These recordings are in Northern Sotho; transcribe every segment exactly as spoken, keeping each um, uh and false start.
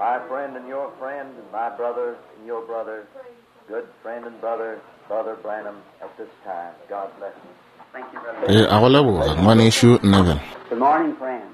My friend and your friend, and my brother and your brother, good friend and brother, Brother Branham, at this time. God bless you. Thank you, brother. E a go leboga ngwanešu Neville. Good morning, friends.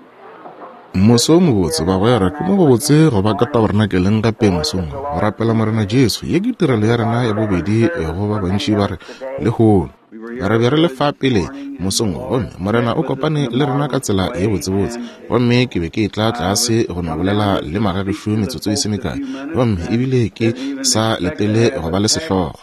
Moso o mobotse bagwera, ke mo gobotse go ba ka tabernakeleng gape mosong go rapela Morena Jesu. Ye ke tirelo ya rena ya bobedi go ba bantši ba re lehono. Re be re le fa pele mosong gomme Morena o kopane le rena ka tsela ye botsebotse, gomme ke be ke tla tlase go no bolela le magagešu metsotso e se mekae, gomme ebile ke sa letele go ba le sehlogo.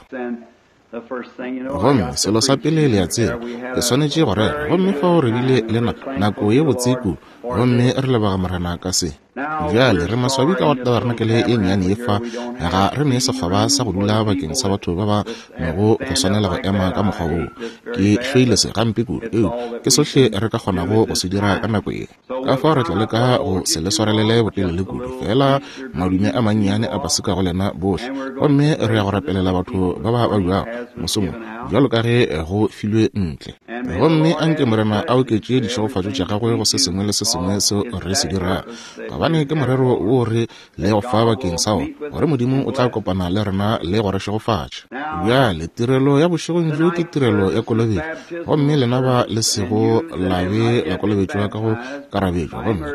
Gomme selo sa pele le a tseba, ke swanetše go rera, gomme fao re bile le nako ye botse kudu, gomme re leboga Morena ka se. Bjale re maswabi ka go tabernakele ye nnyane ye fa, ga re ne sekgoba sa go dula bakeng sa batho ba ba nego go swanela go ema ka mokgwa woo. Ke hloile se gampe kudu, eo ke sohle re ka kgonago go se dira ka nako ye. Ka fao re tla leka go se le swarelele botelele kudu, fela madume a mannyane a paseka go lena bohle, gomme re ya go rapelela batho ba ba babjago mosong bjalo ka ge go filwe ntle. Gomme anke Morena a oketše ditšhegofatšo tša gagwe go se sengwe le se sengwe seo re se dirago, gobane ke morero wo re le go fa bakeng sa wona, gore Modimo o tla kopana le rena le go re šegofatša. Bjale tirelo ya bošegong bjo ke tirelo ya kolobetšo, gomme lena ba le sego la be la kolobetšwa ka go karabetšwa, gomme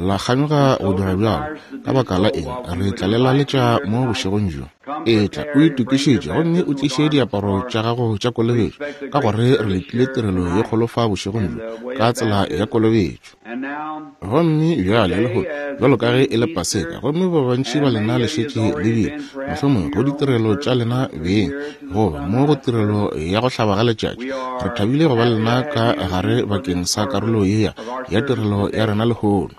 la kganyoga go dira bjalo, ka baka la eng re tla le laletša mo bošegong bjo. Etla o itokišetše gomme o tliše diaparo tša gago tša kolobetšo, ka gore re letile tirelo ye kgolo fa bošegong bjo ka tsela ya kolobetšo. Gomme bjale lehono bjalo ka ge e le Paseka, gomme ba bantši ba lena le šetše le bile mohlomongwe go ditirelo tša lena beng goba mo go tirelo ya go hlaba ga letšatši, re thabile go ba lena ka gare bakeng sa karolo ye ya tirelo ya rena lehono.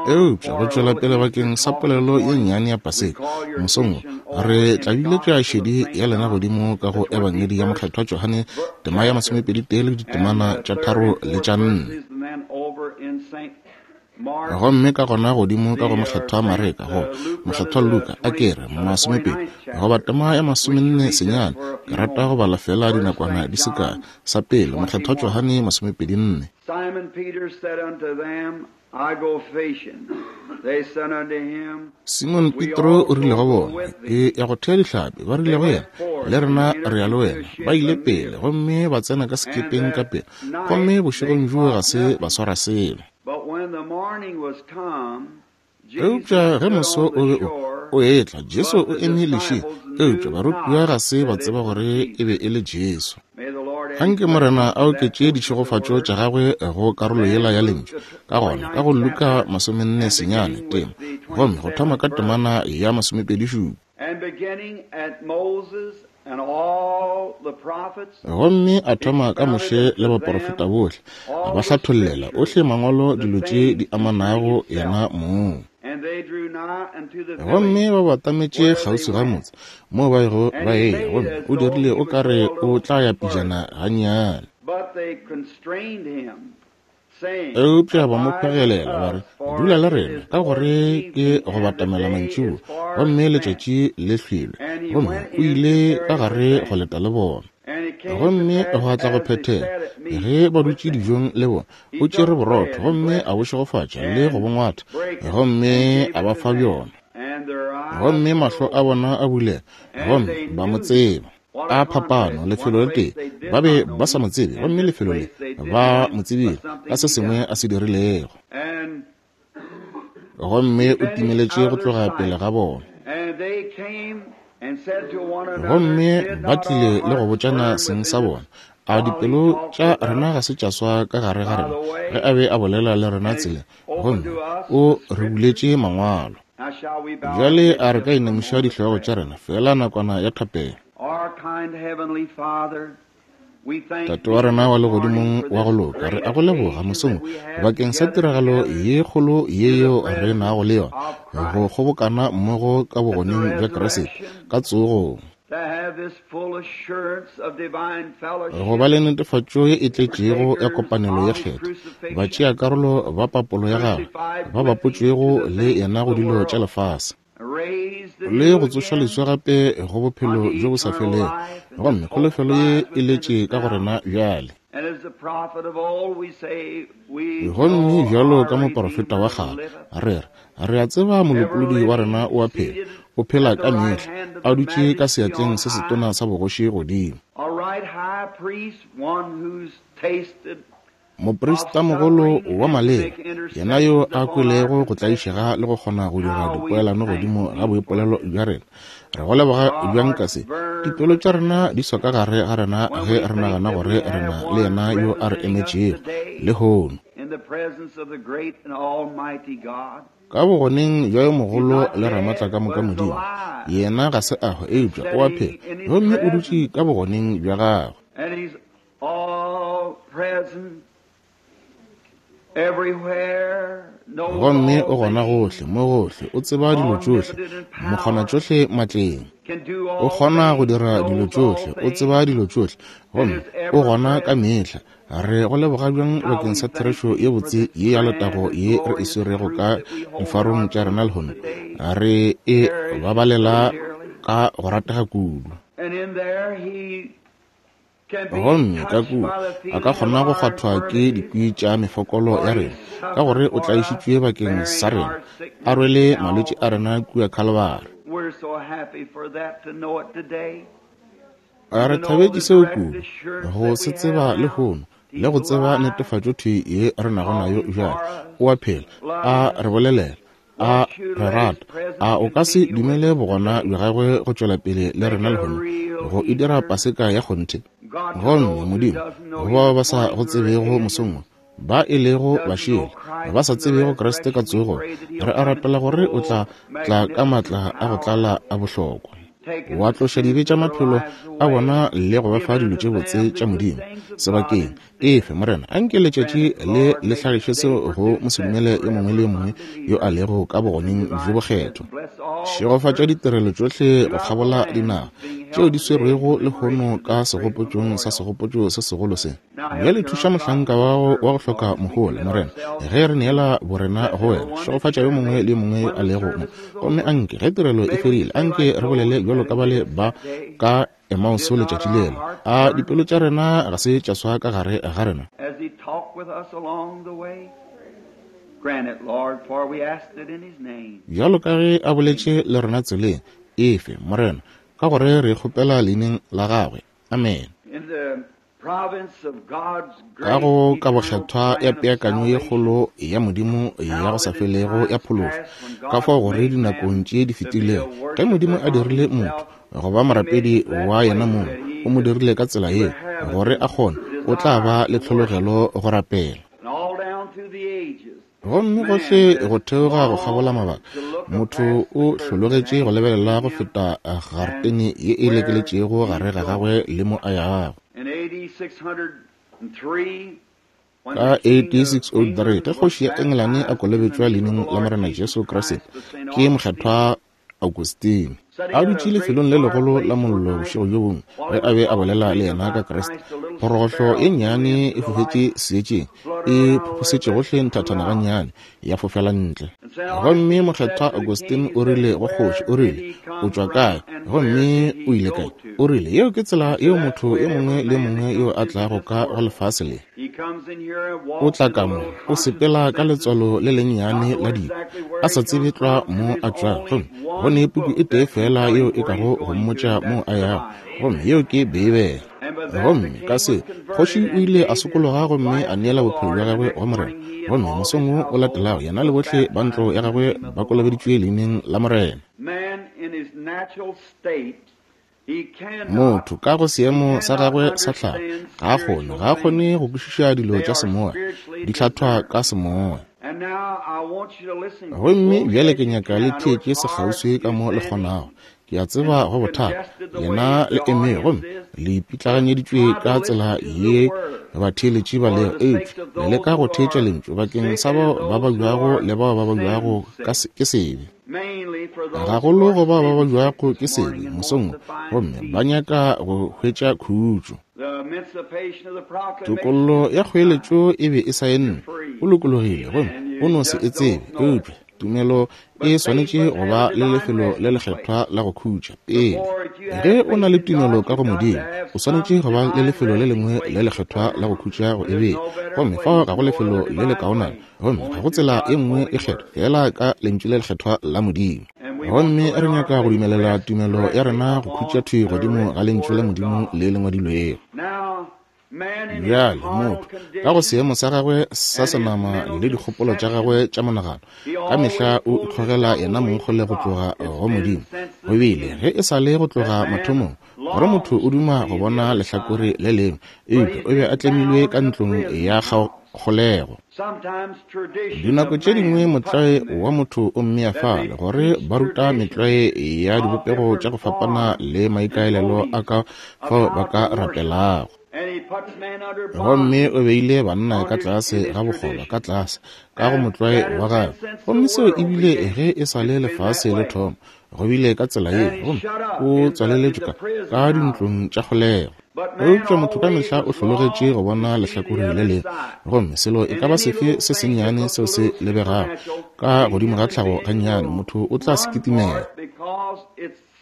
Eupša go tšwela pele bakeng sa polelo ye nnyane ya Paseka mosong wo, re tla biletša šedi ya lena godimo ka go Ebangedi ya Mokgethwa Johane tema ya masomepedi tee le ditemana tša tharo le tša nne. Gomme ka gona godimo ka go Mokgethwa Mareka go Mokgethwa Luka a ke re masomepedi goba tema ya masomenne senyane, ke rata go bala fela dinakwana di se kae. Sa pele Mokgethwa Johane masomepedi nne. Simon Peter said unto them, I go fishing. They said unto him, Simon Petro o rile go bona, ke ya go thea dihlapi. Ba rile go yena, le rena re ya le wena. Ba ile pele gomme ba tsena ka sekepeng ka pele, gomme bošegong bjoo ga se ba swara selo. But when the morning was come, Eupša ge moso o be o o etla, Jesu o eme lešing, eupša barutiwa ga se ba tseba gore e be e le Jesu. May the Lord add Anke Morena a oketše ditšhegofatšo tša gagwe go karolo yela ya lentšu. Ka gona ka go Luka masomenne senyane tema, gomme go thoma ka temana ya masomepedi šupa. And beginning at Moses and all the prophets, Gomme a thoma ka Moshe le baporofeta bohle, a ba hlathollela ohle mangwalo dilo tše di amanago yena mong. and they drew nigh unto the Gomme village ba batametše kgauswi ga motse moo ba bego ba eya, gomme o dirile o ka re o tla ya pejana gannyane. But they constrained him, saying, Eupša ba mo Abide phegelela with ba re, us, for dula le it rena, is ka toward gore ke evening, go and the batamela day mantšiboa, is far gomme advanced. letšatši le hlwelwe. And he Gomme went o in to ile ka tarry gare with go them. leta le bona. And it came to Gomme pass, gwa tla go as they phethega, sat at meat ge ba with dutše them, dijong le bona, he o tšere took borotho bread and gomme blessed a bo it, šegofatša le go and bo ngwatha, brake it, gomme and gave a it ba to fa them. bjona. And their eyes Gomme were mahlo a opened, bona a bulega, and gomme they ba mo knew him. tseba. What a A phapano, contrast. One lefelo le place tee they did ba be not know ba sa him, mo tsebe, and gomme this lefelo le place they did ba know him mo by tsebile ka something se he sengwe done. a se dirilego. And Gomme he o vanished timeletše out go of their tloga pele sight. ga bona. And they came and said to one another, Gomme Did ba not our tlile le go hearts botšana burn seng within sa us bona, a while he dipelo talked tša with rena us ga se tša swa ka gare ga by rena the ge way? a be a bolela le rena And he tseleng, opened gomme to us o the re scriptures. buletše mangwalo. Now shall we bow our Bjale heads a re ka just for a inamiša moment of dihlogo tša prayer? rena fela nakwana ya thapelo. Our kind Heavenly Father, we thank Tate wa Thee rena this wa morning legodimong for wa go this loka, re great a go leboga occasion mosong that we have bakeng to sa gather tiragalo together ye kgolo ye in the yeo re presence nago le yona, of go Christ, kgobokana mmogo ka at the bogoneng bja Kriste resurrection, ka tsogong, to have this full assurance of divine go ba fellowship, le netefatšo ye e tletšego ya partakers kopanelo ye of His kgethwa, crucifixion, batšeakarolo ba papolo ya gagwe, crucified ba with Him to bapotšwego the le things yena of go the dilo tša world, lefase, raised le anew go tsošwa again leswa gape go bophelo unto bjo bo sa eternal felego. life, and Gomme this hope kholofelo ye lies e within letše us ka go now. rena bjale. And as the Gomme bjalo ka moporofeta wa kgale, re re re a tseba molopolodi wa rena o a phela, o phela ka mehla, a dutše ka seatleng se setona sa bogoši godimo. Moprista-mogolo wa maleba, yena yo a kwelego go tlaišega le go kgona go dira dipoelano godimo ga boipolelo bja rena. Re go leboga bjang ka se. Dipelo tša rena di swa ka gare ga rena ge re nagana gore re na le yena yo a re emetšego lehono. Ka bogoneng bja yo mogolo le ramatla ka moka Modimo, yena ga se a hwa eupša o a phela, gomme o dutše ka bogoneng bja gagwe. Gomme o gona gohle, mo gohle, o tseba dilo tšohle, mokgona tšohle matleng. O kgona go dira dilo tšohle, o tseba dilo tšohle, gomme o gona ka mehla. Re go leboga bjang bakeng sa therešo ye botse ye ya letago ye re e swerego ka difarong tša rena lehono. Re e babalela ka go ratega kudu. Gomme ka kua a ka kgona go kgwathwa ke dikwi tša mefokolo ya rena, ka gore o tlaišitšwe bakeng sa rena, a rwele malwetši a rena kua Kalvari. A re thabetše seo kudu, go se tseba lehono, le go tseba netefatšo thwi ye re nago nayo bjale. O a phela, a re bolelela, a re rata. A o ka se dumele bogona bja gagwe go tšwela pele le rena lehono, go e dira paseka ya kgonthe? Gomme Modimo, go bao ba sa go tsebego mosong wo, ba e lego bašele, ba sa tsebego Kriste ka tsogo, re a rapela gore o tla tla ka matla a go tlala a bohlokwa, wa tloša dibe tša maphelo a bona le go ba fa dilo tše botse tša Modimo sebakeng efe. Morena, anke letšatši le le hlagiše seo go mosedumele yo mongwe le yo mongwe yo a lego ka bogoneng bjo bokgethwa. Šegofatša ditirelo tšohle go kgabola dinaga tšeo di swerwego lehono ka segopotšong sa segopotšo se segolo se. Bjale thuša mohlanka wa wa go hloka mohola, Morena, ge re neela borena go wena. Šegofatša yo mongwe le yo mongwe yo a lego mo, gomme anke ge tirelo e fedile, anke re bolele bjalo ka bale ba ka Emauso letšatši lela. A dipelo tša rena ga se tša swa ka gare ga rena? Bjalo ka ge a boletše le rena tseleng, efe, Morena, ka gore re kgopela leineng la gagwe. Amen. Ka go ka bokgethwa ya peakanyo ye kgolo ya Modimo ya go sa felego ya phološo, ka fao gore dinakong tše di fetilego ge Modimo a dirile motho go ba morapedi wa yena mong, o mo dirile ka tsela yeo gore a kgone, o tla ba le tlhologelo go rapela. Gomme gohle go theoga go kgabola mabaka, motho o hlologetše go lebelela go feta garetene ye e lekeletšego gare ga gagwe le mo a yago. Ka A D six oh three, ge kgoši ya Engelane a kolobetšwa leineng la Morena Jesu Kriste ke mokgethwa Augustine, a dutše lefelong le legolo la mollo bošego bjo bongwe ge a be a bolela le yena ka Kriste. Phorogohlo e nnyane e fofetše seetšeng, e phophosetše gohle nthathana gannyane, ya fofela ntle. Gomme mokgethwa Augustine o rile go kgoši, o rile, o tšwa kae gomme o ile kae? O rile, yeo ke tsela yeo motho yo mongwe le mongwe yo a tlago ka go lefase le. O tla ka mo, o sepela ka letswalo le lennyane la diko, a sa tsebe tlwa mo a tšwago, gomme go ne puku e tee fela yeo e kago go mmotša mo a yago, gomme yeo ke Beibele. Gomme ka se, kgoši o ile a sokologa gomme a neela bophelo bja gagwe go Morena. Gomme mosong wo o latelago, yena le bohle ba ntlo ya gagwe ba kolobeditšwe leineng la Morena. Motho ka go seemo sa gagwe sa tlhago ga a kgone, ga a kgone go kwešiša dilo tša semoya, di hlathwa ka semoya. Gomme bjale ke nyaka le theetše sekgauswi ka mo le kgonago. Ke a tseba go bothata, lena le eme gomme le ipitlaganyeditšwe ka tsela ye batheeletši ba lego, eupša le leka go theetša lentšu bakeng sa bao ba babjago le bao ba babjago ke sebe, gagolo go bao ba babjago ke sebe mosong, gomme ba nyaka go hwetša khutšo. Tokollo ya kgoeletšo e be e saennwe, o lokologile gomme o no se e tsebe, eupša Tumelo e swanetše go ba le lefelo le lekgethwa la go khutša pele. Ge o na le tumelo ka go Modimo, o swanetše go ba le lefelo le lengwe le lekgethwa la go khutša go e bea. Gomme fao ga go lefelo le lekaonana, gomme ga go tsela e nngwe e kgethwa fela ka lentšu le lekgethwa la Modimo. Gomme re nyaka go dumelela tumelo ya rena go khutša thwi godimo ga lentšu la Modimo le le ngwadilwego. Bjale motho ka go seemo sa gagwe sa senama le dikgopolo tša gagwe tša monagano ka mehla o ikgogela yena mong kgole go tloga go Modimo. Go bile ge e sa le go tloga mathomong gore motho o duma go bona lehlakore le lengwe, eupša o be a tlemilwe ka ntlong ya kgolego. Dinako tše dingwe motlwae wa motho o mmea fale gore ba ruta metlwae ya dibopego tša go fapana le maikaelelo a ka fao ba ka rapelago. Gomme o beile banna ka tlase ga bokgoba ka tlase ka go motlwae wa gagwe. Gomme seo ebile ge e sa le lefase le thoma, go bile ka tsela ye, gomme o tswaleletšwe ka ka dintlong tša kgolego. Eupša motho ka mehla o hlologetše go bona lehlakore le lengwe, gomme selo e ka ba sefe se sennyane seo se lebegago ka godimo ga tlhago gannyane, motho o tla se kitimela.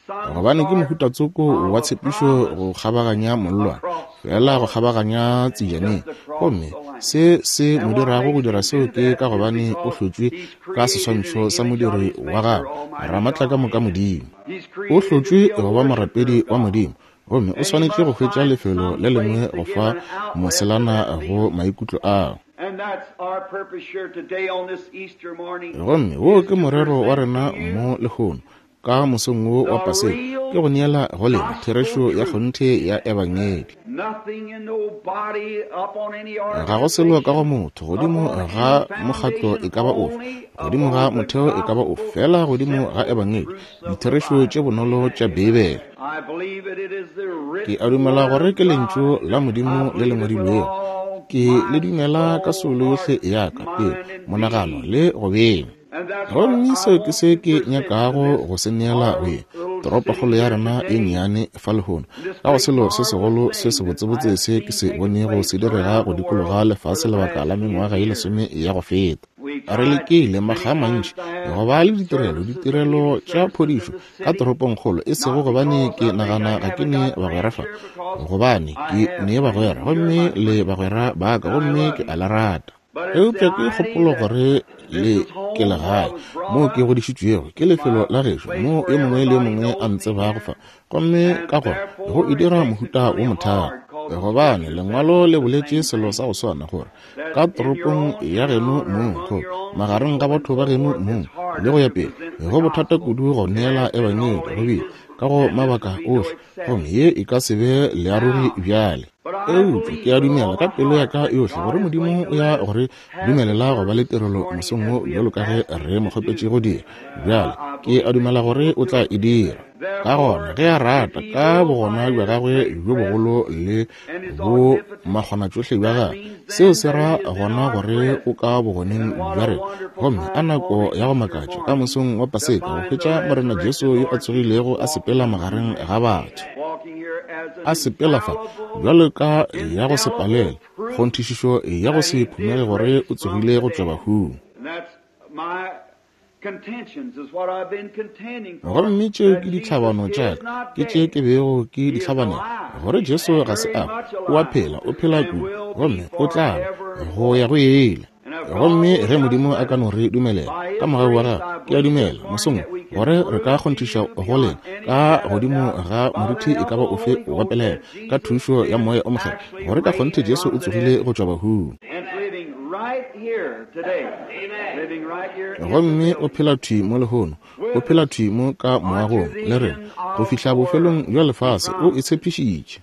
Gobane ke mohuta tsoko wa tshepišo go kgabaganya mollwane, fela go kgabaganya tsejaneng. Gomme se se mo dirago go dira seo ke ka gobane o hlotšwe ka seswantšho sa modiri wa gagwe, Ramatlakamoka Modimo. O hlotšwe go ba morapedi wa Modimo, gomme o swanetše go hwetša lefelo le lengwe go fa moselana go maikutlo ao. Gomme wo ke morero wa rena mo lehono ka mosong wo wa Paseka, ke go neela go lena therešo ya kgonthe ya Ebangedi. Ga go selo ka go motho godimo ga mokgatlo e ka ba ofe, godimo ga motheo e ka ba ofe, fela godimo ga Ebangedi, ditherešo tše bonolo tša Beibele. Ke a dumela gore ke lentšu la Modimo le le ngwadilwego. Ke le dumela ka soulo yohle ya ka, pelo, monagano le go beng. Gomme seo ke se ke nyakago go se neela go ye toropokgolo ya rena e nnyane fa lehono, ka go selo se segolo se sebotsebotse se ke se bonego se direga go dikologa lefase lebaka la mengwaga ye lesome ya go feta. Re lekile makga a mantši go ba le ditirelo ditirelo tša phodišo ka toropongkgolo, e sego gobane ke nagana ga ke ne bagwera fa, gobane ke ne bagwera gomme le bagwera ba ka, gomme ke a le rata. Eupša ke kgopolo gore le ke legae moo ke godišitšwego, ke lefelo la gešo moo yo mongwe le yo mongwe a ntsebago fa, gomme ka gona go e dira mohuta wo mothata. Gobane lengwalo le boletše selo sa go swana gore ka toropong ya geno mong, go magareng ga batho ba geno mong, le go ya pele, go bothata kudu go neela Ebangedi go bile ka go mabaka ohle, gomme ye e ka se be learogi bjale. Eupša ke a dumela ka pelo ya ka yohle gore Modimo o ya gore dumelela go ba le tirelo mosong wo bjalo ka ge re mo kgopetše go dira. Bjale ke a dumela gore o tla e dira. Ka gona ge a rata ka bogona bja gagwe bjo bogolo le bo makgonatšohle bja gagwe, seo se ra gona gore o ka bogoneng bja rena. Gomme a nako ya go makatša ka mosong wa Paseka go hwetša Morena Jesu yo a tsogilego a sepela magareng ga batho, a sepela fa bjalo ka ya go se palele, kgonthišišo ya go se phumege gore o tsogile go tšwa bahung. Gomme tšeo ke ditlhabano tša ka, ke tše ke bego ke di hlabanela, gore Jesu ga se a o a phela, o phela kudu, gomme o tla ba go ya go ile. Gomme ge Modimo a ka no re dumelela ka mogau wa gagwe, ke a dumela mosong gore re ka kgonthiša go lena ka godimo ga moruti e ka ba ofe wa pelego ka thušo ya Moya o Mokgethwa gore ka kgonthe Jesu o tsogile go tšwa bahung. Gomme o phela thwi mo lehono, o phela thwi mo ka moagong le rena go fihla bofelong bja lefase, o e tshepišitše.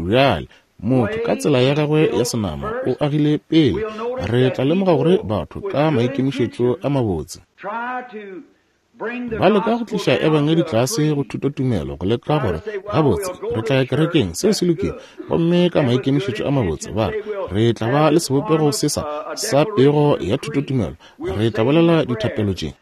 Bjale motho ka tsela ya gagwe ya senama o agile pele. Re tla lemoga gore batho ka maikemišetšo a mabotse ba leka go tliša Ebangedi tlase go thutotumelo, go leka gore gabotse re tla ya kerekeng, seo se lokile, gomme ka maikemišetšo a mabotse ba re re tla ba le sebopego se sa sa pego ya thutotumelo, re tla bolela dithapelo tše,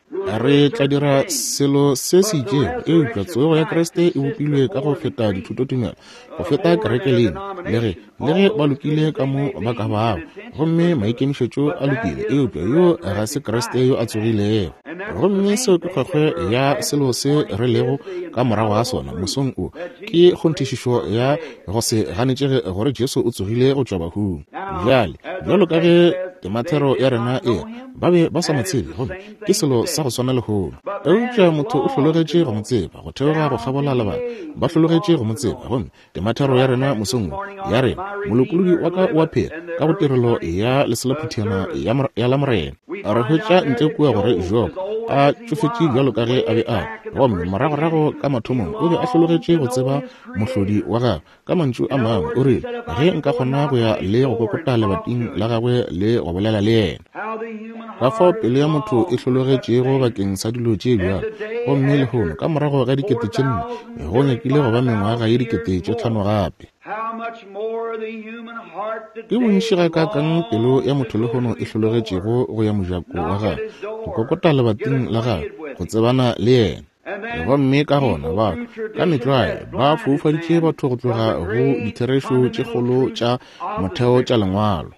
Re tla dira selo se se itšego, eupša tsogo ya Kriste e bopilwe ka go feta dithutotumelo, go feta kereke lena, le ge, le ge ba lokile ka mo ba ka bago, gomme maikemišetšo a lokile, eupša yo ga se Kriste yo a tsogilego. Gomme seo ke kgwekgwe ya selo se re lego ka morago ga sona mosong o, ke kgonthišišo ya go se ganetšege gore Jesu o tsogile go tšwa bahung. Bjale, bjalo ka ge temathero ya rena e, ba be ba sa mo tsebe, gomme ke selo sa go swana lehono. Eupša motho o hlologetše go mo tseba, go theoga go kgabola lebaka, ba hlologetše go mo tseba. Gomme temathero ya rena mosong wo ya rena, molopolodi wa ka o a phela ka go tirelo ya leselophuthana ya la Morena. Re hwetša ntle kua gore Job a tšofetše bjalo ka ge a be a, gomme moragorago ka mathomong o be a hlologetše go tseba mohlodi wa gagwe. Ka mantšu a mangwe o rile, ge nka kgona go ya le go kokota lebating la gagwe le go bolela le yena. Ka fao pelo ya motho e hlologetšego bakeng sa dilo tše bjalo. Gomme lehono ka morago ga dikete tše nne, go nyakile go ba mengwaga ye dikete tše tlhano gape. Ke bontši gakaakang pelo ya motho lehono e hlologetšego go ya mojako wa gagwe, go kokota lebating la gagwe, go tsebana le yena. Gomme ka gona batho ka metlwae ba foufaditše batho go tloga go ditherešo tše kgolo tša motheo tša lengwalo.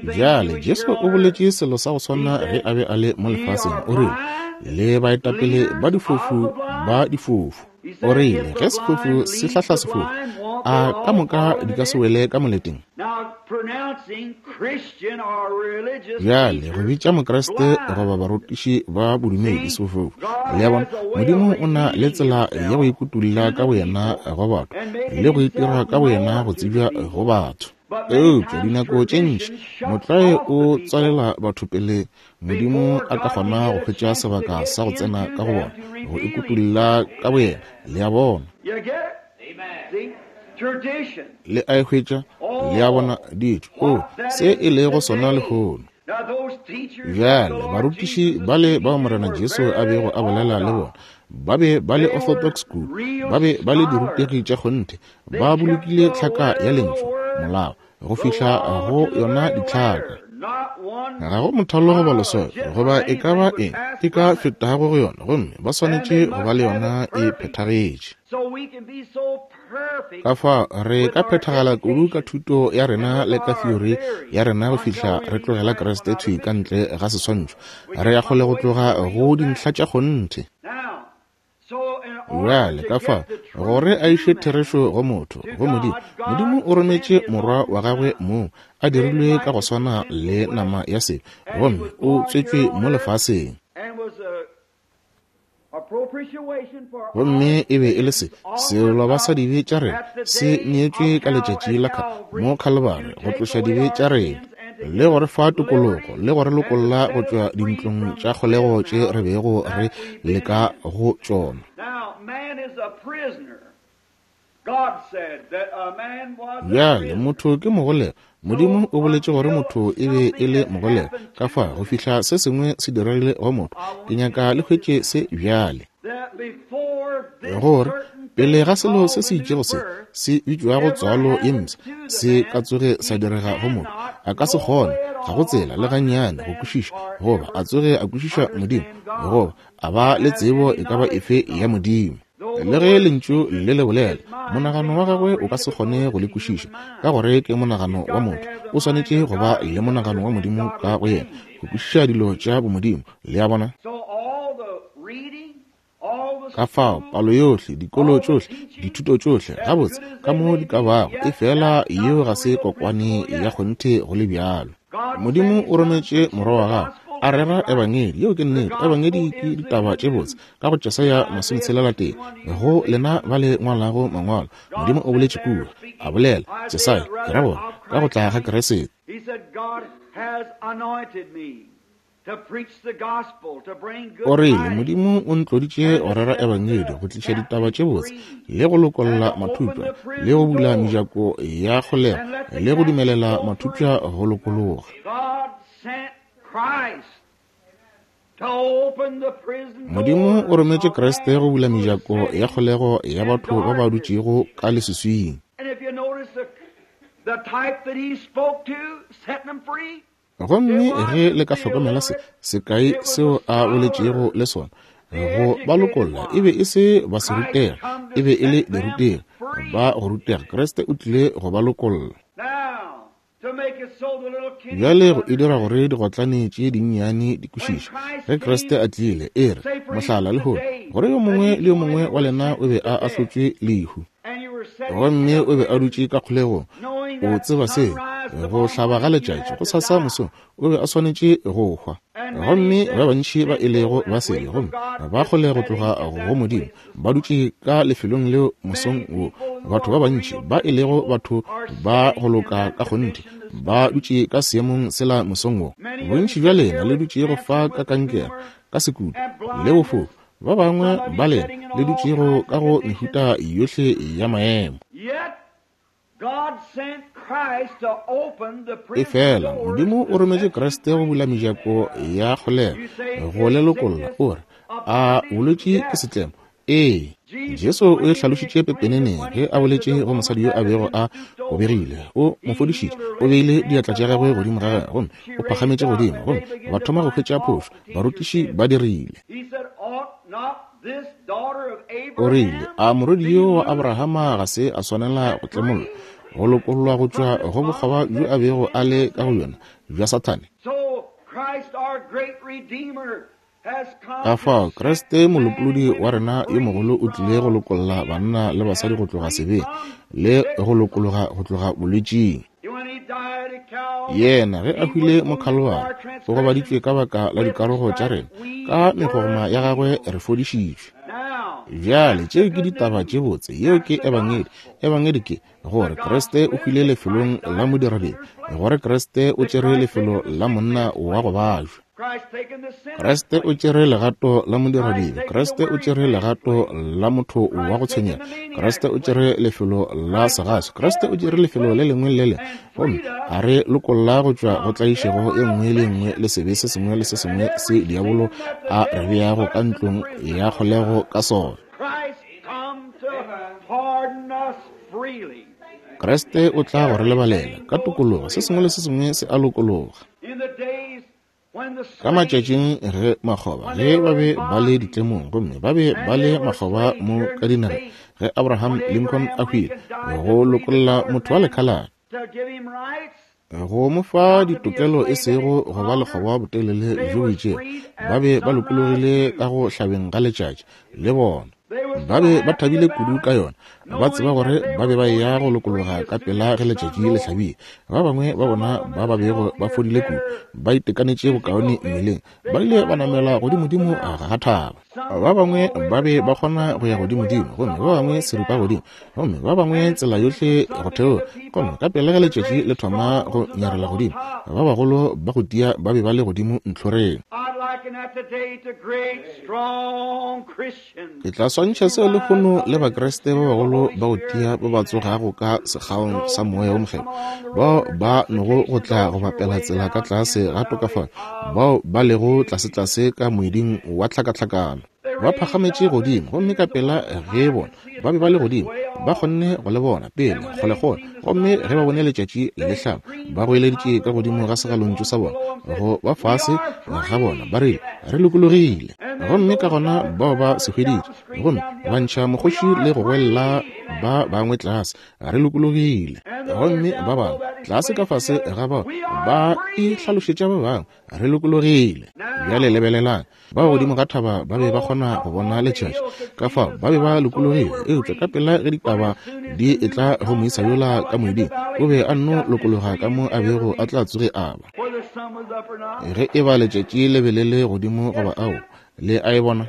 Bjale Jesu o boletše selo sa go swana ge a be a le mo lefaseng. O rile, le baetapele ba difofu ba difofu. O rile, ge sefofu se hlahla sefofu, a ka moka di ka se wele ka moleteng? Bjale go bitša Mokriste goba barutiši ba bodumedi sefofu. Le a bona, Modimo o na le tsela ya go ikutulla ka boyena go batho le go itira ka boyena go tsebja go batho. Eupša dinako tše ntši motlwae o tswalela batho pele Modimo a ka kgona go hwetša sebaka sa go tsena ka go bona, go ikutulla ka boyena. Le a bona? Le a e hwetša? Le a bona ditšo? O, se e lego sona lehono. Bjale barutiši bale bao Morena Jesu a bego a bolela le bona ba be ba le orthodox kudu, ba be ba le dirutegi tša kgonthe, ba bolokile tlhaka ya lentšu, molao, go fihla go yona ditlhaka. Ga go mothalo goba leswao goba e ka ba eng e ka fetago go yona, gomme ba swanetše go ba le yona e phethagetše. Ka fao re ka phethagala kudu ka thuto ya rena le ka theory ya rena go fihla re tlogela Kriste thwi ka ntle ga seswantšho. Re ya kgole go tloga go dintlha tša kgonthe. Bjale ka fao gore a iše therešo go motho, go Modimo, Modimo o rometše morwa wa gagwe moo a dirilwe ka go swana le nama ya sebe, gomme o tswetšwe mo lefaseng. Gomme e be e le se seloba sa dibe tša rena se neetšwe ka letšatši la mo Khalibari go tloša dibe tša rena, le go re fa tokologo, le go re lokolla go tšwa dintlong tša kgolego tše re bego re leka go tšona. Bjale motho ke mogolego. Modimo o boletše gore motho e be e le mogolego. Ka fa go fihla se sengwe se diregile go motho, ke nyaka le hwetše se bjale, gore pele ga selo se se itšego se se bitšwago tswalo ye mpsha se ka tsoge sa direga go motho, a ka se kgone, ga go tsela le gannyane go kwešiša, goba a tsoge a kwešiša Modimo, goba a ba le tsebo e ka ba efe ya Modimo. Le ge lentšu le le bolela, monagano wa gagwe o ka se kgone go le kwešiša, ka gore ke monagano wa motho. O swanetše go ba le monagano wa Modimo ka go yena go kwešiša dilo tša bomodimo. Le a bona? Ka fao palo yohle, dikolo tšohle, dithuto tšohle, gabotse ka mo di ka bago, e fela yeo ga se kokwane ya kgonthe go le bjalo. Modimo o rometše morwa wa gagwe a rera ebangedi. Yeo ke nnete. Ebangedi ke ditaba tše botse. Ka go Jesaya masometshelela tee, go lena ba le ngwalago mangwalo, Modimo o boletše kua, a bolela Jesaya, ke ra gore ka go tla ga Kriste. O rile, Modimo o ntloditše go rera ebangedi, go tliša ditaba tše botse, le go lokolla mathupša, le go bula mejako ya kgolego, le go dumelela mathupša go lokologa. Modimo o rometše Kriste go bula mejako ya kgolego ya batho ba ba dutšego ka leswiswing. Gomme ge le ka hlokomela se sekai seo a boletšego le sona, go ba lokolla e be e se ba se rutega, e be e le dirutegi ba go rutega. Kriste o tlile go ba lokolla. Bjale go e dira gore digotlane tše dinnyane di kwešiše. Ge Kriste a tlile, e re, mohlala lehono, gore yo mongwe le yo mongwe wa lena o be a ahlotšwe lehu, gomme o be a dutše ka kgolegong, o tseba se, go hlaba ga letšatši go sasa mosong, o be a swanetše go hwa. Gomme ba bantši ba e lego ba sebe gomme ba kgole go tloga go Modimo, ba dutše ka lefelong leo mosong wo. Batho ba bantši ba e lego batho ba go loka ka kgonthe ba dutše ka seemong sela mosong wo. Bontši bja lena le dutšego fa ka kankere, ka sekutu le bofofu, ba bangwe ba lena le dutšego ka go mehuta yohle ya maemo. Efela Modimo o rometše Kriste go bula mejako ya kgolego, go le lokolla. O re, a bolwetši ke setlemo? Ee. Jesu o e hlalošitše pepeneneng ge a boletše go mosadi yo a bego a obegile. O mo fodišitše, o beile diatla tša gagwe godimo ga gagwe, gomme o phagametše godimo, gomme ba thoma go hwetša phošo. Barutiši ba dirile. O rile, a morwedi yo wa Abrahama ga se a swanela go tlemollwa, go lokollwa go tšwa go bokgoba bjo a bego a le ka go yona bja Sathane? Ka fao Kriste molopolodi wa rena yo mogolo o tlile go lokolla banna le basadi go tloga sebeng le go lokologa go tloga bolwetšing. Yena ge a hwile mo Khalwari, o gobaditšwe ka baka la dikarogo tša rena, ka megogoma ya gagwe re fodišitšwe. Bjale tšeo ke ditaba tše botse, yeo ke ebangedi. Ebangedi ke gore Kriste o hwile lefelong la modiradibe, gore Kriste o tšere lefelo la monna wa go bajwa. Kriste o tšere legato la modiradibe, Kriste o tšere legato la motho wa go tshwenyega, Kriste o tšere lefelo la segaso, Kriste o tšere lefelo le lengwe le le lengwe, gomme a re lokolla go tšwa go tlaišego e nngwe le nngwe le sebe se sengwe le se sengwe se diabolo a re beago ka ntlong ya kgolego ka sona. Kriste o tla go re lebalela ka tokologo, se sengwe le se sengwe se a lokologa. Ka matšatšing ge makgoba ge ba be ba le ditlemong gomme ba be ba le makgoba mo ka dinageng, ge Abraham Lincoln a hwile, go lokolla motho wa lekhalate, go mo fa ditokelo e sego go ba lekgoba botelele bjo bo itšego, ba be ba lokologile ka go hlabeng ga letšatši le bona. Ba be ba thabile kudu ka yona, ba tseba gore ba be ba eya go lokologa ka pela ge letšatši le hlabile. Ba bangwe ba bona ba ba bego ba fodile kudu, ba itekanetše bokaone mmeleng, ba ile ba namela godimodimo ga thaba. Ba bangwe ba be ba kgona go ya godimodimo, gomme ba bangwe seripa godimo, gomme ba bangwe tsela yohle go theoga. Gomme ka pela ge letšatši le thoma go nyarela godimo, ba bagolo ba go tia ba be ba le godimo ntlhoreng. Ke tla swantšha seo lehono le Bakriste ba bagolo ba go tia ba ba tsogago ka sekgaong sa moya wo mokgethwa, bao ba nogo go tla go bapela tsela ka tlase ga tokafalo, bao ba lego tlasetlase ka moeding wa tlhakatlhakano. Ba phagametše godimo, gomme ka pela ge bona ba be ba le godimo, ba kgonne go le bona pele kgolekgole. Gomme ge ba bone letšatši le hlaba, ba goeleditše ka godimo ga segalontšu sa bona go ba fase ga bona, ba rile, re lokologile. Gomme ka gona bao ba se hweditše, gomme ba ntšha mokgoši le go goelela ba bangwe tlase, re lokologile. Gomme ba bangwe tlase ka fase ga bao ba ihlalošetša ba bangwe, re lokologile. Bjale lebelelang, ba godimo ga thaba ba be ba kgona go bona letšatši, ka fao ba be ba lokologile. Eupša ka pela ge ditaba di etla go moisa yola ka moeding, o be a nno lokologa ka mo a bego a tla tsoge a ba. Ge e ba letšatši le be le le godimo goba ao, le a e bona.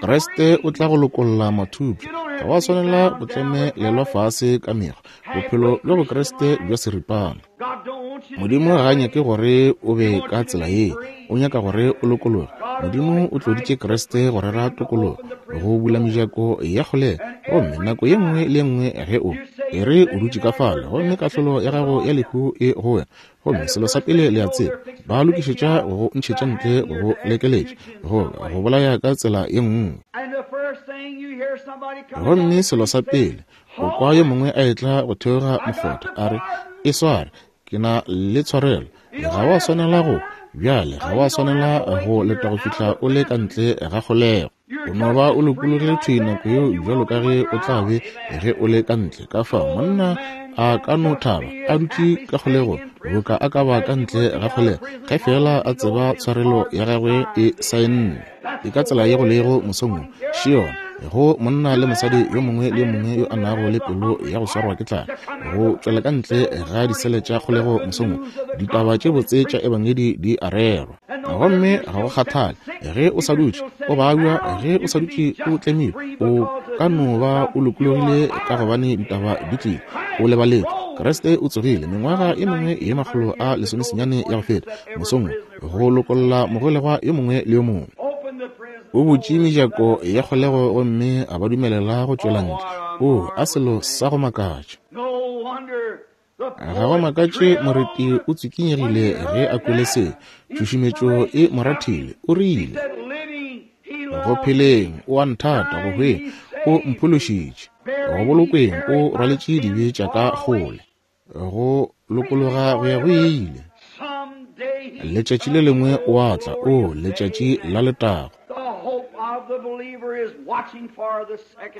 Kriste o tla go lokolla mathupša, ga wa swanela go tlemelelwa fase ka mekgwa, bophelo bja Bokriste bja seripana. Modimo ga a nyake gore o be ka tsela ye, o nyaka gore o lokologe. Modimo o tloditše Kriste go rera tokologo, go bula mejako ya kgolego. Gomme nako ye nngwe le nngwe ge o e re o dutše ka fale, gomme kahlolo ya gago ya lehu e go wena, gomme selo sa pele le a tseba, ba lokišetša go ntšhetša ntle, go lekeletša, go go bolaya ka tsela ye nngwe. Gomme selo sa pele o kwa yo mongwe a etla go theoga mokgotha, a re, e sware, Ke na le tshwarelo. Ga wa swanela go bjale, ga wa swanela go leta go fihla o le ka ntle ga kgolego. O no ba o lokologile thwi nako yeo bjalo ka ge o tla be ge o le ka ntle. Ka fao monna a ka no thaba a dutše ka kgolegong boka a ka ba ka ntle ga kgolego, ge fela a tseba tshwarelo ya gagwe e saenne. E ka tsela ye go lego mosong wo, še yona go monna le mosadi yo mongwe le yo mongwe yo a nago le pelo ya go swarwa ke tlala go tšwela ka ntle ga disele tša kgolego mosong wo. Ditaba tše botse tša ebangedi di a rerwa, gomme ga go kgathale ge o sa dutše o babja, ge o sa dutše o tlemilwe, o ka no ba o lokologile ka gobane ditaba di tlile. O lebaletšwe. Kriste o tsogile mengwaga e mengwe ye makgolo a lesomesenyane ya go feta mosong wo go lokolla mogolegwa yo mongwe le yo mongwe. O butše mejako ya kgolego gomme a ba dumelela go tšwela ntle. O a selo sa go makatša. Ga go makatše moreti o tsikinyegile ge a kwele se. Tšhušumetšo e mo rathile. O rile, go pheleng o a nthata, go hweng o mphološitše, go bolokweng o rwaletše dibe tša ka kgole, go lokologa go ya go ile. Letšatši le lengwe o a tla, o letšatši la letago.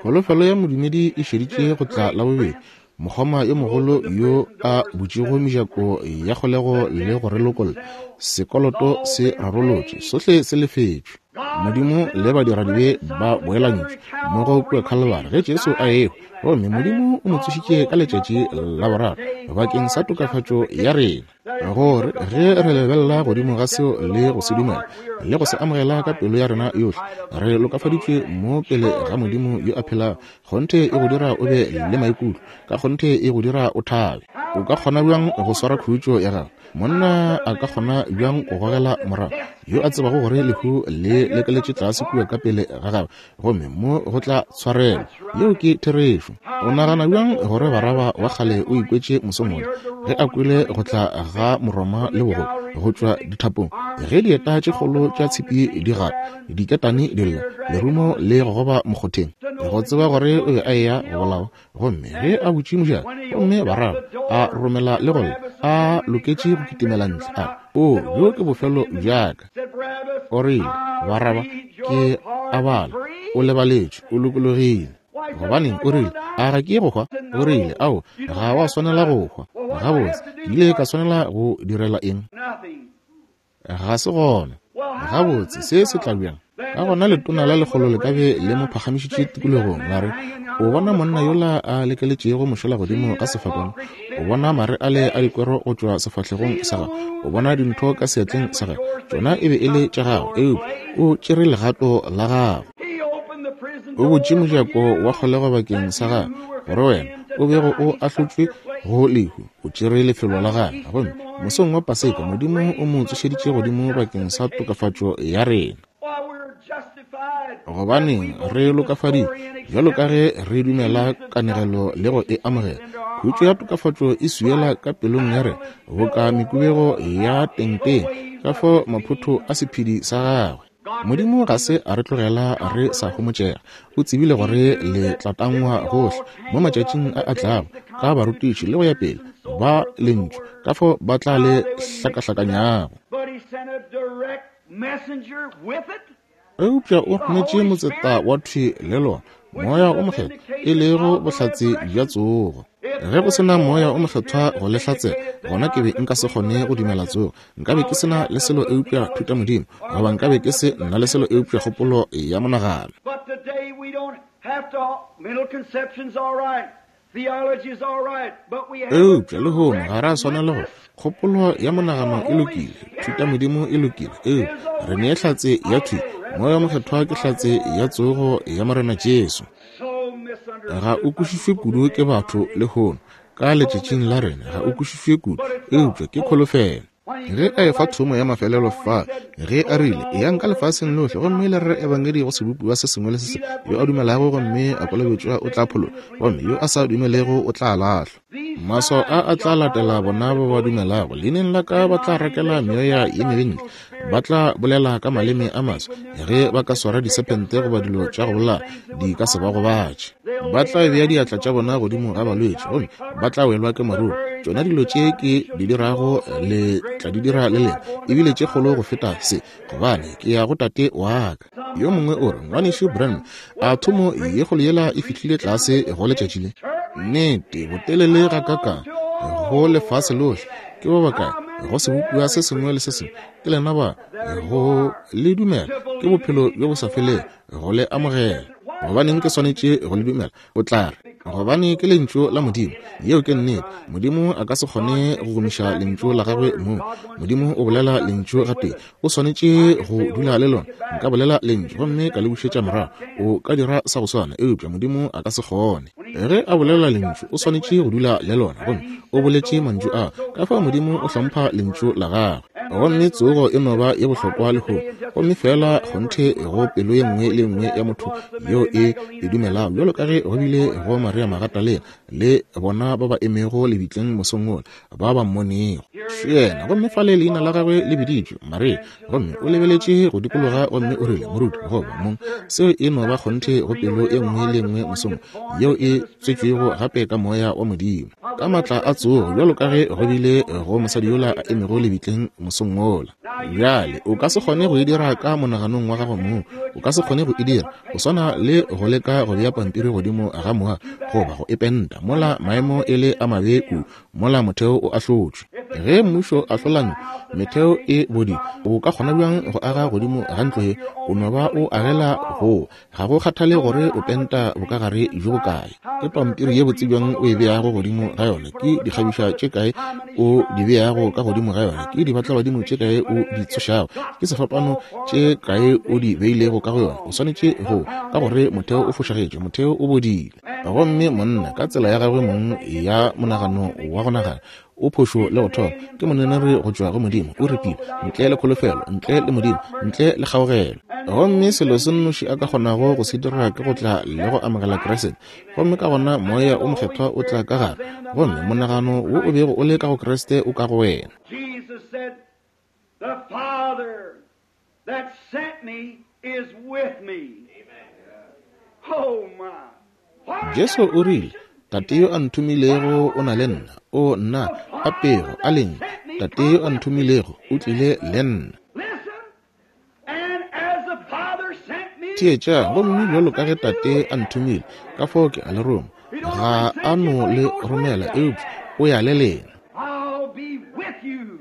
Kholofelo ya modumedi e šeditše go tla la bobedi. Mokgoma yo mogolo yo a butšego mejako ya kgolego le go re lokolla, sekoloto se rarolotšwe, sohle se lefetšwe. Modimo le badiradibe ba boelantšwe mmogo kua Calvary ge Jesu a ehwa, gomme Modimo o mo tsošitše ka letšatši la boraro bakeng sa tokafatšo ya rena, gore ge re lebelela godimo ga seo le go se dumela le go se amogela ka pelo ya rena yohle, re lokafaditšwe mo pele ga Modimo yo a phelago. Kgonthe e go dira o be le maikutlo, ka kgonthe e go dira o thabe. O ka kgona bjang go swara khutšo ya gago? Monna a ka kgona bjang go gogela morago yo a tsebago gore lehu le lekeletše tlase kua ka pele ga gagwe, gomme mo go tla tshwarelo? Yeo ke therešo. O nagana bjang gore Baraba wa kgale o ikwetše mosong wola ge a kwele go tla ga Moroma le bogolo go tšwa dithapong, ge dieta tše kgolo tša tshipi di gata, diketane di lla, lerumo le gogoba mokgotheng, go tseba gore o be a eya go bolawa? Gomme ge a butše mojako, gomme Baraba a romela le go lla, a loketše go kitimela ntle, a re, o bjo ke bofelo bjaka. O rile, Baraba, ke a bala, o lebaletšwe, o lokologile. Gobaneng, o rile, a ga ke ye go hwa? O rile, ao, ga wa swanela go hwa. Gabotse, ke ile ka swanela go direla eng? Ga se gona. Gabotse, se se tla bjang? Ka gona letona la lekgolo le ka be le mo phagamišitše tikologong, la re, o bona monna yola a lekeletšego mošola godimo ga sefapano? O bona mare ale a dikwero go tšwa sefahlegong sa gagwe? O bona dintho ka seatleng sa gagwe? Tšona e be e le tša gago, eupša o tšere legato la gago. O butše mojako wa kgolego bakeng sa gagwe, gore wena o bego o ahlotšwe go lehu, o tšere lefelo la gagwe. Gomme mosong wa Paseka Modimo o mo tsošeditše godimo bakeng sa tokafatšo ya rena. Gobaneng re lokafaditšwe bjalo ka ge re dumela kanegelo le go e amogela. Khutšo ya tokafatšo e swiela ka pelong ya rena boka mekubego ya tengteng ka fao maphotho a sephedi sa gagwe. Modimo ga se a re tlogela re sa homotšega. O tsebile gore le tla tangwa gohle mo matšatšing a a tlago ka barutiši le go ya pele ba lentšu, ka fao ba tla le hlakahlakanyago. Eupša o rometše motseta wa thwi le lona, Moya o Mokgethwa, e lego bohlatse bja tsogo. Ge go se na Moya o Mokgethwa go le hlatsela, gona ke be nka se kgone go dumela tsogo. Nka be ke se na le selo eupša thutamodimo, goba nka be ke se na le selo eupša kgopolo ya monagano. Eupša lehono ga ra swanela go kgopolo ya monagano e lokile, thutamodimo e lokile, eupša re nee hlatse ya thwi. Moya o Mokgethwa ke hlatse ya tsogo ya Morena Jesu. Ga o kwešišwe kudu ke batho lehono, ka letšatšing la rena ga o kwešišwe kudu, eupša ke kholofelo. Ge a efa thomo ya mafelelo fa, ge a rile, eyang ka lefaseng lohle gomme le rere ebangedi go sebopiwa se sengwe le se sengwe, yo a dumelago gomme a kolobetšwa o tla phološwa, gomme yo a sa dumelego o tla lahlwa. Maswao a a tla latela bona ba ba dumelago, leineng la ka ba tla rakela meoya ye mebe ntle, ba tla bolela ka maleme a maswa, ge ba ka swara disephente goba dilo tša go bolaya di ka se ba gobatše. Ba tla bea diatla tša bona godimo ga balwetši, gomme ba tla welwa ke maruru. Tšona dilo tše ke di dirago le tla di dira le lena, ebile tše kgolo go feta se, gobane ke ya go Tate wa ka. Yo mongwe o re, Ngwanešu Branham, a thomo ye kgolo yela e fihlile tlase go letšatši le? Nnete, botelele ga kakang go lefase lohle. Ke ba bakae go sebopiwa se sengwe le se sengwe? Ke lena ba go le dumela ke bophelo bjo bo sa felego, go le amogela. Gobaneng ke swanetše go le dumela? O tla re, gobane ke lentšu la Modimo. Yeo ke nnete. Modimo a ka se kgone go gomiša lentšu la gagwe mong. Modimo o bolela lentšu gatee, o swanetše go dula le lona. Nka bolela lentšu gomme ka le bušetša morago, o ka dira sa go swana, eupša Modimo a ka se kgone. Ge a bolela lentšu, o swanetše go dula le lona, gomme o boletše mantšu a. Ka fao Modimo o hlompha lentšu la gagwe. Gomme tsogo e no ba ye bohlokwa lehono, gomme fela kgonthe go pelo ye nngwe le nngwe ya motho yeo e e dumelago, bjalo ka ge go bile go Maria Magatalena le bona ba ba emego lebitleng mosong wola, ba ba mmonego yena. Gomme fale leina la gagwe le biditšwe Maria, gomme o lebeletše go dikologa gomme o rile, Moruti goba mong. Seo e no ba kgonthe go pelo ye nngwe le nngwe mosong yeo e tswetšwego gape ka moya wa Modimo, ka maatla a tsogo, bjalo ka ge go bile go mosadi yola a emego lebitleng mosong wola. Bjale o ka se kgone go e dira ka monaganong wa gago mong, o ka se kgone go e dira. Go swana le go leka go bea pampiri godimo ga moa goba go e penta, mola maemo e le a mabe kudu, mola motheo o ahlotšwe. Ge mmušo ahlola metheo e bodile, o ka kgona bjang go aga godimo ga ntlo ye? O no ba o agela go, ga go kgathale gore o penta bokagare bjo bokae. Ke pampiri ye botse bjang o e beago godimo ga yona, ke dikgabišwa tše kae o di beago ka godimo ga yona, ke dibatlabadimo tše kae o di tsošago, ke sefapano tše kae o di beilego ka go yona. O swanetše go, ka gore motheo o fošagetše, motheo o bodile. Gomme monna ka tsela ya gagwe mong ya monagano wa go nagana o phošo le go thoma, ke moneneri go tšwa go Modimo, o repile ntle le kholofelo, ntle le Modimo, ntle le kgaogelo. Gomme selo se nnoši a ka kgonago go se dira ke go tla le go amogela Kriste, gomme ka gona moya o mokgethwa o tla ka gare, gomme monagano wo o bego o le ka go Kriste o ka go wena. Jesus said, The Father that sent me is with me. Oh my. Jesu o rile, Tate yo a nthomilego o na le nna. O nna a pego a leng, Tate yo a nthomilego o tlile le nna. Listen, and as the Father sent me, Theetša, gomme bjalo ka ge Tate a nthomile, ka fao ke a le roma. Ga a no le romela, eupša o ya le lena. I'll be with you,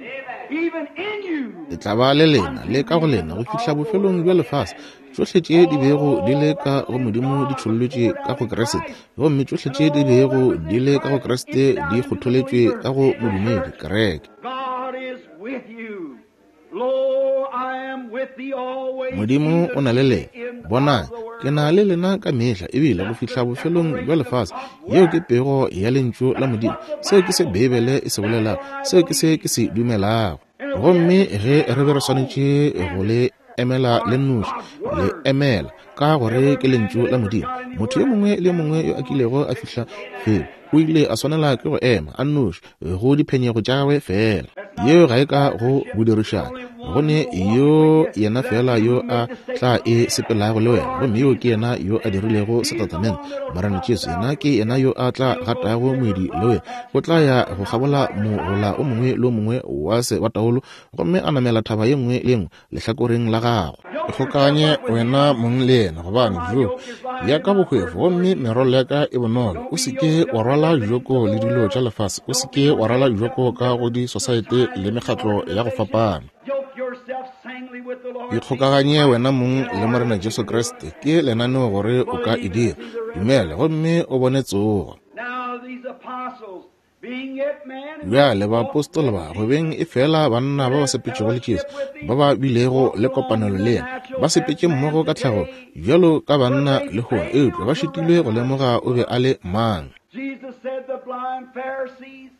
even in you. Ke tla ba le lena le ka go lena go fihla bofelong bja lefase. Tšohle tše di bego di le ka go Modimo di tšhollotšwe ka go Kriste, gomme tšohle tše di bego di le ka go Kriste di kgotholetšwe ka go modumedi, kereke. God is with you. Lo, I am with thee always. Modimo o na le lena. In Bonang, ke na le lena ka mehla, ebile go fihla bofelong bja lefase. Yeo ke pego ya lentšu la Modimo. Seo ke se Beibele e se bolelago, seo ke se ke se dumelago. Gomme ge re be re swanetše go le emela le nnoši, le emela ka gore ke lentšu la Modimo. Motho yo mongwe le yo mongwe yo a kilego a fihla felo o ile a swanela ke go ema a nnoši go diphenyego tša gagwe fela. Yeo ga e ka go bodirišana, go ne yo yena fela yo a tla e sepelago le wena, gomme yo ke yena yo a dirilego setatamente, Morena Jesu. Yena ke yena yo a tla gatago moedi le wena, o tla ya go kgabola mogola o mongwe le o mongwe wa se wa taolo, gomme a namela thaba ye nngwe le ye nngwe lehlakoreng la gagwe. Ikgokanye wena mong le yena, gobane joko ya ka bohwefo gomme merwalo ya ka e bonolo. O se ke wa rwala joko le dilo tša lefase, o se ke wa rwala joko ka go disosaete le mekgatlo ya go fapana. Yoke yourself sanguinely with the Lord. Ikgokaganye wena mong le Morena Jesu Kriste, ke lenaneo gore o ka e dira. Dumela gomme o bone tsogo. Now these apostles, being yet men, Bjale baapostola ba go beng e fela banna ba ba sepetšego le Jesu, ba ba bilego le kopanelo le yena, ba sepetše mmogo ka tlhago bjalo ka banna lehono, eupša ba šitilwe go lemoga o be a le mang. Jesus said the blind Pharisees,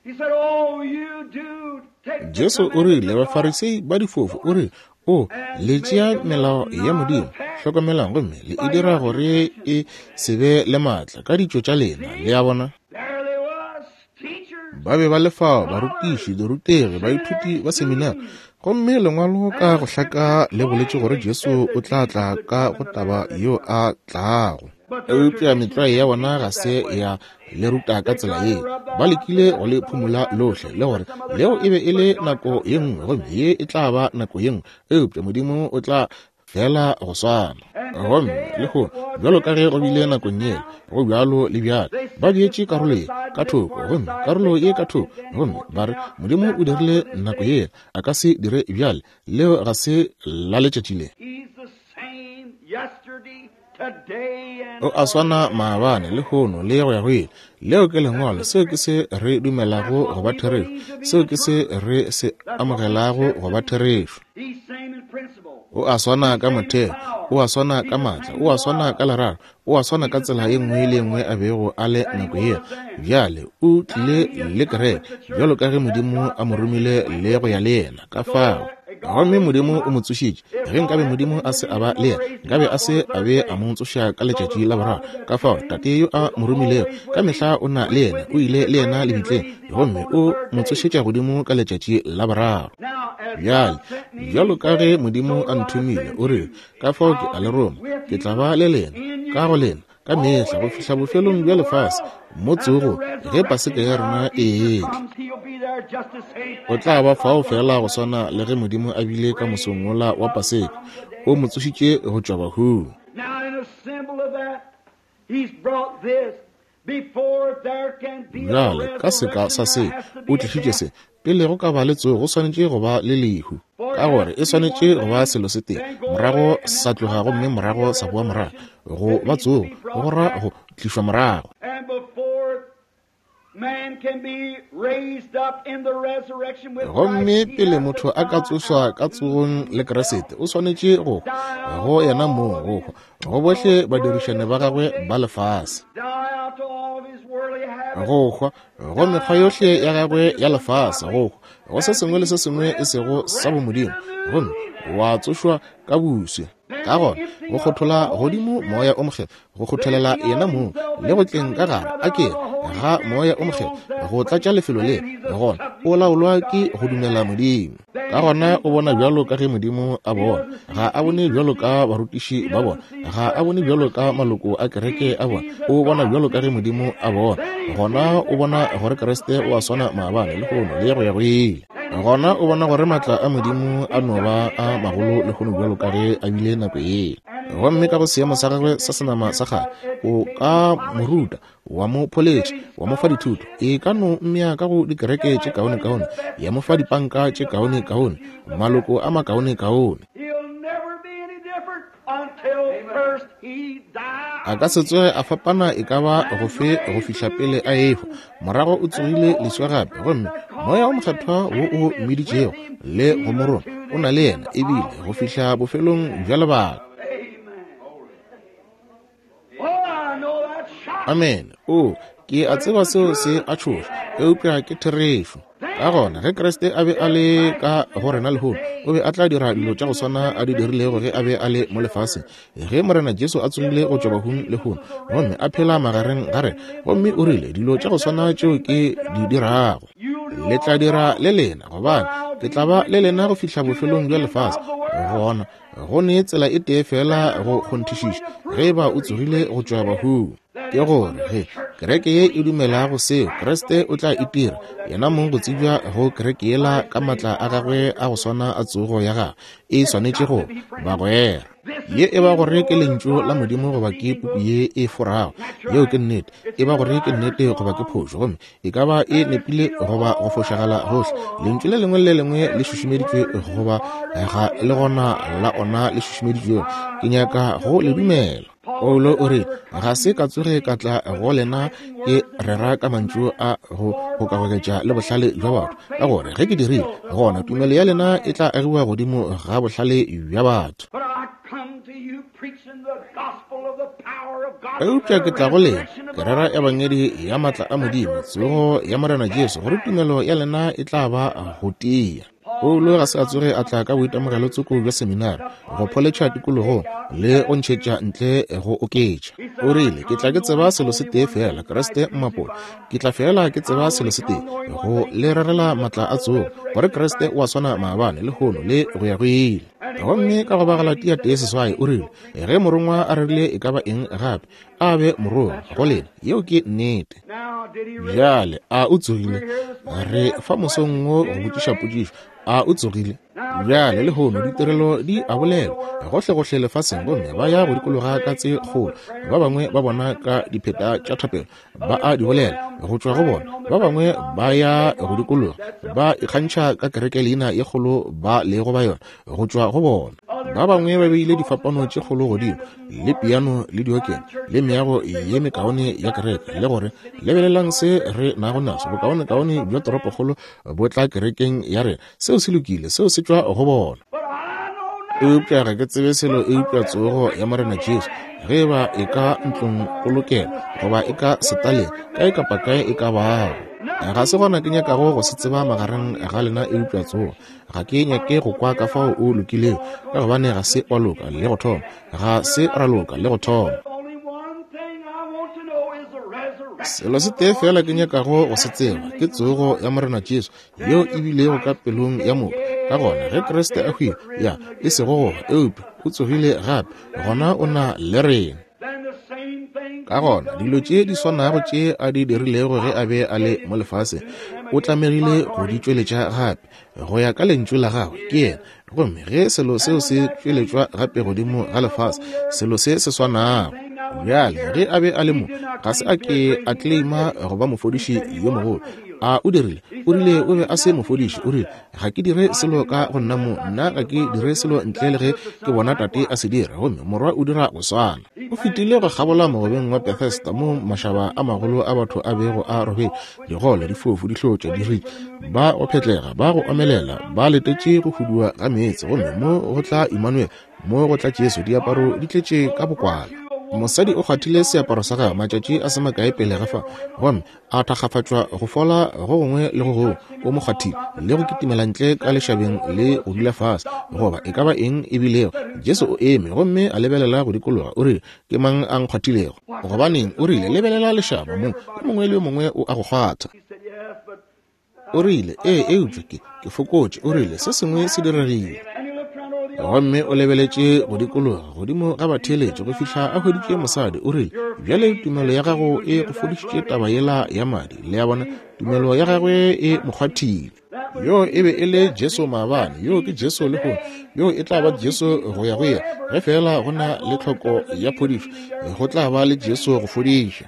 He said, Oh, you do take the Jesu o rile Bafarisei ba difofu, o rile, O le tšea melao ya Modimo, hlokomelang, gomme le e dira gore e se be le maatla ka ditšo tša lena. Le a bona? There they was, teachers. Ba be ba le fao, barutiši, dirutegi, baithuti ba seminari, gomme lengwalo ka go hlaka le boletše gore Jesu o tla tla ka go taba yeo a tlago. Eupša metlwae ya bona ga se ya le ruta ka tsela ye. Ba lekile go le phumola lohle, le gore leo e be e le nako ye nngwe, gomme ye e tla ba nako ye nngwe. Eupša Modimo o tla fela go swana. Gomme lehono, bjalo ka ge go bile nakong yela, go bjalo le bjale. Ba beetše karolo ye ka thoko, gomme karolo ye ka thoko, gomme ba re Modimo o dirile nako yela, a ka se dire bjale. Leo ga se la letšatši le. O a swana maabane, lehono, le go ya go ile. Leo ke lengwalo. Seo ke se re dumelago go ba therešo. Seo ke se re se amogelago go ba therešo. O a swana ka motheo, o a swana ka maatla, o a swana ka lerato, o a swana ka tsela ye nngwe le ye nngwe a bego a le nako yela. Bjale o tlile le kereke bjalo ka ge Modimo a mo romile le go ya le yena. Ka fao gomme Modimo o mo tsošitše. Ge nkabe Modimo a se a ba le yena, nkabe a se a be a mo tsoša ka letšatši la boraro. Ka fao Tate yo a mo romilego ka mehla o na le yena, o ile le yena lebitleng, gomme o mo tsošetša godimo ka letšatši la boraro. Bjale, bjalo ka ge Modimo a nthomile, o rile, ka fao ke a le roma, ke tla ba le lena, ka go lena, ka mehla go fihla bofelong bja lefase, mo tsogo ge Paseka ya rena e etla. O tla ba fao fela go swana le ge Modimo a bile ka mosong wola wa Paseka, o mo tsošitše go tšwa bahung. Bjale, ka seka sa se, o tlišitše se. Pele go ka ba le tsogo, go swanetše go ba le lehu, ka gore e swanetše go ba selo se tee, morago sa tloga gomme morago sa boa morago. Go ba tsogo go ra go tlišwa morago. Gomme pele motho a ka tsošwa ka tsogong le Kriste, o swanetše go hwa go yena mong, go hwa go bohle badirišane ba gagwe ba lefase, go hwa go mekgwa yohle ya gagwe ya lefase, go hwa go se sengwe le se sengwe e sego sa bomodimo, gomme wa tsošwa ka boswe. Ka gona go kgothola godimo moya o mokgethwa, go kgotholela yena mong le go tleng ka gare a ke ga moya o mokgethwa go tlatša lefelo le, gona o laolwa ke go dumela Modimo. Ka gona o bona bjalo ka ge Modimo a bona. Ga a bone bjalo ka barutiši ba bona, ga a bone bjalo ka maloko a kereke a bona, o bona bjalo ka ge Modimo a bona. Gona o bona gore Kriste o a swana maabane, lehono, le go ya go ile. Gona o bona gore maatla a Modimo a no ba a magolo lehono bjalo ka ge a bile nako yela. Gomme ka go seemo sa gagwe sa senama sa kgale, o ka mo ruta, wa mo pholetša, wa mo fa dithuto, e ka no mmea ka go dikereke tše kaonekaone, ya mo fa dipanka tše kaonekaone, maloko a makaonekaone. A ka se tsoge a fapana e ka ba gofe go fihla pele a ehwa. Morago o tsogile leswa gape, gomme moya o mokgethwa wo o mmiditšego le go mo roma o na le yena ebile go fihla bofelong bja lebaka. Amen. O, ke a tseba seo se a tšhoša, eupša ke therešo. Ka gona ge Kriste a be a le ka go rena lehono, o be a tla dira dilo tša go swana a di dirilego ge a be a le mo lefaseng. Ge Morena Jesu a tsogile go tšwa bahung lehono, gomme a phela magareng ga rena, gomme o rile, dilo tša go swana tšeo ke di dirago, le tla dira le lena, gobane ke tla ba le lena go fihla bofelong bja lefase. Gona go ne tsela e tee fela go kgonthišiša ge eba o tsogile go tšwa bahung, ke gore ge kereke ye e dumelago seo, Kriste o tla itira yena mong go tsebja go kereke yela ka maatla a gagwe a go swana a tsogo ya gagwe. E swanetše go bagwera. Ye e ba gore ke lentšu la Modimo goba ke puku ye e forago, yeo ke nnete. E ba gore ke nnete goba ke phošo, gomme e ka ba e nepile goba go fošagala gohle. Lentšu le lengwe le lengwe le šušumeditšwe goba ga le gona la ona le šušumeditšwego. Ke nyaka go le dumela. Paulo o re, ga se ka tsoge ka tla go lena ke rera ka mantšu a go gokagoketša le bohlale bja batho, ka gore ge ke dirile, gona tumelo ya lena e tla agiwa godimo ga bohlale bja batho. Eupša ke tla go lena ke rera ebangedi ya maatla a Modimo, tsogo ya Morena Jesu, gore tumelo ya lena e tla ba go tia. Paulo ga se a tsoge a tla ka boitemogelo tsoko bja seminari go pholetšha tikologong le go ntšhetša ntle go oketša. O rile, ke tla ke tseba selo se tee fela, Kriste mmapola. Ke tla fela ke tseba selo se tee, go le rerela maatla a tsogo, gore Kriste o a swana maabane, lehono, le go ya go ile. Gomme ka go ba Galatia tee seswai o rile, ge morongwa a rerile e ka ba eng gape, A be morongwa go lena. Yeo ke nnete. Bjale a o tsogile? Re fa mosong wo go botšiša potšišo. A o tsogile? Bjale lehono ditirelo di a bolelwa gohlegohle lefaseng, gomme ba ya go dikologa ka tse kgolo. Ba bangwe ba bona ka dipheta tša thapelo ba a di bolela go tšwa go bona. Ba bangwe ba ya go dikologa ba ikgantšha ka kereke leina ye kgolo ba lego ba yona go tšwa go bona. Ba bangwe ba beile difapano tše kgolo godimo le piano le diokene le meago ye mekaone ya kereke, le gore lebelelang se re nago naso, bokaonekaone bja toropokgolo bo tla kerekeng ya rena. Seo se lokile, seo se tšwa go bona. Eupša ga ke tsebe selo eupša tsogo ya Morena Jesu, ge eba e ka ntlong polokelo goba e ka setaleng, kae kapa kae e ka bago. Ga se gona ke nyakago go se tseba magareng ga lena eupša tsogo. Ga ke nyake go kwa ka fao o lokilego, ka gobane ga se wa loka le go thoma, ga se ra loka le go thoma. Selo se tee fela ke nyakago go se tseba ke tsogo ya Morena Jesu, yeo e bilego ka pelong ya motho. Ka gona ge Kriste a hwile, ya e sego go eupša o tsogile gape, gona o na le rena. Ka gona dilo tše di swanago tše a di dirilego ge a be a le mo lefaseng, o tlamegile go di tšweletša gape go ya ka lentšu la gagwe ke yena. Gomme ge selo seo se tšweletšwa gape godimo ga lefase, selo se se swanago. Bjale ge a be a le mo, ga se a ke a claima go ba mofodiši yo mogolo. A o dirile? O rile o be a se mofodiši. O rile, ga ke dire selo ka go nna mo, nna ga ke dire selo ntle le ge ke bona Tate a se dira, gomme Morwa o dira go swana. O fetile go kgabola mogobeng wa Bethesda mo mašaba a magolo a batho a bego a robetše, digole, difofu, dihlotša, diritše, ba go phetlega, ba go omelela, ba letetše go huduwa ga meetse. Gomme mo go tla Emmanuel, mo go tla Jesu, diaparo di tletše ka bokwala. Mosadi o kgwathile seaparo sa gagwe matšatši a se makae pele ga fa, gomme a thakgafatšwa go fola go gongwe le go gongwe. O mo kgwathile le go kitimela ntle ka lešabeng le go dula fase, goba e ka ba eng e bilego. Jesu o eme gomme a lebelela go dikologa. O rile, ke mang a nkgwathilego? Gobaneng, o rile, lebelela lešaba mo, yo mongwe le yo mongwe o a go kgwatha. O rile, ee, eupša ke ke fokotše. O rile, se sengwe se diregile. Gomme o lebeletše go dikologa godimo ga batheeletši go fihla a hweditše mosadi. O rile, bjale tumelo ya gago e go fodišitše taba yela ya madi. Le a bona, tumelo ya gagwe e mo kgwathile. Yo e be e le Jesu maabane, yo ke Jesu lehono, yo e tla ba Jesu go ya go ya. Ge fela go na le tlhoko ya phodišo, go tla ba le Jesu go fodiša.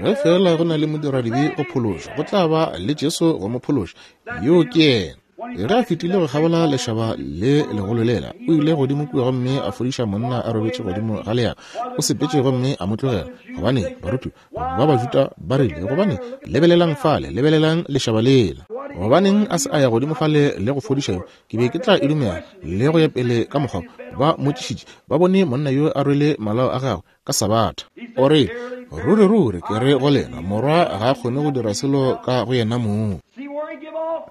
Ge fela go na le modiradibe go phološa, go tla ba le Jesu go mo phološa. Yo ke yena. Ge a fetile go kgabola lešaba le legolo lela, o ile godimo kua gomme a fodiša monna a robetše godimo ga leago. O sepetše gomme a mo tlogela. Gobane baruti ba Bajuda ba rile, gobane lebelelang fale, lebelelang lešaba lela. Gobaneng a se a ya godimo fale le go fodiša yo? Ke be ke tla e dumela le go ya pele ka mokgwa. Ba mmotšišitše, ba bone monna yo a rwele malao a gagwe ka Sabatha. O rile, ruri ruri ke re go lena, Morwa ga a kgone go dira selo ka go yena mong.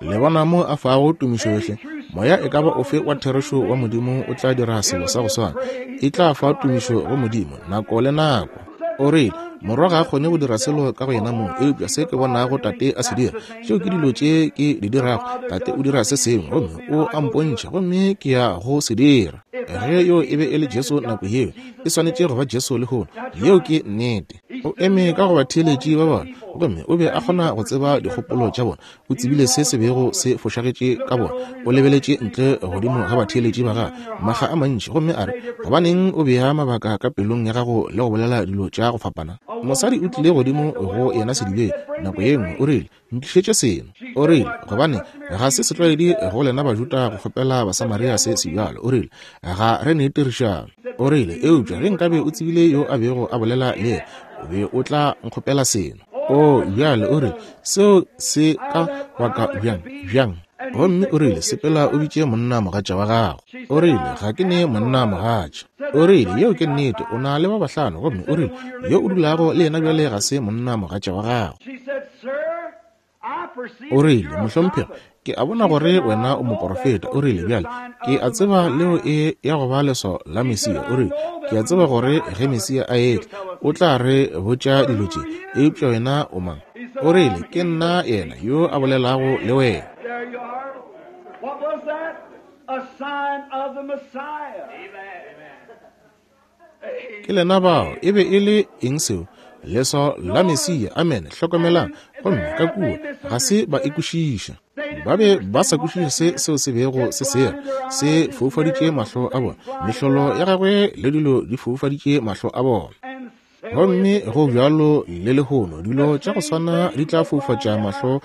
Le bona mo a fago tumišo yohle. Moya e ka ba ofe wa therešo wa Modimo o tla dira selo sa go swana. E tla fa tumišo go Modimo nako le nako. O rile, Morwa ga a kgone go dira selo ka go yena mong, eupša se ke bonago Tate a se dira, tšeo ke dilo tše ke di dirago. Tate o dira se sengwe, gomme o a mpontšha, gomme ke ya go se dira. Ge yo e be e le Jesu nako yeo, e swanetše go ba Jesu lehono. Yeo ke nnete. O eme ka go batheeletši ba bona, gomme o be a kgona go tseba dikgopolo tša bona. O tsebile se se bego se fošagetše ka bona. O lebeletše ntle godimo ga batheeletši ba gagwe makga a mantši, gomme a re, gobaneng o bea mabaka ka pelong ya gago le go bolela dilo tša go fapana? Mosadi o tlile godimo go yena sedibeng nako ye nngwe, o rile, ntlišetše seno. O rile, gobane ga se setlwaedi go lena Bajuda go kgopela Basamaria se sebjalo. O rile, ga re ne tirišano. O rile, eupša ge nkabe o tsebile yo a bego a bolela le yena, o be o tla nkgopela seno. O bjale o rile, seo se ka baka bjang bjang? Gomme o rile, sepela o bitše monna mogatša wa gago. O rile, ga ke ne monna mogatša. O rile, yeo ke nnete, o na le ba bahlano. Gomme o rile, yo o dulago le yena bjale ga se monna mogatša wa gago. O rile, mohlomphegi, ke a bona gore wena o moporofeta. O rile, bjale ke a tseba leo e ya go ba leswao la Mesia. O rile, ke a tseba gore ge Mesia a etla, o tla re botša dilo tše, eupša wena o mang? O rile, ke nna yena yo a bolelago le wena. What was that? A sign of the Messiah. Amen. Ke lena bao, e be e le eng seo? Leswao la Mesia. Amen. Hlokomelang. Gomme ka kua ga se ba e kwešiša. Ba be ba sa kwešiše se seo se bego se sera. Se foufaditše mahlo a bona. Mehlolo ya gagwe le dilo di foufaditše mahlo a bona. Gomme go bjalo le lehono, dilo tša go swana di tla foufatša mahlo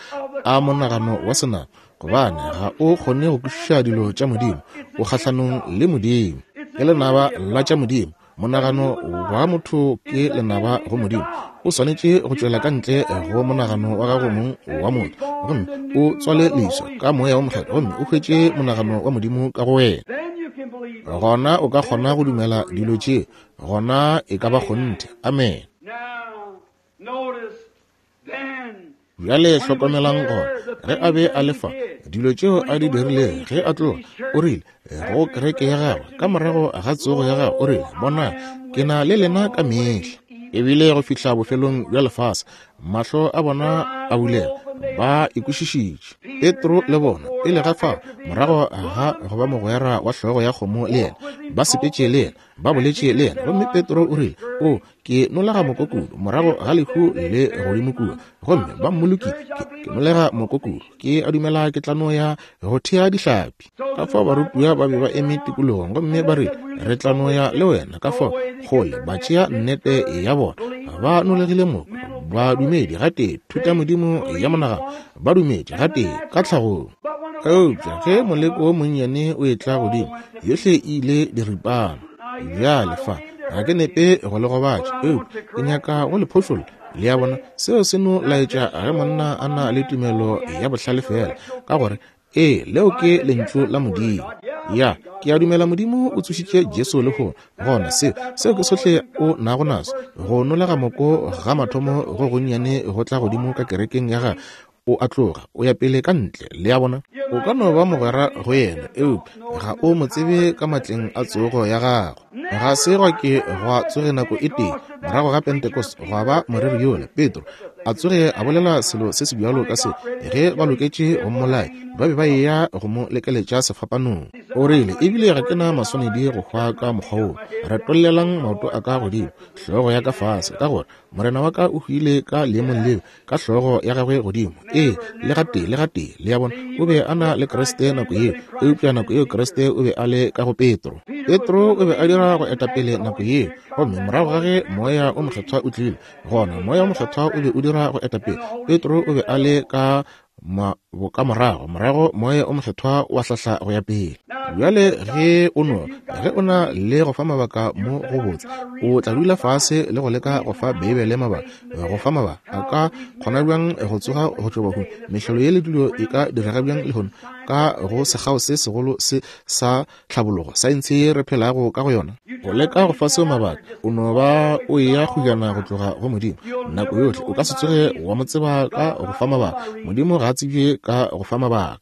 a monagano wa senama, gobane ga o kgone go kwešiša dilo tša Modimo. O kgahlanong le Modimo. Ke lenaba la tša Modimo. Monagano wa motho ke lenaba go Modimo. O swanetše go tšwela ka ntle go monagano wa gago mong wa motho, gomme o tswale leswa ka moya wa Mokgethwa, gomme o hwetše monagano wa Modimo ka go wena. Gona o ka kgona go dumela dilo tše, gona e ka ba kgonthe. Amen. Bjale hlokomelang gona, ge a be a le fa, dilo tšeo a di dirilego ge a tloga, o rile go kereke ya gagwe ka morago ga tsogo ya gagwe, o rile, bonang, ke na le lena ka mehla, ebile go fihla bofelong bja lefase. Mahlo a bona a bulega, ba ikwešišitše. Petro le bona pele ga fao, morago ga go ba mogwera wa hlogo ya kgomo le yena, ba sepetše le yena, ba boletše le yena. Gomme Petro o rile, o, ke nolega moko kudu morago ga lehu le godimo kua, gomme ba mmolokile. Ke, ke nolega moko kudu, ke a dumela ke tla no ya go thea dihlapi. Ka fao barutiwa ba be ba eme tikologong, gomme ba rile, re tla no ya le wena. Ka fao kgole ba tšea nnete ya bona, ba nolegile moko, ba dumedi gatee thutamodimo ya monagano, ba dumedi gatee ka tlhagong. Eupša ge moleko wo monnyane o etla godimo, yohle e ile diripana. Bjale fa ga ke nepe go le gobatša, eupša ke nyaka go le phošolla. Le a bona, seo se no laetša ge monna a na le tumelo ya bohlale fela, ka gore ee, leo ke lentšu la Modimo. Ya, ke a dumela Modimo o tsošitše Jesu lehono. Gona seo, seo ke sohle o nago naso. Go nolega moko ga mathomo go gonnyane go tla godimo ka kerekeng ya gagwe, o a tloga, o ya pele ka ntle. Le a bona, o ka no ba mogwera go yena, eupša ga o mo tsebe ka matleng a tsogo ya gagwe. Ga se gwa ke gwa tsoge nako e tee morago ga Pentecost gwa ba moreri yola Petro a tsoge a bolela selo se se bjalo ka se. Ge ba loketše go mmolaya, ba be ba eya go mo lekeletša sefapanong. O rile, ebile ga ke na maswanedi go hwa ka mokgwa wo. Retollelang maoto a ka godimo, hlogo ya ka fase, ka gore morena wa ka o hwile ka leemong leo, ka hlogo ya gagwe godimo. Ee, le gatee, le gatee. Le a bona, o be a na le Kriste nako yeo, eupša nako yeo Kriste o be a le ka go Petro. Petro o be a dira go etapele nako yeo, gomme morago ga ge moya o mokgethwa o tlile, gona moya o mokgethwa o be o dira go etapele. Petro o be a le ka bokamorago, morago moya o mokgethwa wa hlahla go ya pele. Bjale ge o no, ge o na le go fa mabaka mo go botse, o tla dula fase le go leka go fa Beibele mabaka. Go fa mabaka a ka kgona bjang go tsoga go tšwa bahung? Mehlolo ye le dilo e ka direga bjang lehono ka go sekgao se segolo se sa tlhabologo, saense ye re phelago ka go yona? Go leka go fa seo mabaka, o no ba o eya kgojana go tloga go Modimo nako yohle. O ka se tsoge wa mo tseba ka go fa mabaka. Modimo ga a tsebje ka go fa mabaka.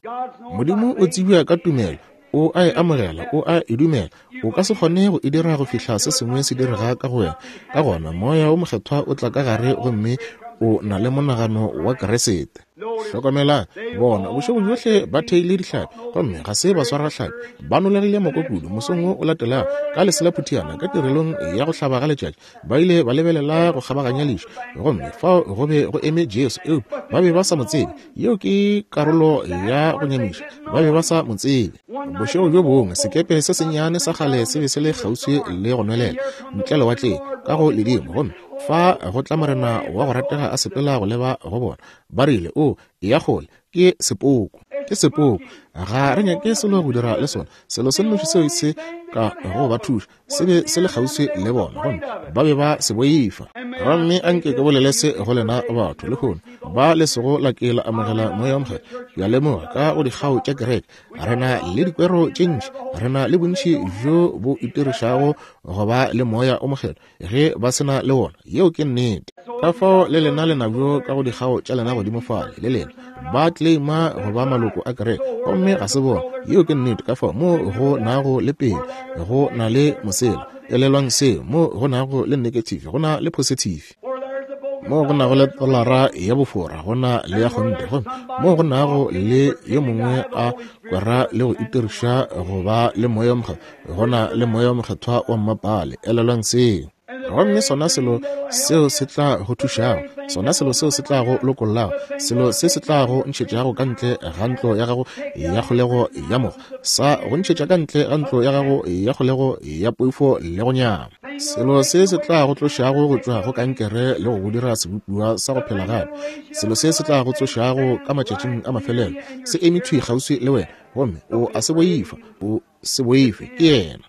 Modimo o tsebja ka tumelo. O a e amogela, o a e dumela. O ka se kgone go e dira go fihla se sengwe se direga ka go wena. Ka gona moya o mokgethwa o tla ka gare, gomme o na le monagano wa Kriste. Hlokomelang, bona bošego bjohle ba theile dihlapi, gomme ga se ba swara hlapi. Ba nolegile moko kudu. Mosong wo o latelago, ka lesela phuthiana ka tirelong ya go hlaba ga letšatši, ba ile ba lebelela go kgabaganya lešu, gomme fao go be go eme Jesu, eupša ba be ba sa mo tsebe. Yeo ke karolo ya go nyamiša, ba be ba sa mo tsebe. Bošego bjo bongwe sekepe se sennyane sa kgale se be se le kgauswi le go nwelela ntle lewatleng ka go ledimo, gomme fa go tla morena wa go ratega a sepela go leba go bona. Ba rile, o ya kgole, ke sepoko, ke sepoko, ga re nyake selo go dira le sona. Selo se nnoši seo se ka go ba thuša se be se le kgauswi le bona, gomme ba be ba se boifa. Gomme anke ke bolele se go lena batho lehono ba le sego la ke la amogela moya o mokgethwa. Ke a lemoga ka go dikgao tša kereke re na le dikwero tše ntši, re na le bontši bjo bo itirišago go ba le moya o mokgethwa ge ba se na le wona. Yeo ke nnete. Ka fao le lena lena bjo ka go dikgao tša lena godimo fale, le lena ba claima go ba maloko a kereke, gomme ga se bona. Yeo ke nnete. Ka fao mo go nago le pele go na le mosela. Elelwang seo, mo go nago le negative go na le positive. Mo go nago le tolara ya bofora, go na le ya kgonthe. Gomme mo go nago le yo mongwe a kwera le go itiriša go ba le Moya wo Mokgethwa, go na le Moya wo Mokgethwa wa mmapale. Elelwang seo. Gomme sona selo seo se tla go thušago, sona selo seo se tla go lokollago, selo se se tla go ntšhetšago ka ntle ga ntlo ya gago ya kgolego ya mogo, sa go ntšhetša ka ntle ga ntlo ya gago ya kgolego ya poifo le go nyama, selo se se tla go tlošago go tšwa go kankere le go go dira sebopiwa sa go phela gape, selo se se tla go tsošago ka matšatšing a mafelelo, se eme thwi kgauswi le wena, gomme o a se boifa, o se boife, ke yena.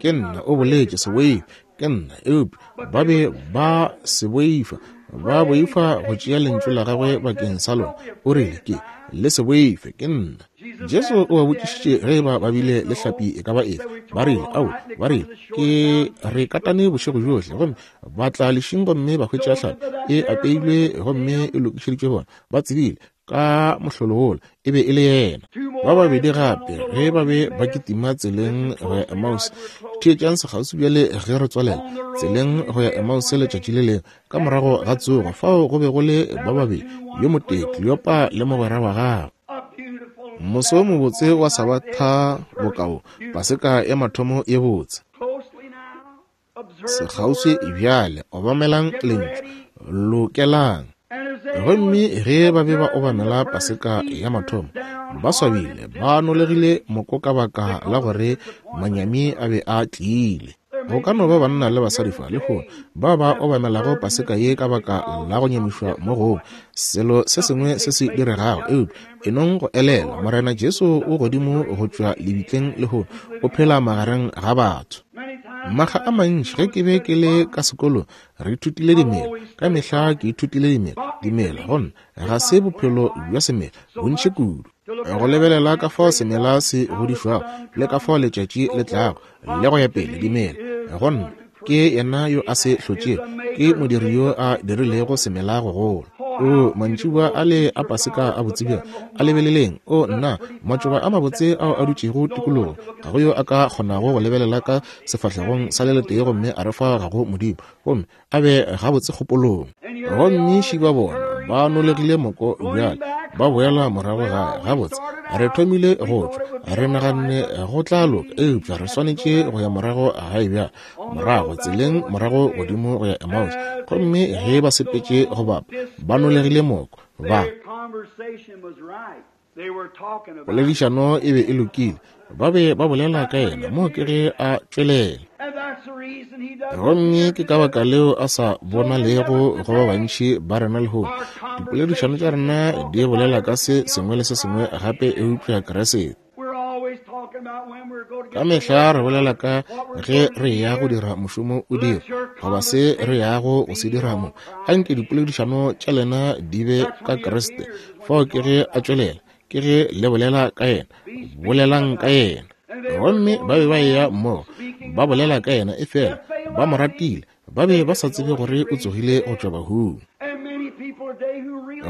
Ke nna, o boletše, se boife, ke nna. Eupša ba be ba se boifa, ba boifa go tšea lentšu la gagwe bakeng sa lona. O rile, ke le se boife, ke nna. Jesu o ba botšišitše ge ba ba bile le hlapi e ka ba efe. Ba rile, ao, ba rile, ke re katane bošego bjohle, gomme ba tla lešing gomme ba hwetša hlapi e apeilwe gomme e lokišeditšwe bona. Ba tsebile ka mohlolo wola e be e le yena. Ba babedi gape ge ba be ba kitima tseleng go ya Emmaus. Theetšang sekgauswi bjale ge re tswalela tseleng go ya Emmaus letšatši le lengwe ka morago ga tsogo, fao go be go le ba babedi, yo motee Kleopa le mogwera wa gagwe. Moso wo mobotse wa Sabatha bokao, Paseka ya mathomo ye botse. Sekgauswi bjale, obamelang lentšu, lokelang. Gomme ge ba be ba obamela Paseka ya mathomo, ba swabile, ba nolegile moko ka baka la gore manyami a be a tlile. Go ka no ba banna le basadi fa lehono ba ba obamelago Paseka ye ka baka la go nyamišwa mo gongwe, selo se sengwe se se diregago. Eupša enong go elela, Morena Jesu o godimo go tšwa lebitleng lehono, o phela magareng ga batho. Makga a mantši ge ke be ke le ka sekolong, re ithutile dimela. Ka mehla ke ithutile dimela. Dimela gona ga se bophelo bja semela bontši kudu. Go lebelela ka fao semela se godišwago le ka fao letšatši le tlago le go ya pele, dimela gona ke yena yo a se hlotšego, ke modiri yo a dirilego semela go gola. O mantšiboa a le a Paseka a botse bjang, a lebeleleng. O nna, matšoba a mabotse ao a dutšego tikologong, ga go yo a ka kgonago go lebelela ka sefahlegong sa le letee gomme a re fa ga go Modimo, gomme a be gabotse kgopolong. Gomme šiba bona ba nolegile moko bjale, ba boela morago gae. Gabotse re thomile go tšwa, re naganne go tla loka, eupša re swanetše go ya morago gae bjale, morago tseleng morago godimo go ya Emmaus. Gomme ge ba sepetše go bapa, ba nolegile moko, ba poledišano e be e lokile, ba be ba bolela ka yena mo ke ge a tšwelela. Gomme ke ka baka leo a sa bonalego go ba bantši ba rena lehono. Dipoledišano tša rena di bolela ka se sengwe le se sengwe gape eupša Kriste. Ka mehla re bolela ka ge re ya go dira mošomo o dira, goba se re yago go se dira mo. Anke dipoledišano tša lena di be ka Kriste. Fao ke ge a tšwelela, ke ge le bolela ka yena, bolelang ka yena. Gomme ba be ba eya mmogo, ba bolela ka yena, efela ba mo ratile, ba be ba sa tsebe gore o tsogile go tšwa bahung.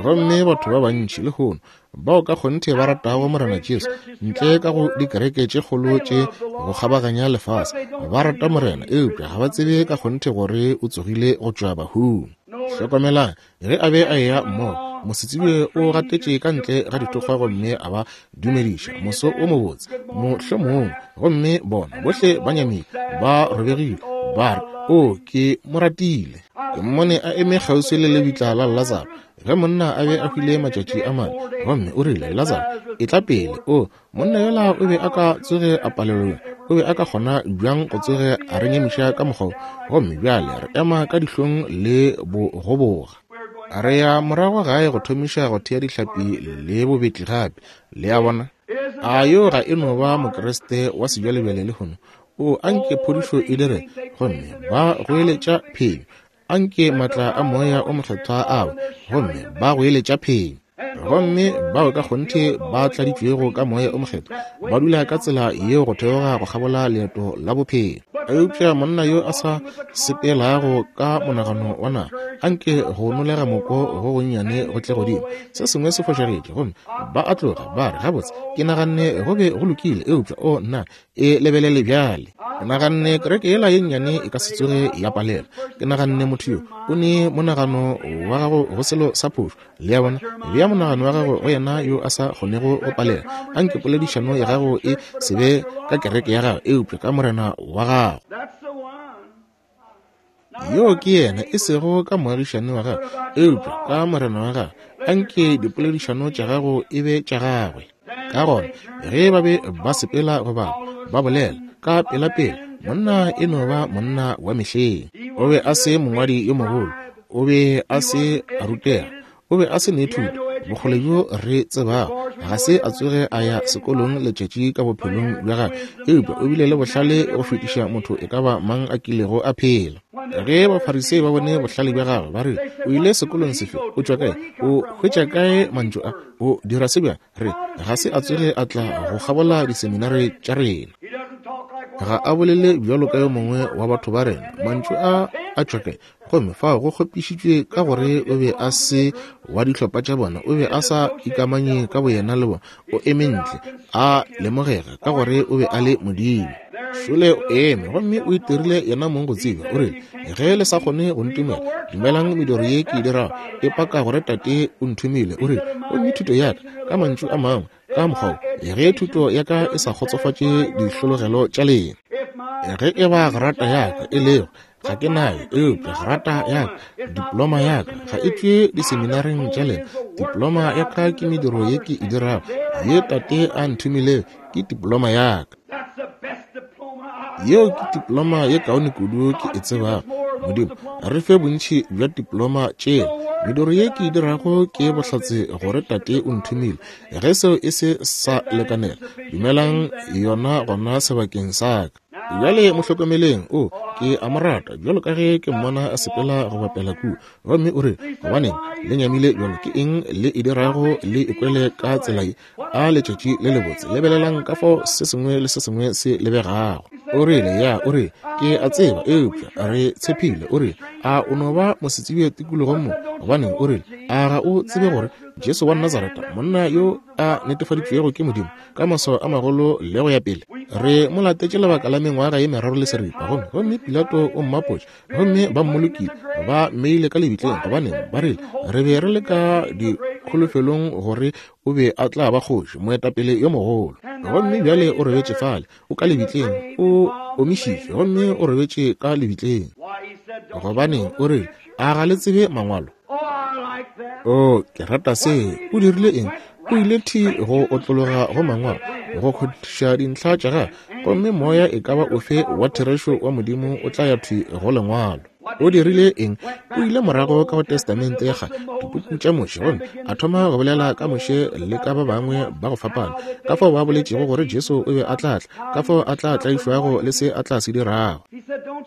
Gomme batho ba bantši lehono bao ka kgonthe ba ratago Morena Jesu, ntle ka go dikereke tše kgolo tše go kgabaganya lefase, ba rata Morena, eupša ga ba tsebe ka kgonthe gore o tsogile go tšwa bahung. Hlokomelang, ge a be a eya mmogo, mosetsebje o gatetše ka ntle ga dithokgwa gomme a ba dumediša moso o mobotse, mohlomongwe. Gomme bona bohle ba nyamile, ba robegile, ba re, o ke mo ratile. Ke mmone a eme kgauswi le lebitla la Lazaro ge monna a be a hwile matšatši a mane, gomme o rile, Lazaro, etla pele. O monna yola o be a ka tsoge a palelwa, o be a ka kgona bjang go tsoge a re nyamiša ka mokgwa? Gomme bjale re ema ka dihlong le bogoboga. Re ya morago gae go thomiša go thea dihlapi le bobetli gape. Le a bona? A yo ga e no ba Mokriste wa sebjalebjale lehono? O anke phodišo e dire, gomme ba goeletša phenyo. Anke matla a Moya o Mokgethwa a we, gomme ba goeletša phenyo. Gomme bao ka kgonthe ba tladitšwego ka Moya o Mokgethwa ba dula ka tsela yeo go theoga go kgabola leeto la bophelo. Eupša monna yo a sa sepelago ka monagano wa naga, anke go nolega moko go gonnyane go tle godimo, se sengwe se fošagetše, gomme ba a tloga ba re, gabotse ke naganne go be go lokile, eupša o nna E lebelele bjale. Ke naganne kereke yela ye nnyane e ka se tsoge ya palela. Ke naganne motho yo o ne monagano wa gago go selo sa phošo. Le a bona? Bea monagano wa gago go yena yo a sa kgonego go palela. Anke poledišano ya gago e se be ka kereke ya gago, eupša ka Morena wa gago. Yo ke yena, e sego ka moagišane wa gago, eupša ka Morena wa gago. Anke dipoledišano tša gago e be tša gagwe. Ka gona ge ba be ba sepela go bapa ba bolela ka pelapela, monna e no ba monna wa mehleng. O be a se mongwadi yo mogolo, o be a se a rutega, o be a se ne thuto. Bokgole bjo re tsebago, ga se a tsoge a ya sekolong letšatši ka bophelong bja gagwe, eupša o bile le bohlale go fetiša motho e ka ba mang a kilego a phela. Ge Bafarisei ba bone bohlale bja gagwe, ba re, o ile sekolong sefe? O tšwa kae? O hwetša kae mantšu a? O dira se bjang? Re, ga se a tsoge a tla go kgabola diseminare tša rena. Ga a bolele bjalo ka yo mongwe wa batho ba rena. Mantšu a a tšwa kae? Gomme fao go kgopišitšwe ka gore o be a se wa dihlopha tša bona, o be a sa ikamanye ka boyena le bona, o eme ntle a lemogega ka gore o be a le Modimo. Šole o eme gomme o itirile yena mong go tseba. O rile, ge le sa kgone go ntumela, dumelang mediro ye ke e dirago, e paka gore Tate o nthomile. O rile, gomme thuto ya ka, ka mantšu a mangwe, ka mokgwa wo, ge thuto ya ka e sa kgotsofatše dihlologelo tša lena, ge e ba grata ya ka e lego, ga ke nayo, eupša grata ya ka, diploma ya ka ga e tšwe diseminareng tša lena. Diploma ya ka ke mediro ye ke e dirago, ye Tate a nthomilego, ke diploma ya ka. Yeo ke diploma ye kaone kudu ke e tsebago. Modimo, re fe bontši bja diploma tšela. Mediro ye ke e dirago ke bohlatse gore Tate o nthomile. Ge seo e se sa lekanela, dumelang yona gona sebakeng sa ka. Bjale mo hlokomeleng, o, ke a mo rata bjalo ka ge ke mmona a sepela go bapela kua. Gomme o re, gobaneng le nyamile bjalo? Ke eng le e dirago le ikwele ka tsela ye? A letšatši le lebotse, lebelelang ka fao se sengwe le se sengwe se lebegago. O rile, ya, o re, ke a tseba, eupša re tshepile. O rile, a o no ba mosetsebje tikologong mo? Gobaneng, o rile, a ga o tsebe gore Jesu wa Nazareta, monna yo a netefaditšwego ke Modimo ka maswao a magolo le go ya pele, re mo latetše lebaka la mengwaga ye meraro le seripa, gomme gomme Pilato o mmapotše, gomme ba mmolokile, ba mmeile ka lebitleng. Gobaneng, ba rile, re be re le ka dikholofelong gore o be a tla ba kgoši, moetapele yo mogolo. Gomme bjale o robetše fale, o ka lebitleng, o omišitšwe, gomme o robetše ka lebitleng. Gobaneng, o rile, a ga le tsebe mangwalo? O, ke rata se. O dirile eng? O ile thi go otlologa go mangwalo, go kgothiša dintlha tša gagwe, gomme moya e ka ba ofe wa therešo wa Modimo o tla ya thwi go lengwalo. O dirile eng? O ile morago ka go Testamente ya kgale, dipuku tša Moshe, gomme a thoma go bolela ka Moshe le ka ba bangwe ba go fapana, ka fao ba boletšego gore Jesu o be a tla tla, ka fao a tla tlaišwago le se a tla se dirago.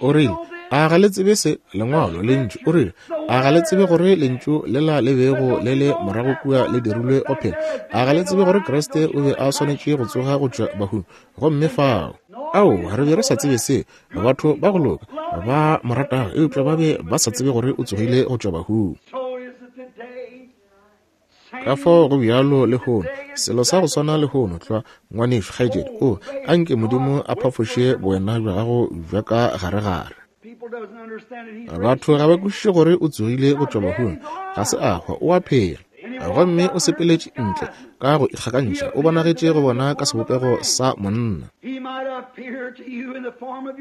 O rile, a ga le tsebe se? Lengwalo, lentšu. O rile, a ga le tsebe gore lentšu lela le bego le le morago kua le dirilwe go phela? A ga le tsebe gore Kriste o be a swanetše go tsoga go tšwa bahung? Gomme fao, ao, re be re sa tsebe se. Batho ba go loka ba mo ratago, eupša ba be ba sa tsebe gore o tsogile go tšwa bahung. Ka fao go bjalo lehono, selo sa go swana lehono tlwa, ngwanešu, kgaetšedi. O, anke Modimo a phafoše bowena bja gago bja ka garegare. Batho ga ba kwešiše gore o tsogile go tšwa bahung. Ga se a hwa, o a phela. Gomme o sepeletše ntle ka go ikgakantšha, o bonagetše go bona ka sebopego sa monna.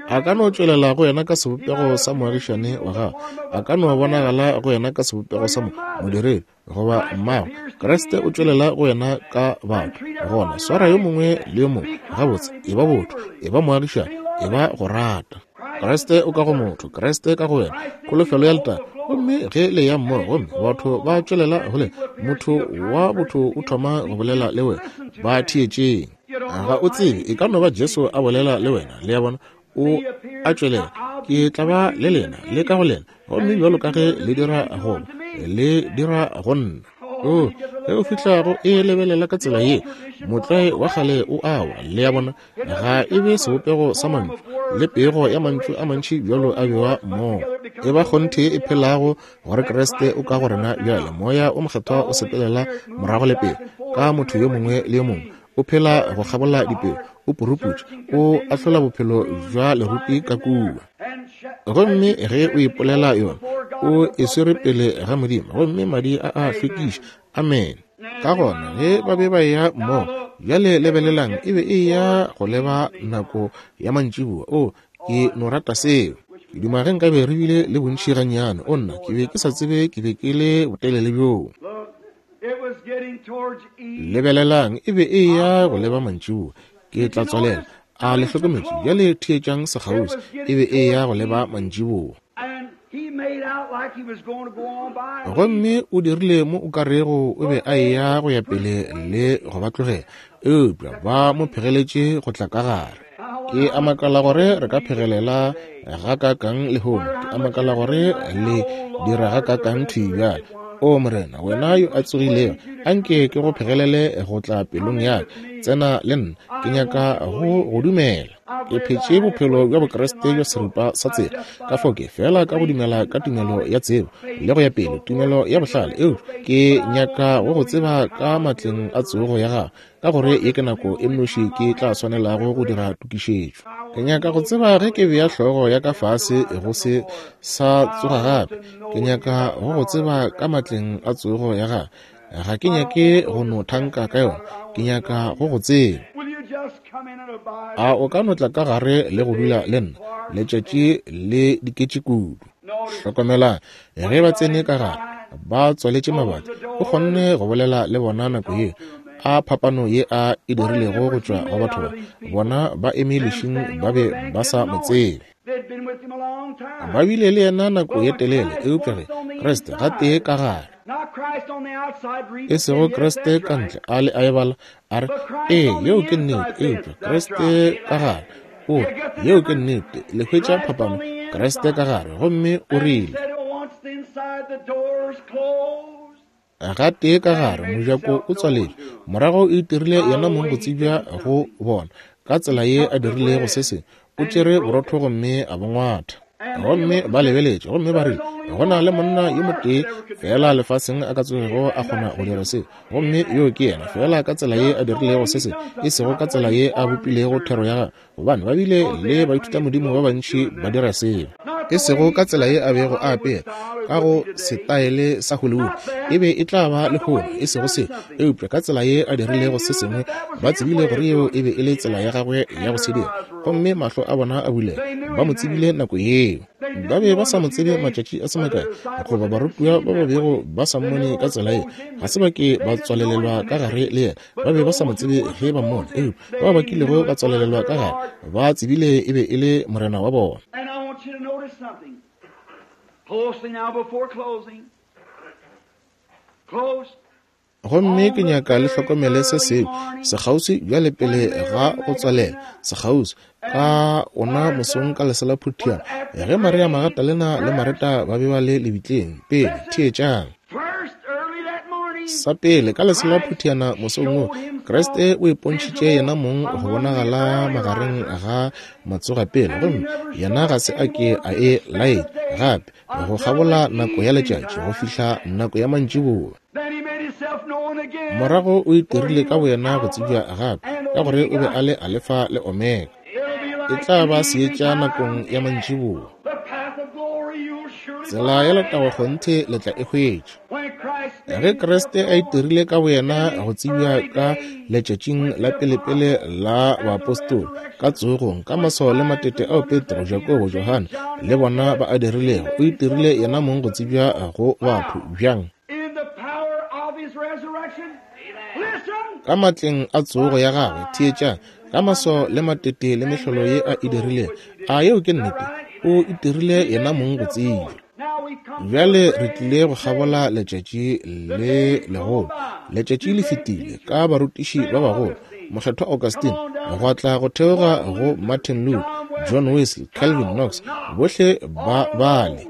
A ka no tšwelela go yena ka sebopego sa moagišane wa gagwe, a ka no bonagala go yena ka sebopego sa modiredi goba mmago. Kriste o tšwelela go yena ka batho. Gona swara yo mongwe le yo mongwe gabotse, e ba botho, e ba moagišane, e ba go rata. Kriste o ka go motho, Kriste ka go wena, kholofelo ya letago. Gomme ge le ya mmogo, gomme batho ba tšwelela go le motho wa botho o thoma go bolela le wena, ba theetšeng. Ga o tsebe, e ka no ba Jesu a bolela le wena. Le a bona, o a tšwelela, ke tla ba le lena le ka go lena, gomme bjalo ka ge le dira go le dira go nna. O, ge o fihla go e lebelela ka tsela ye, motlwae wa kgale o awa. Le a bona, ga e be sebopego sa mantšu le pego ya mantšu a mantši bjalo a bewa mmogo. E ba kgonthe e phelago gore Kriste o ka go rena bjale. Moya o Mokgethwa o sepelela morago le pele ka motho yo mongwe le yo mongwe. O phela go kgabola dipelo, o puruputša, o ahlola bophelo bja lerupi ka kua. Gomme ge o ipolela yona, o e swere pele ga Modimo, gomme madi a a hlwekiša. Amen. Ka gona ge ba be ba eya mmogo, bjale lebelelang, e be e ya go leba nako ya mantšiboa. O, ke no rata seo. Ke duma ge nkabe re bile le bontši gannyane. O nna, ke be ke sa tsebe ke be ke le botelele bjoo. Lebelelang, e be e ya go leba mantšiboa. Ke tla tswalela. A le hlokometše? Bjale theetšang sekgauswi. E be e ya go leba mantšiboa. Gomme o dirile mo o ka rego o be a eya go ya pele le go ba tlogela, eupša ba mo phegeletše go tla ka gare. Ke a makala gore re ka phegelela gakaakang lehono. Ke a makala gore le dira gakaakang thwi bjale. O Morena, wena yo a tsogilego, anke ke go phegelele go tla pelong ya ka. Tsena le nna, ke nyaka go go dumela. Ke phetše bophelo bja Bokriste bja seripa sa tsela, ka fao ke fela ka go dumela ka tumelo ya tsebo le go ya pele, tumelo ya bohlale, eupša ke nyaka go go tseba ka matleng a tsogo ya gago, ka gore ye ke nako e nnoši ke tla swanelago go dira tokišetšo. Ke nyaka go tseba ge ke bea hlogo ya ka fase go se sa tsoga gape. Ke nyaka go go tseba ka matleng a tsogo ya gago. Ga ke nyake go no thanka ka yona, ke nyaka go go tseba. A o ka no tla ka gare le go dula le nna letšatši le diketše kudu? Hlokomelang, ge ba tsene ka gare, ba tswaletše mabati, o kgonne go bolela le bona nako ye. A phapano ye a e dirilego go tšwa go batho ba, bona ba eme lešing ba be ba sa mo tsebe. Ba bile le yena nako ye telele, eupša ge Kriste gatee ka gare, e sego Kriste ka ntle a le a e bala a re, ee, yeo ke nnete, eupša Kriste ka gare, o re, yeo ke nnete. Le hwetša phapano, Kriste ka gare. Gomme o rile, gatee ka gare, mojako o tswaletšwe, morago o itirile yena mong go tsebja go bona ka tsela ye a dirilego se sengwe. O tšere borotho gomme a bo ngwatha. Gomme ba lebeletše gomme ba rile, go na le monna yo motee fela lefaseng a ka tsogego a kgona go dira se, gomme yo ke yena. Fela ka tsela ye a dirilego se sengwe, e sego ka tsela ye a bopilego thero ya gagwe, gobane ba bile le baithutamodimo ba bantši ba dira seo. E sego ka tsela ye a bego a apere ka go setaele sa Hollywood, e be e tla ba lehono, e sego se, eupša ka tsela ye a dirilego se sengwe, ba tsebile gore yeo e be e le tsela ya gagwe ya go se dira. Gomme mahlo a bona a bulega, ba mo tsebile nako yeo. Ba be ba sa mo tsebe matšatši a se makae, goba barutiwa ba ba bego ba sa mmone ka tsela ye, ga se ba ke ba tswalelelwa ka gare le yena. Ba be ba sa mo tsebe ge ba mmone, eupša bao ba kilego ba tswalelelwa ka gare ba tsebile e be e le Morena wa bona. Gomme ke nyaka le hlokomele se sengwe sekgauswi bjale pele ga go tswalela. Sekgauswi ka ona mosong ka lesela phuthiana, ge Maria Magdalena le Mareta ba be ba le lebitleng. Pele, theetšang. Sa pele, ka lesela phuthiana mosong wo, Kriste o ipontšhitše yena mong go bonagala magareng ga matsogapele, gomme yena ga se a ke a e laetša gape go kgabola nako ya letšatši go fihla nako ya mantšiboa. Morago o itirile ka boyena go tsebja gape, ka gore o be a le Alefa le Omega. E tla ba seetša nakong ya mantšiboa. Tsela ya letago kgonthe le tla e hwetša. Ge Kriste a itirile ka boyena go tsebja ka letšatšing la pelepele la baapostola, ka tsogong, ka maswao le matete ao Petro, Jakobo, Johane le bona ba a dirilego, o itirile yena mong go tsebja go batho. Bjang? Ka matleng a tsogo ya gagwe. Theetšang, ka maswao le matete le mehlolo ye a e dirilego. A yeo ke nnete? O itirile yena mong go tsebja. Bjale re tlile go kgabola letšatši le legolo. Letšatši le fetile ka barutiši ba bagolo, Mokgethwa Augustine, gwa tla go theoga go Martin Luther, John Wesley, Calvin, Knox, bohle ba bale.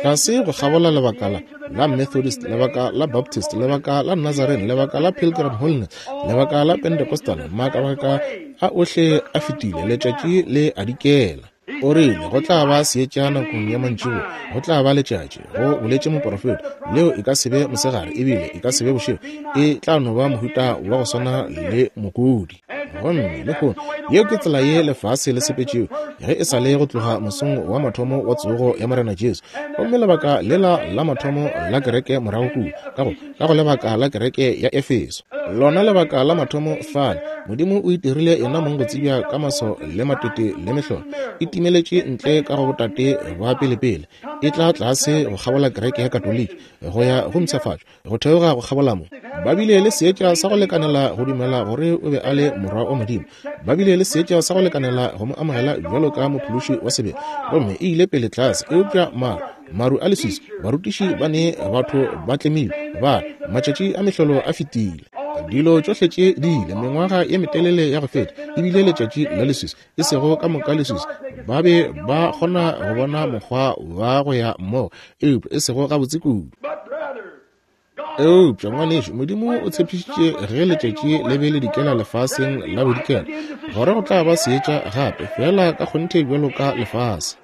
Tlase go kgabola lebaka la la Methodist, lebaka la Baptist, lebaka la Nazarene, lebaka la Pilgrim Holiness, lebaka la Pentecostal, makabaka a ohle a fetile, letšatši le a dikela. O rile go tla ba seetša nakong ya mantšiboa, go tla ba letšatši, go boletše moprofeta. Leo e ka se be mosegare ebile e ka se be bošego, e tla no ba mohuta wa go swana le mokudi. Gomme lehono yeo ke tsela ye lefase le sepetšego ge e sa le go tloga mosong wa mathomo wa tsogo ya Morena Jesu. Gomme lebaka lela la mathomo la kereke morago kua, ka go ka go lebaka la kereke ya Efeso, lona lebaka la mathomo fale, Modimo o itirile yena mong go tsebja ka maso le matete le mehlolo. E timeletše ntle ka go botate ba pelepele, e tla tlase go kgabola kereke ya Katoliki go ya go mpshafatšo, go theoga go kgabola mo. Ba bile le seetša sa go lekanela go dumela gore o be a le morwa wa Modimo. Ba bile le seetša sa go lekanela go mo amogela bjalo ka mophološi wa sebele. Gomme e ile pele tlase, eupša maru maru a leswiswi, barutiši ba ne batho ba tlemilwe, ba matšatši a mehlolo a fetile. Dilo tšohle tše di ile mengwaga ye metelele ya go feta, ebile letšatši la leswiswi, e sego ka moka leswiswi. Ba be ba kgona go bona mokgwa wa go ya mmogo, eupša e sego gabotse kudu. Eupša ngwanešu, Modimo o tshepišitše ge letšatši le be le dikela lefaseng la bodikela gore go tla ba seetša gape, fela ka kgonthe bjalo ka lefase.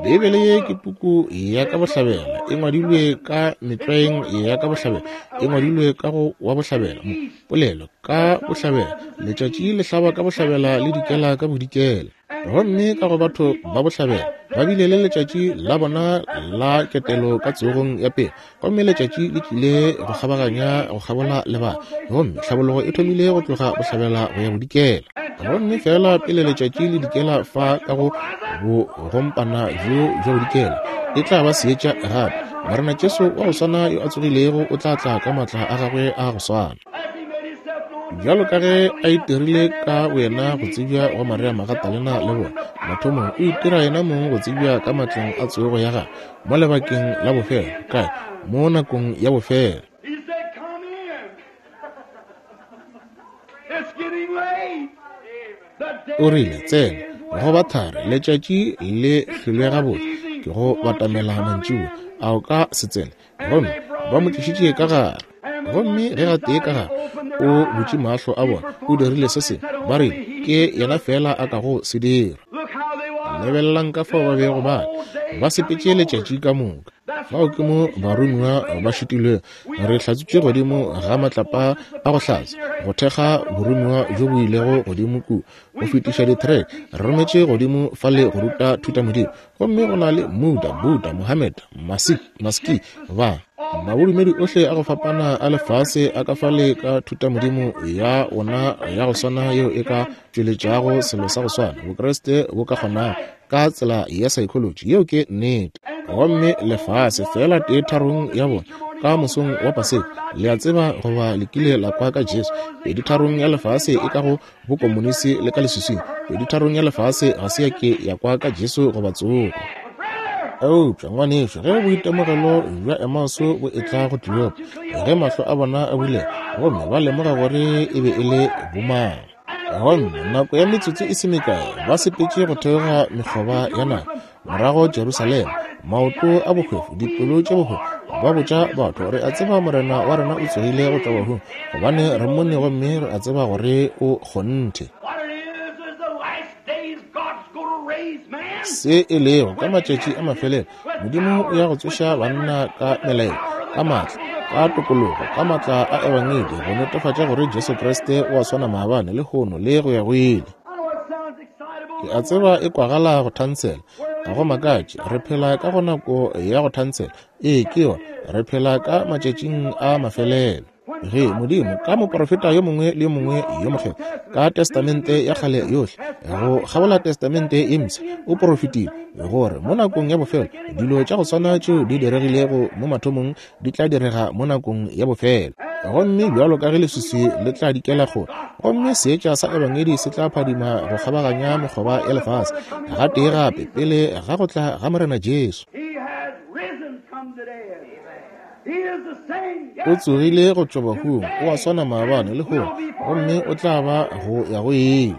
Beibele ye ke puku ya ka bohlabela, e ngwadilwe ka metlwaeng ya ka bohlabela, e ngwadilwe ka go wa bohlabela, mo polelo ka bohlabela, letšatši le hlaba ka bohlabela le dikela ka bodikela. Gomme ka go batho ba bohlabela ba bile le letšatši la bona la ketelo ka tsogong ya pele, gomme letšatši le tlile go kgabaganya go kgabola lebaka, gomme tlhabologo e thomile go tloga bohlabela go ya bodikela. Gomme fela pele letšatši le dikela fa ka go bogompana bjo bja bodikela, e tla ba seetša gape. Morena Jesu wa go swana yo a tsogilego o tla tla ka maatla a gagwe a go swana, bjalo ka ge a itirile ka wena go tsebja go Maria Magdalena le bona. Mathomong o itira yena mong go tsebja ka matleng a tsogo ya gagwe mo lebakeng la bofelo, kae mo nakong ya bofelo. O rile tsena go ba thari, letšatši le hlwele gabotse, ke go batamela mantšiboa, a o ka se tsene? Gomme ba mo tlišitše ka gare. Gomme ge gatee ka gare o butše mahlo a bona, o dirile se sengwe, ba rile ke yena fela a kago se dira. Lebelelang ka fao ba bego ba ba sepetše letšatši ka moka. Fao ke mo baromiwa ba šitilwego. Re hlatswitše godimo ga matlapa a go hlatsa, go thekga boromiwa bjo bo ilego godimo kua, go fetiša di-track. Re rometše godimo fale go ruta thutamodimo. Gomme go na le Muda, Buddha, Mohammed, Maski, ba mabodumedi ohle a go fapana a lefase a ka fale ka thutamodimo ya ona ya go swana yeo e ka tšweletšago selo sa go swana Bokreste bo ka kgonago ka tsela ya psychology. Yeo ke nnete. Gomme lefase fela tee tharong ya bona ka mosong wa Paseka, le a tseba goba le kile la kwa ka Jesu. Pedi tharong ya lefase e ka go bokomonisi le ka leswiswing. Pedi tharong ya lefase ga se ya ke ya kwa ka Jesu goba tsogo. Eupša ngwanešu, ge boitemogelo bja Emauso bo etla go Kleopa, ge mahlo a bona a bulega gomme ba lemoga gore e be e le bomang, gomme nako ya metsotso e se mekae ba sepetše go theoga mekgoba ya naga morago Jerusalema, maoto a bohwefo, dipelo tše bohwefo, ba botša batho, re a tseba Morena wa rena o tsogile go tšwa bahung, gobane re mmone gomme re a tseba gore o kgonthe. Se e lego ka matšatši a mafelelo, Modimo o ya go tsoša banna ka melaelo, ka maatla, ka tokologo, ka maatla a ebangedi, go netefatša gore Jesu Kriste o a swana maabane, lehono le go ya go ile. Ke a tseba e kwagala go thansela, ga go makatše, re phela ka go nako ya go thansela. Ee, ke yona, re phela ka matšatšing a mafelelo. Ge Modimo ka moprofeta yo mongwe le yo mongwe yo mokgethwa ka testamente ya kgale yohle go kgabola testamente ye mpsha o porofetile gore mo nakong ya bofelo dilo tša go swana tšeo di diregilego mo mathomong di tla direga mo nakong ya bofelo. Gomme bjalo ka ge leswiswi le tla dikela kgole, gomme seetša sa ebangedi se tla phadima go kgabaganya mekgoba ya lefase gatee gape pele ga go tla ga Morena Jesu. O tsogile go tšwa bahung, o a swana maabane lehono, gomme o tla ba go ya go ile.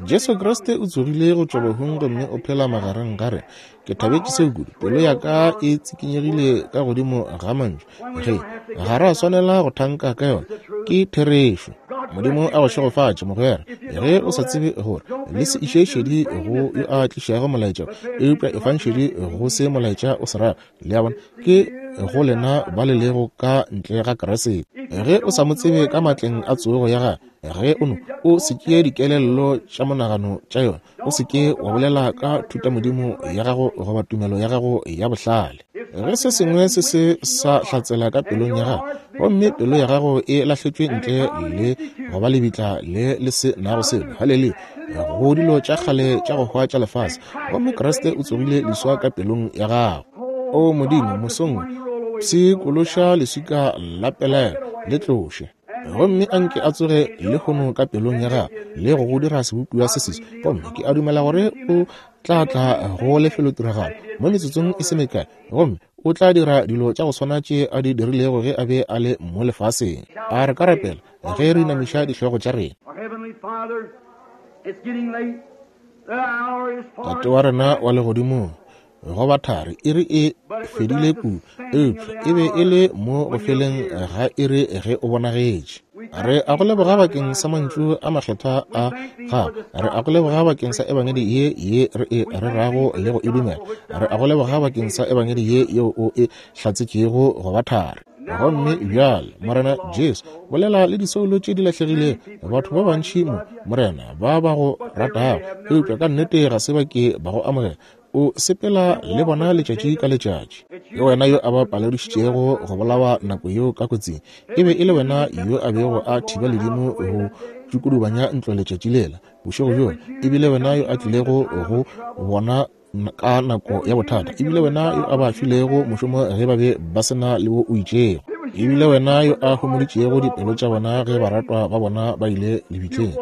Jesu Kriste o tsogile go tšwa bahung gomme o phela magareng ga rena. Ke thabetše seo kudu, pelo ya ka e tsikinyegile ka godimo ga mantšu. Ge ga ra swanela go thanka ka yona, ke therešo. Modimo a go šegofatše, mogwera. Ge o sa tsebe gore le se iše šedi go yo a tlišago molaetša, eupša efang šedi go se molaetša o se rago. Le a bona, ke go lena ba le lego ka ntle ga Kriste. Ge o sa mo tsebe ka matleng a tsogo ya gagwe, ge o no o se tšee dikelello tša monagano tša yona, o se ke wa bolela ka thutamodimo ya gago goba tumelo ya gago ya bohlale. Ge se sengwe se se sa hlatsela ka pelong ya gago, gomme pelo ya gago e lahletšwe ntle le goba lebitla le le se nago selo, haleluya, go dilo tša kgale tša go hwa tša lefase, gomme Kriste o tsogile leswa ka pelong ya gago. O Modimo, mosong pshikološa leswika la pelaelo le tloše, gomme anke a tsoge lehono ka pelong ya gago le go go dira sebopiwa se seswa. Gomme ke a dumela gore o tla tla go lefelotiragalo mo metsotsong e se mekae, gomme o tla dira dilo tša go swana tše a di dirilego ge a be a le mo lefaseng. A re ka rapela ge re inamiša dihlogo tša rena. Tate wa rena wa legodimong, go ba thari iri e fedile kudu, eupša e be e le mo go feleng ga iri ge o bonagetše. Re a go leboga bakeng sa mantšu a makgethwa a gago. Re a go leboga bakeng sa ebangedi ye ye re e rerago le go e dumela. Re a go leboga bakeng sa ebangedi ye yeo o e hlatsetšego go ba thari. Gomme bjale, Morena Jesu, bolela le disoulo tše di lahlegilego, batho ba bantši mo, Morena, ba ba go ratago, eupša ka nnete ga se ba ke ba go amogela. O sepela le bona letšatši ka letšatši. Ke wena yo a ba paledišitšego go bolawa nako yeo ka kotsing. E be e le wena yo a bego a thiba ledimo go tšukudubanya ntlo letšatši lela bošego bjola. E bile wena yo a tlilego go bona ka nako ya bothata. E bile wena yo a ba filego mošomo ge ba be ba se na le wo o itšego. E bile wena yo a homoditšego dipelo tša bona ge baratwa ba bona ba ile lebitleng.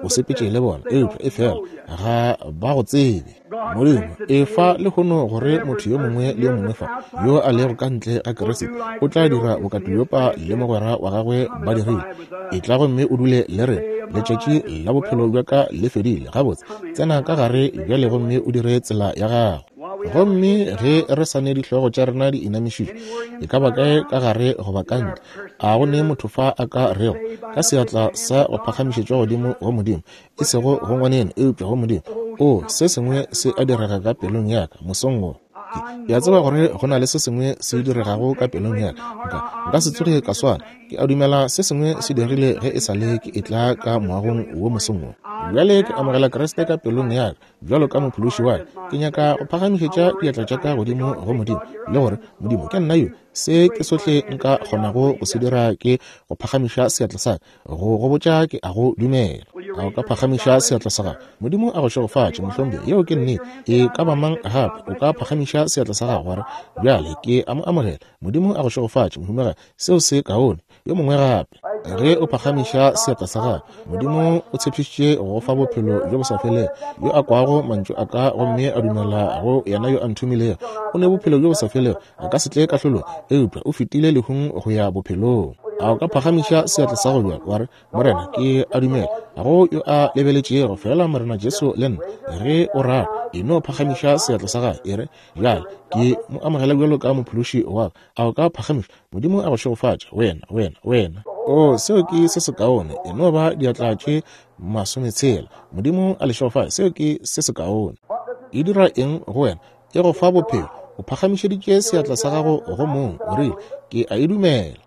O sepetše le bona, eupša e fela ga ba go tsebe. Modimo, efa lehono gore motho yo mongwe le yo mongwe fa yo a lego ka ntle ga Kriste o tla dira bokatoliopa le mogwera wa gagwe ba dirile. E tla gomme o dule le rena. Letšatši la bophelo bja ka le fedile. Gabotse, tsena ka gare bjale gomme o dire tsela ya gago. Gomme ge re sa ne dihlogo tša rena di inamišitšwe, e ka ba kae ka gare goba ka ntle, a go ne motho fa a ka rego ka seatla sa go phagamišetšwa godimo go Modimo, e sego go ngwaneno, eupša go Modimo, o se sengwe se a direga ka pelong ya ka mosong wo. Ke a tseba gore go na le se sengwe se diregago ka pelong ya ka. Nka nka se tsoge ka swana. Ke a dumela se sengwe se dirile ge e sa le ke etla ka moagong wo mosong wo. Bjale ke amogela Kriste ka pelong ya ka bjalo ka mophološi wa ka. Ke nyaka go phagamišetša diatla tša ka godimo go Modimo le gore, Modimo, ke nna yo, se ke sohle nka kgonago go se dira ke go phagamiša seatla sa ka go go botša ke a go dumela. A o ka phagamiša seatla sa gago? Modimo a go šegofatše, mohlomphegi. Yeo ke nnete. E ka ba mang gape o ka phagamiša seatla sa gago gore bjale ke a mo amogela? Modimo a go šegofatše, mohumagadi. Seo se kaone. Yo mongwe gape, ge o phagamiša seatla sa gago, Modimo o tshepišitše go fa bophelo bjo bo sa felego. Yo a kwago mantšu a ka gomme a dumela go yena yo a nthomilego, o ne bophelo bjo bo sa felego, a ka se tle kahlolong, eupša o fetile lehung go ya bophelong. A o ka phagamiša seatla sa go bjalo wa re, Morena, ke a dumela go yo a lebeletšego fela Morena Jesu le nna. Ge o rata, e no phagamiša seatla sa gago, e re, bjale ke mo amogela bjalo ka mophološi wa ka. A o ka phagamiša? Modimo a go šegofatše, wena, wena, wena. O, seo ke se sekaone. E no ba diatla tše masometshela. Modimo a le šegofatše. Seo ke se sekaone. E dira eng go wena? E go fa bophelo. O phagamišeditše seatla sa gago go mong. O rile, ke a e dumela.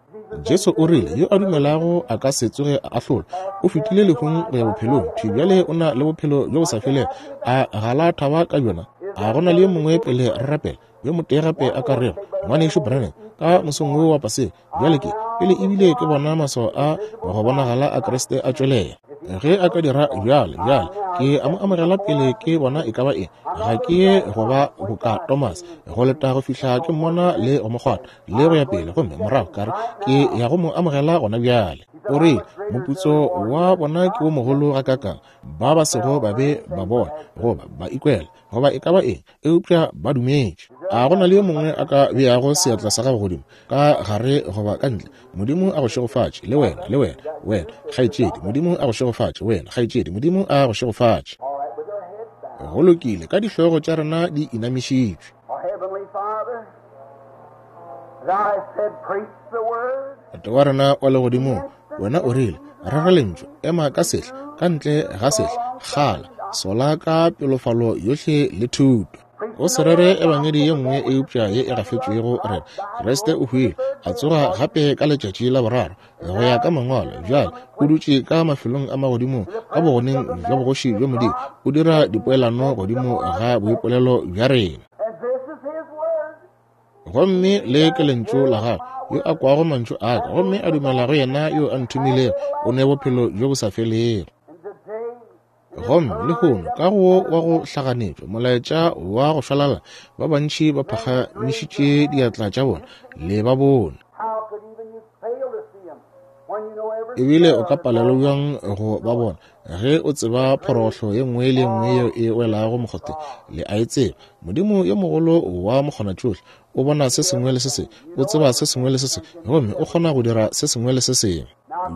Jesu o rile, yo a dumelago a ka se tsoge a ahlolwa, o fetile lehung go ya bophelong. Thwi bjale o na le bophelo bjo bo sa felego. A ga la thaba ka bjona? A go na le yo mongwe pele re rapela, yo motee gape a ka rego, Ngwanešu Branham, ka mosong wo wa Paseka, bjale ke pele ebile ke bona maswao a go bonagala a Kriste a tšwelela. Ge a ka dira bjale, bjale ke a mo amogela pele ke bona e ka ba eng. Ga ke ye go ba boka Thomas, go leta go fihla ke mmona le go mo kgwatha le go ya pele, gomme morago ka re ke ya go mo amogela gona bjale. O rile, moputso wa bona ke wo mogolo gakakang, ba ba sego ba be ba bona goba ba ikwela goba e ka ba eng, eupša ba dumetše. A go na le yo mongwe a ka beago seatla sa gago godimo ka gare goba ka ntle? Modimo a go šegofatše, le wena, le wena, wena kgaetšedi. Modimo a go šegofatše, wena kgaetšedi. Modimo a go šegofatše. Go lokile, ka dihlogo tša rena di inamišitšwe. Tate wa rena wa legodimong, Wena o rile, rera lentšu, ema ka sehla, ka ntle ga sehla, kgala, sola ka pelofalo yohle le thuto. O se rere ebangedi ye nngwe eupša ye e gafetšwego rena. Kriste o hwile, a tsoga gape ka letšatši la boraro, go ya ka mangwalo. Bjale o dutše ka mafelong a magodimo ka bogoneng bja bogoši bja Modimo, o dira dipoelano godimo ga boipolelo bja rena. Gomme le ke lentšu la gagwe, yo a kwago mantšu a ka gomme a dumela go yena yo a nthomilego, o ne bophelo bjo bo sa felego. Gomme lehono ka go wa go hlaganetšwa molaetša wa go šwalala, ba bantši ba phagamišitše diatla tša bona le ba bone. Ebile o ka palelwa bjang go ba bona ge o tseba phorohlo ye nngwe le nngwe yeo e welago mokgotheng? Le a e tseba. Modimo yo mogolo wa mokgonatšohle o bona se sengwe le se sengwe, o tseba se sengwe le se sengwe, gomme o kgona go dira se sengwe le se sengwe.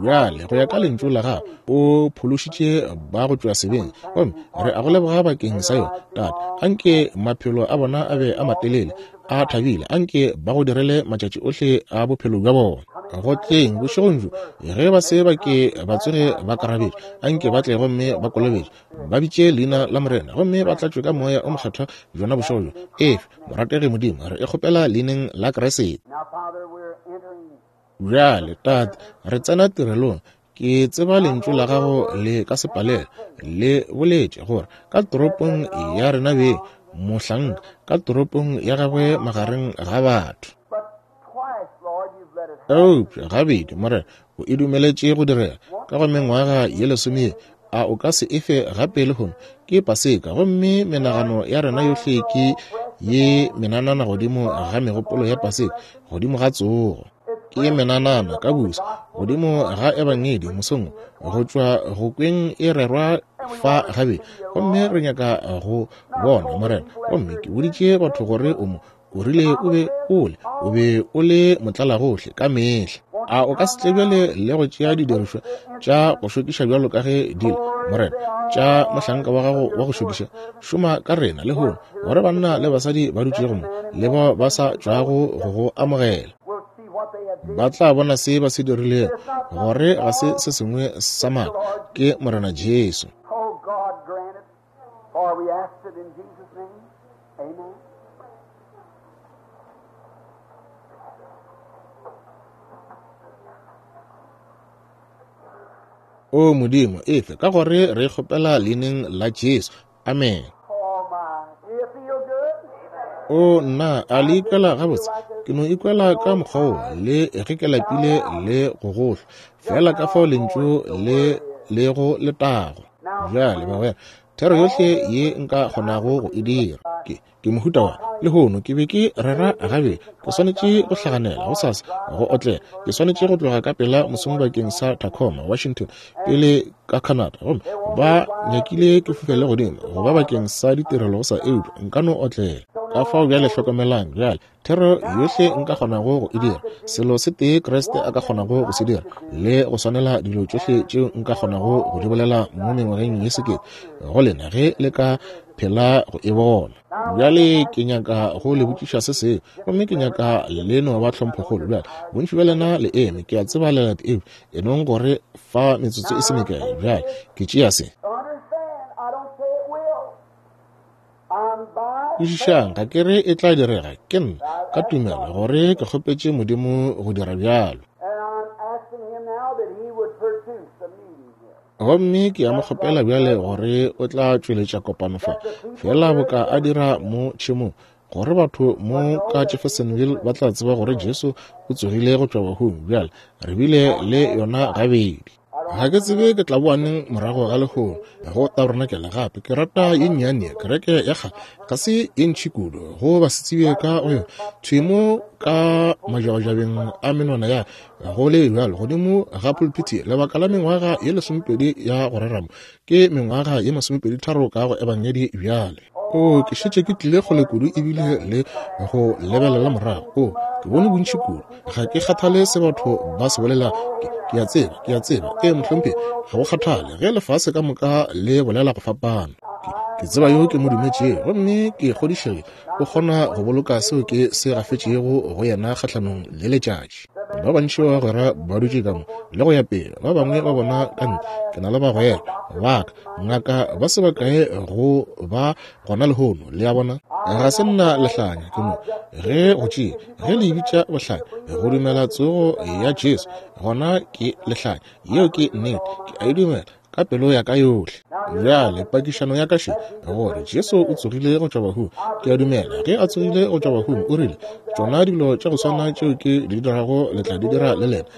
Bjale go ya ka lentšu la gago o phološitše ba go tšwa sebeng, gomme re a go leboga bakeng sa yona. Tate, anke maphelo a bona a be a matelele, a thabile, anke ba go direle matšatši ohle a bophelo bja bona. Go tleng bošegong bjo, ge ba se ba ke ba tsoge ba karabetše, anke ba tle gomme ba kolobetše, ba bitše leina la Morena, gomme ba tlatšwe ka moya o mokgethwa bjona bošego bjo. Efe, morategi Modimo, re e kgopela leineng la Kriste. Bjale, Tate, re tsena tirelong. Ke tseba lentšu la gago le ka se palele. Le boletše gore ka toropong ya rena beng, mohlanka ka toropong ya gagwe magareng ga batho. Eupša gabedi, Morena, o e dumeletše go direga ka go mengwaga ye lesome, a o ka se efe gape lehono? Ke Paseka, gomme menagano ya rena yohle ke ye menanana godimo ga megopolo ya Paseka, godimo ga tsogo. Ke menanana ka busa godimo ga ebangedi mosong go tšwa go kweng e rerwa fa gabe, gomme re nyaka go bona Morena. Gomme ke boditše batho gore o mo o rile o be o le o be o le motlalagohle ka mehla. A o ka se tle bjale le go tšea didirišwa tša go šokiša bjalo ka ge di le, Morena, tša mohlanka wa gago wa go šokiša? Šoma ka rena lehono gore banna le basadi ba dutšego mo le bao ba sa tšwago go go amogela ba tla bona se ba se dirilego, gore ga se se sengwe sa maaka, ke Morena Jesu. O Modimo, efe ka gore re kgopela leineng la Jesu. Amen. O nna, a le ikwela gabotse? Ke no ikwela ka mokgwa wo, le ge ke lapile le go gohlwa, fela ka fao lentšu le le go letago. Bjale bagwera, thero yohle ye nka kgonago go e dira ke ke mohuta wa lehono. Ke be ke rera gabe, ke swanetše go hlaganela gosasa go otlela, ke swanetše go tloga ka pela mosong bakeng sa Tacoma, Washington, pele ka Canada, gomme ba nyakile ke fofele godimo go ba bakeng sa ditirelo go sa, eupša nka no otlela. Ka fao bjale hlokomelang bjale, thero yohle nka kgonago go e dira, selo se tee Kriste a ka kgonago go se dira, le go swanela dilo tšohle tšeo nka kgonago go di bolela mo mengwageng ye sekete go lena ge le ka phela go e bona. Bjale ke nyaka go le botšiša se sengwe, gomme ke nyaka le no ba tlhomphokgolo. Bjale bontši bja lena le eme, ke a tseba le late, eupša e nong gore fa metsotso e se mekae. Bjale ke tšea se. Kwešišang, ga ke re e tla direga, ke nna ka tumelo gore ke kgopetše Modimo go dira bjalo. Gomme ke a mo kgopela bjale gore o tla tšweletša kopano fa, fela boka a dira mo tšhemong, gore batho mo ka Jeffersonville ba tla tseba gore Jesu o tsogile go tšwa bahung. Bjale re bile le yona gabedi. Ga ke tsebe ke tla boa neng morago ga lehono go tabernakel gape. Ke rata ye nnyane kereke ya kgale, ga se ye ntši kudu go ba se tsebe ka go yona. Thwi mo ka majabajabeng a menwana ya go le bjalo godimo ga pulpiti lebaka la mengwaga ye lesomepedi ya go rera mo, ke mengwaga ye masomepedi tharo ka go ebangedi bjale. O ke šetše ke tlile kgole kudu ebile le go lebelela morago. O ke bone bontši kudu, ga ke kgathale se batho ba se bolela. Ke a tseba, ke a tseba, ee mohlomphegi, ga go kgathale ge lefase ka moka le bolela go fapana. Ke tseba yo ke mo dumetšego, gomme ke kgodišegile o kgona go boloka seo ke se gafetšego go yena kgahlanong le letšatši. Ba bantši ba bagwera ba dutše ka mo le go ya pele, ba bangwe ba bona ka ntle. Ke na le bagwera ba ka, ngaka ba se bakae go ba gona lehono, le a bona. Ga se nna lehlanya, ke mo ge go tšea, ge le bitša bohlanya, go dumela tsogo ya Jesu, gona ke lehlanya. Yeo ke nnete, ke a e dumela ka pelo ya ka yohle. Bjale pakišano ya ka še, gore Jesu o tsogile go tšwa bahung. Ke a dumela ge a tsogile go tšwa bahung, o rile, tšona dilo tša go swana tšeo ke di dirago le tla di dira le lena,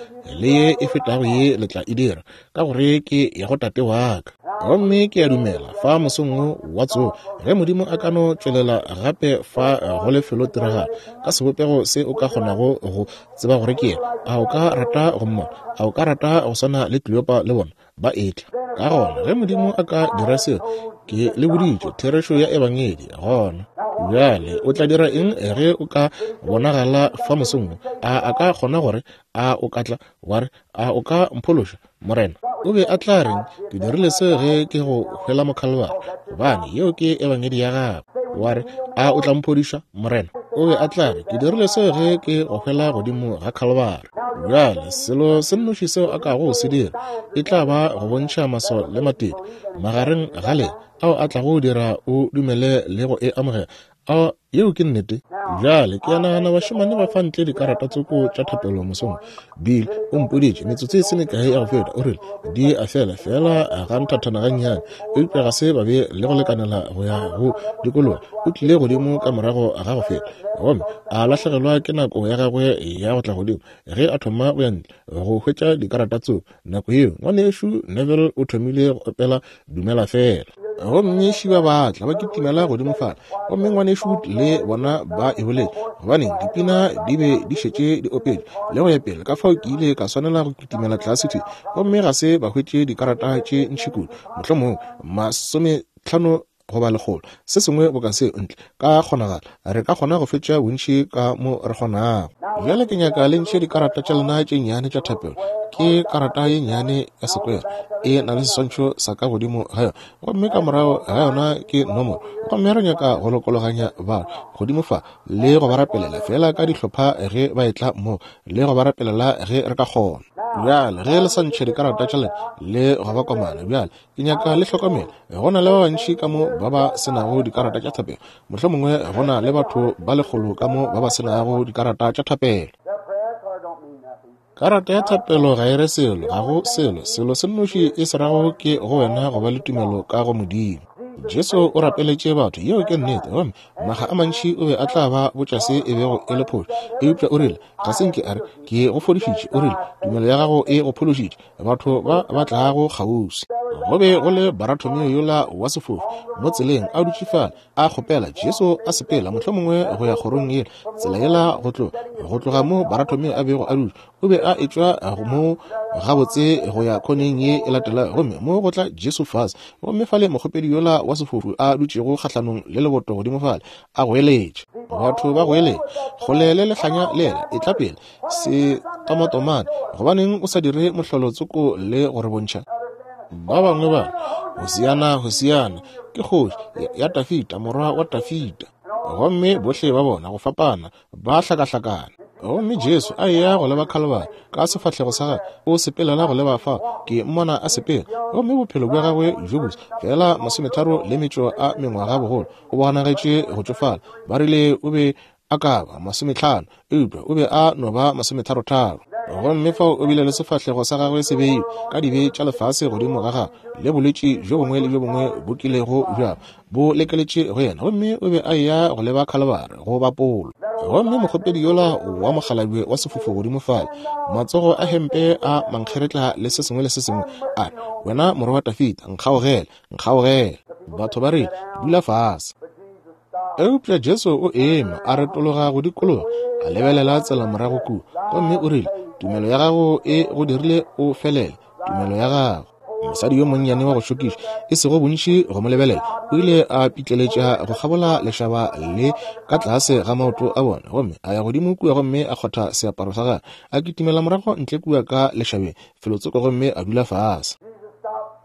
le ye e fetago ye le tla e dira, ka gore ke ya go Tate wa ka. Gomme ke a dumela fa mosong wo wa tsogo, ge Modimo a ka no tšwelela gape fa go lefelo tiragalo ka sebopego se o ka kgonago go tseba gore ke yena, a o ka rata go mmona? A o ka rata go swana le Kleopa le bona ba etla? Ka gona ge Modimo a ka dira seo, ke le boditše therešo ya ebangedi. Gona bjale o tla dira eng ge o ka bonagala fa mosong wo? A a ka kgona gore a o ka tla wa re, a o ka mphološa, Morena? O be a tla reng? Ke dirile seo ge ke go hwela mo Khalibari, gobane yeo ke ebangedi ya gago. Wa re, a o tla mphodiša, Morena? O be a tla re, ke dirile seo ge ke go hwela godimo ga Khalibari. Bjale selo se nnoši seo a kago se dira e tla ba go bontšha maswao le matete magareng ga lena ao a tlago dira o dumele le go e amogela. A yeo ke nnete. Bjale ke a nagana bašemane ba fa ntle dikarata tsoko tša thapelo mosong. Bill o mpoditše metsotso e se mekae ya go feta, o rile di a fela fela ga nthathana gannyane, eupša ga se ba be le go lekanela go ya go dikologa. O tlile godimo ka morago ga go feta, gomme a lahlegelwa ke nako ya gagwe ya go tla godimo ge a thoma go ya ntle go hwetša dikarata tsoko. Nako yeo ngwanešu Neville o thomile go opela Dumela Fela, gomme šiba ba tla ba kitimela godimo fale, gomme ngwanešu le bona ba e boletše, gobaneng dipina di be di šetše di opetše le go ya pele. Ka fao ke ile ka swanela go kitimela tlase thwi, gomme ga se ba hwetše dikarata tše ntši kudu, mohlomongwe masometlhano goba lekgolo, se sengwe boka seo ntle. Ka kgonagala re ka kgona go fetša bontši ka mo re kgonago. Bjale ke nyaka le ntšhe dikarata tša lena tše nnyane tša thapelo. Ke karata ye nnyane ya sekwere, e na le seswantšho sa ka godimo ga yona, gomme ka morago ga yona ke nomoro. Gomme re nyaka go lokologanya batho godimo fa le go ba rapelela fela ka dihlopha ge ba etla mo, le go ba rapelela ge re ka kgona. Bjale ge le sa ntšhe dikarata tša lena le go ba komana, bjale ke nyaka le hlokomele, go na le ba bantši ka mo ba ba senago dikarata tša thapelo. Mohlomongwe go na le batho ba lekgolo ka mo ba ba senago dikarata tša thapelo. Karata ya thapelo ga e re selo, ga go selo. Selo se nnoši e se rago ke go wena go ba le tumelo ka go Modimo. Jesu o rapeletše batho, yeo ke nnete, gomme maga a mantši o be a tla ba botša se e bego e le phošo, eupša o rile, ga se nke a re, ke go fodišitše. O rile, tumelo ya gago e go phološitše. Batho ba ba tlago kgauswi. Go be go le Baratomeo yola wa sefofu mo tseleng a dutše fale a kgopela Jesu a sepela mohlomongwe go ya kgorong yela, tsela yela go tloga go tloga mo Baratomeo a bego a dutše. O be a etšwa mo gabotse go ya khoneng ye e latelago, gomme mo go tla Jesu fase, gomme fale mokgopedi yola wa sefofu a dutšego kgahlanong le leboto godimo fale a goeletša. Batho ba goeletša, kgole le lehlanya lela, e tla pele se tomatomane, gobaneng o sa dire mohlolo tsoko le go re bontšha? Ba bangwe ba Hosiana, Hosiana, ke kgoši ya Tafita, morwa wa Tafita. Gomme bohle ba bona go fapana ba hlakahlakana. Gomme Jesu a eya go leba Khalibari ka sefahlego sa gagwe, o sepelela go leba fa, ke mmona a sepela, gomme bophelo bja gagwe bjo bose fela masometharo le metšo a mengwaga bogolo, o bonagetše go tšofala. Ba rile o be a ka ba masometlhano, eupša o be a no ba masometharotharo. Gomme fao o bile le sefahlego sa gagwe se beilwe ka dibe tša lefase godimo ga gagwe, le bolwetši bjo bongwe le bjo bongwe bo kilego bja bo lekeletše go yena, gomme o be a eya go leba Khalibari go bapolo. Gomme mokgopedi yola wa mokgalabje wa sefofu godimo fale, matsogo a hempe a mankgeretla le se sengwe le se sengwe, a re, wena morwa wa Tafita, nkgaogele, nkgaogele. Batho ba rile, dula fase. Eupša Jesu o eme, a retologa go dikologa, a lebelela tsela morago kua, gomme o rile, tumelo ya gago e go dirile o felele, tumelo ya gago. Mosadi yo monnyane wa go šokiša, e sego bontši go mo lebelela, o ile a pitleletša go kgabola lešaba le ka tlase ga maoto a bona, gomme a ya godimo kua gomme a kgotha seaparo sa gagwe, a kitimela morago ntle kua ka lešabeng felotsoko, gomme a dula fase.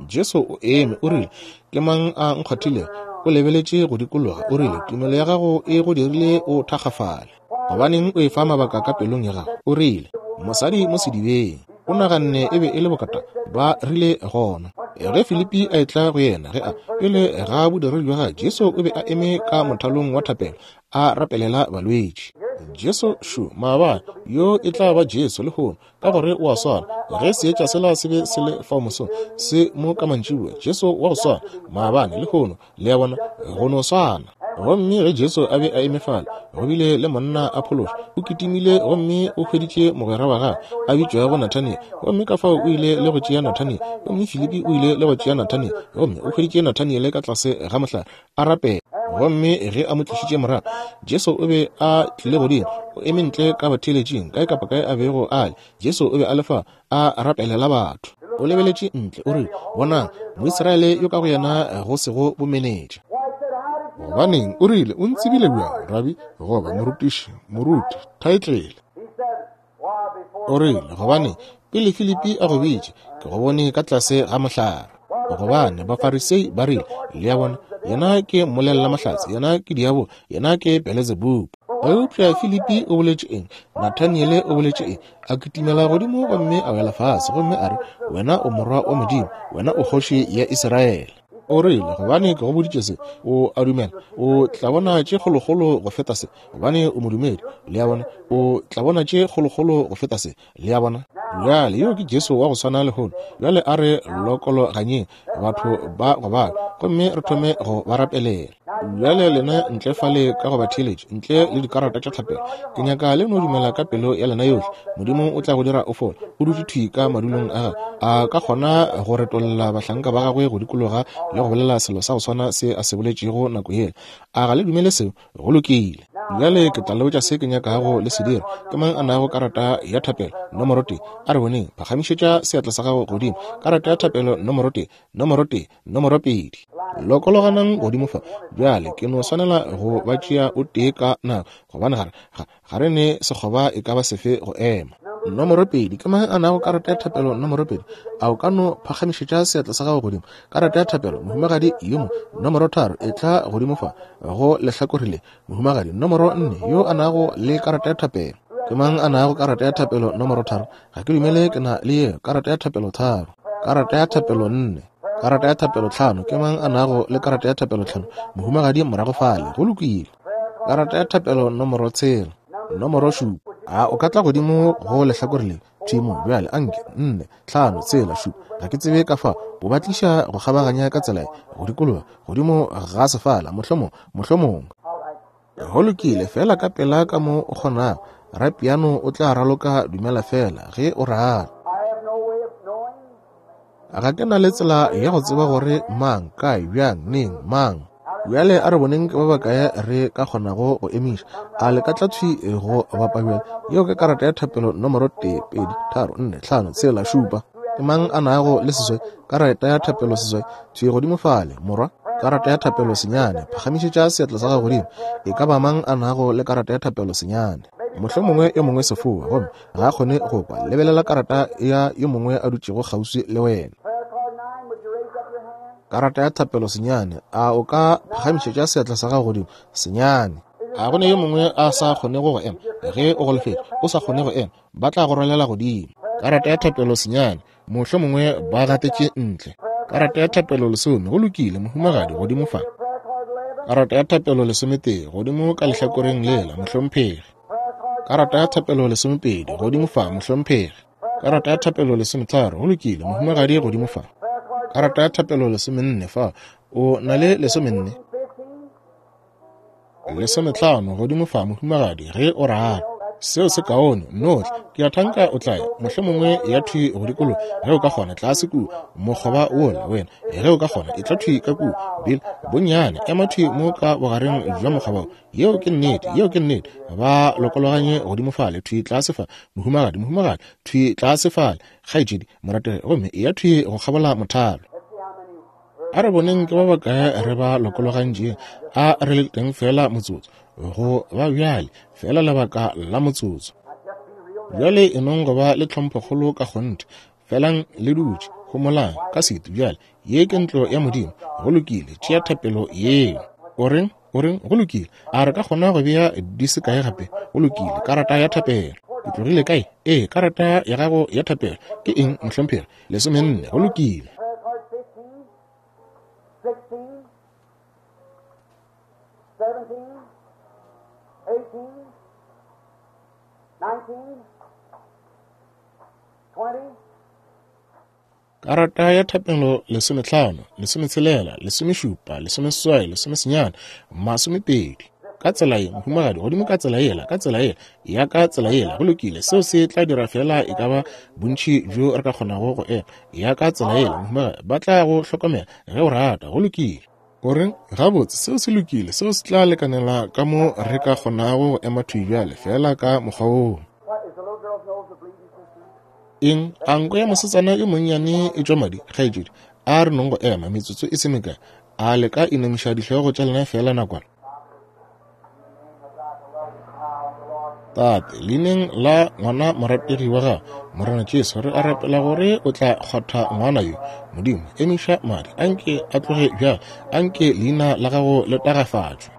Jesu o eme, o rile, ke mang a nkgwathilego? O lebeletše go dikologa, o rile, tumelo ya gago e go dirile o thakgafale. Gobaneng o e fa mabaka ka pelong ya gago? O rile, Mosadi mo sedibeng, o naganne e be e le bokata, ba rile gona. Ge Filipi a etla go yena, ge a pele ga bodiredi bja gagwe, Jesu o be a eme ka mothalong wa thapelo a rapelela balwetši. Jesu šo maabane, yo e tla ba Jesu lehono, ka gore o a swana. Ge seetša sela se be se le fao mosong, se mo ka mantšiboa, Jesu wa go swana maabane lehono, le a bona, go no swana. Gomme ge Jesu a be a eme fale, go bile le monna a phološwa, o kitimile gomme o hweditše mogwera wa gagwe a bitšwago Nathaniel, gomme ka fao o ile le go tšea Nathaniel, gomme Filipi o ile le go tšea Nathaniel, gomme o hweditše Nathaniel ka tlase ga mohlare a rapela. Gomme ge a mo tlišitše morago, Jesu o be a tlile godimo, o eme ntle ka batheeletšing, kae kapa kae a bego a le, Jesu o be a le fa a rapelela batho. O lebeletše ntle, o rile, bonang, Moisraele yo ka go yena go sego bomenetša. Gobaneng, o rile, o ntsebile bjang, rabi, goba morutiši, moruti, thaetlele. O rile, gobane pele Filipi a go bitše, ke go bone ka tlase ga mohlare. Gobane Bafarisei ba rile, le a bona, yena ke mmolella mahlatse, yena ke diabo, yena ke Beelzebub. Eupša Filipi o boletše eng? Nathaniele o boletše eng? A kitimela godimo gomme a wela fase, gomme a re, wena o morwa wa Modimo, wena o kgoši ya Israele. O rile, gobane ke go boditše se, o a dumela, o tla bona tše kgolokgolo go feta se, gobane o modumedi, le a bona, o tla bona tše kgolokgolo go feta se, le a bona. Bjale yo ke Jesu wa go swana lehono. Bjale a re lokologanyeng batho ba go bala, gomme re thome go ba rapelela. Bjale lena ntle fale ka go ba theeletše, ntle le dikarata tša thapelo, ke nyaka le no dumela ka pelo ya lena yohle. Modimo o tla go dira o fole. O dutše thwi ka madulong a gagwe, a ka kgona go retolla bahlanka ba gagwe go dikologa le go bolela selo sa go swana se a se boletšego nako yela. A ga le dumele seo? Go lokile. Bjale ke tla le botša se ke nyakago le se dira. Ke mang a nago karata ya thapelo nomoro tee? A re boneng, phagamišetša seatla sa gago godimo. Karata ya thapelo nomoro tee, nomoro tee, nomoro pedi. Lokologanang godimo fa. Bjale ke no swanela go ba tšea o tee ka nako, gobane ga ga ga re ne sekgoba e ka ba sefe go ema. Nomoro pedi, ke mang a nago karata ya thapelo nomoro pedi? A o ka no phagamišetša seatla sa gago godimo? Karata ya thapelo, mohumagadi yo mo. Nomoro tharo, e tla godimo fa go lehlakore le. Mohumagadi nomoro nne, yo a nago le karata ya thapelo. Ke mang a nago karata ya thapelo nomoro tharo? Ga ke dumele ke na le yeo. Karata ya thapelo tharo, karata ya thapelo nne, karata ya thapelo tlhano. Ke mang a nago le karata ya thapelo tlhano? Mohumagadi morago fale. Go lokile. Karata ya thapelo nomoro tshela, nomoro šupa. A o ka tla godimo go lehlakore le thimo bjale? Anke nne, tlhano, tshela, šupa. Ga ke tsebe ka fa o ba tliša go kgabaganya ka tsela go dikologa godimo ga sefala, mohlomong, mohlomong. Go lokile, fela ka pela ka mo o kgonago. Rapiano o tla raloka dumela fela ge o rata. Ga ke na le tsela ya go tseba gore mang, kae, bjang, neng, mang. Bjale a re boneng ke ba bakae re ka kgonago go emiša. A le ka tla thwi go bapa bjale? Yeo ke karata ya thapelo nomoro tee, pedi, tharo, nne, tlhano, tshela, šupa. Ke mang a nago le seswai? Karata ya thapelo seswai, thwi godimo fale, morwa. Karata ya thapelo senyane, phagamišetša seatla sa gago godimo. E ka ba mang a nago le karata ya thapelo senyane? Mohlomongwe yo mongwe sefoa, gomme ga a kgone go kwa. Lebelela karata ya yo mongwe a dutšego kgauswi le wena. Karata ya thapelo senyane, a o ka phagamišetša seatla sa gago godimo? Senyane. A go ne yo mongwe a sa kgonego go ema? Ge o golofetše, o sa kgone go ema, ba tla go rwalela godimo. Karata ya thapelo senyane, mohlomongwe ba gatetše ntle. Karata ya thapelo lesome, go lokile, mohumagadi godimo fa. Karata ya thapelo lesometee, godimo ka lehlakoreng lela, mohlomphegi. Karata ya thapelo lesomepedi, godimo fa, mohlomphegi. Karata ya thapelo lesometharo, go lokile, mohumagadi godimo fa. Karata ya thapelo lesomenne fa, o na le lesomenne. Lesometlhano godimo fa, mohumagadi, ge o rata. Seo se kaone, nohle. Ke a thanka o tla ya, mohlomongwe ya thwi go dikologa, ge o ka kgona, tlase kua mokgoba wola wena, ge o ka kgona, e tla thwi ka kua. Bill, bonnyane, ema thwi mo ka bogareng bja mokgoba wo. Yeo ke nnete, yeo ke nnete. Ba lokologanye godimo fale, thwi tlase fa, mohumagadi, mohumagadi, thwi tlase fale, kgaetšedi, morategi, gomme ya thwi go kgabola mothalo. A re boneng ke ba bakae re ba lokologantšeng. A re le teng fela motsotso, go ba bjale fela lebaka la motsotso. Bjale e nong go ba le tlhomphokgolo ka kgonthe. Felang le dutše, homolang ka setu bjale. Ye ke ntlo ya Modimo. Go lokile, tšea thapelo yeo. O reng? O reng? Go lokile. A re ka kgona go bea di se kae gape? Go lokile, karata ya thapelo. O tlogile kae? Ee, karata ya gago ya thapelo ke eng, mohlomphegi? Lesomenne. Go lokile. Karata ya thapelo lesomehlano, lesometshelela, lesomešupa, lesomeseswai, lesomesenyane, masomepedi. Ka tsela ye, mohumagadi, godimo ka tsela yela, ka tsela yela, ya ka tsela yela. Go lokile, seo se tla dira fela e ka ba bontši bjo re ka kgonago go ema. Ya ka tsela yela, mohumagadi, ba tla go hlokomela ge o rata. Go lokile. O reng? Gabotse, seo se lokile, seo se tla lekanela ka mo re ka kgonago go ema thwi bjale, fela ka mokgwa woo. Eng? A nko ya mosetsana yo monnyane e tšwa madi, kgaetšedi? A re nong go ema metsotso e se mekae. A le ka inamiša dihlogo tša lena fela nakwana? Tate, leineng la ngwana morategi wa gago, Morena Jesu, re a rapela gore o tla kgwatha ngwana yo. Modimo, emiša madi, anke a tloge bjale, anke leina la gago le tagafatšwe.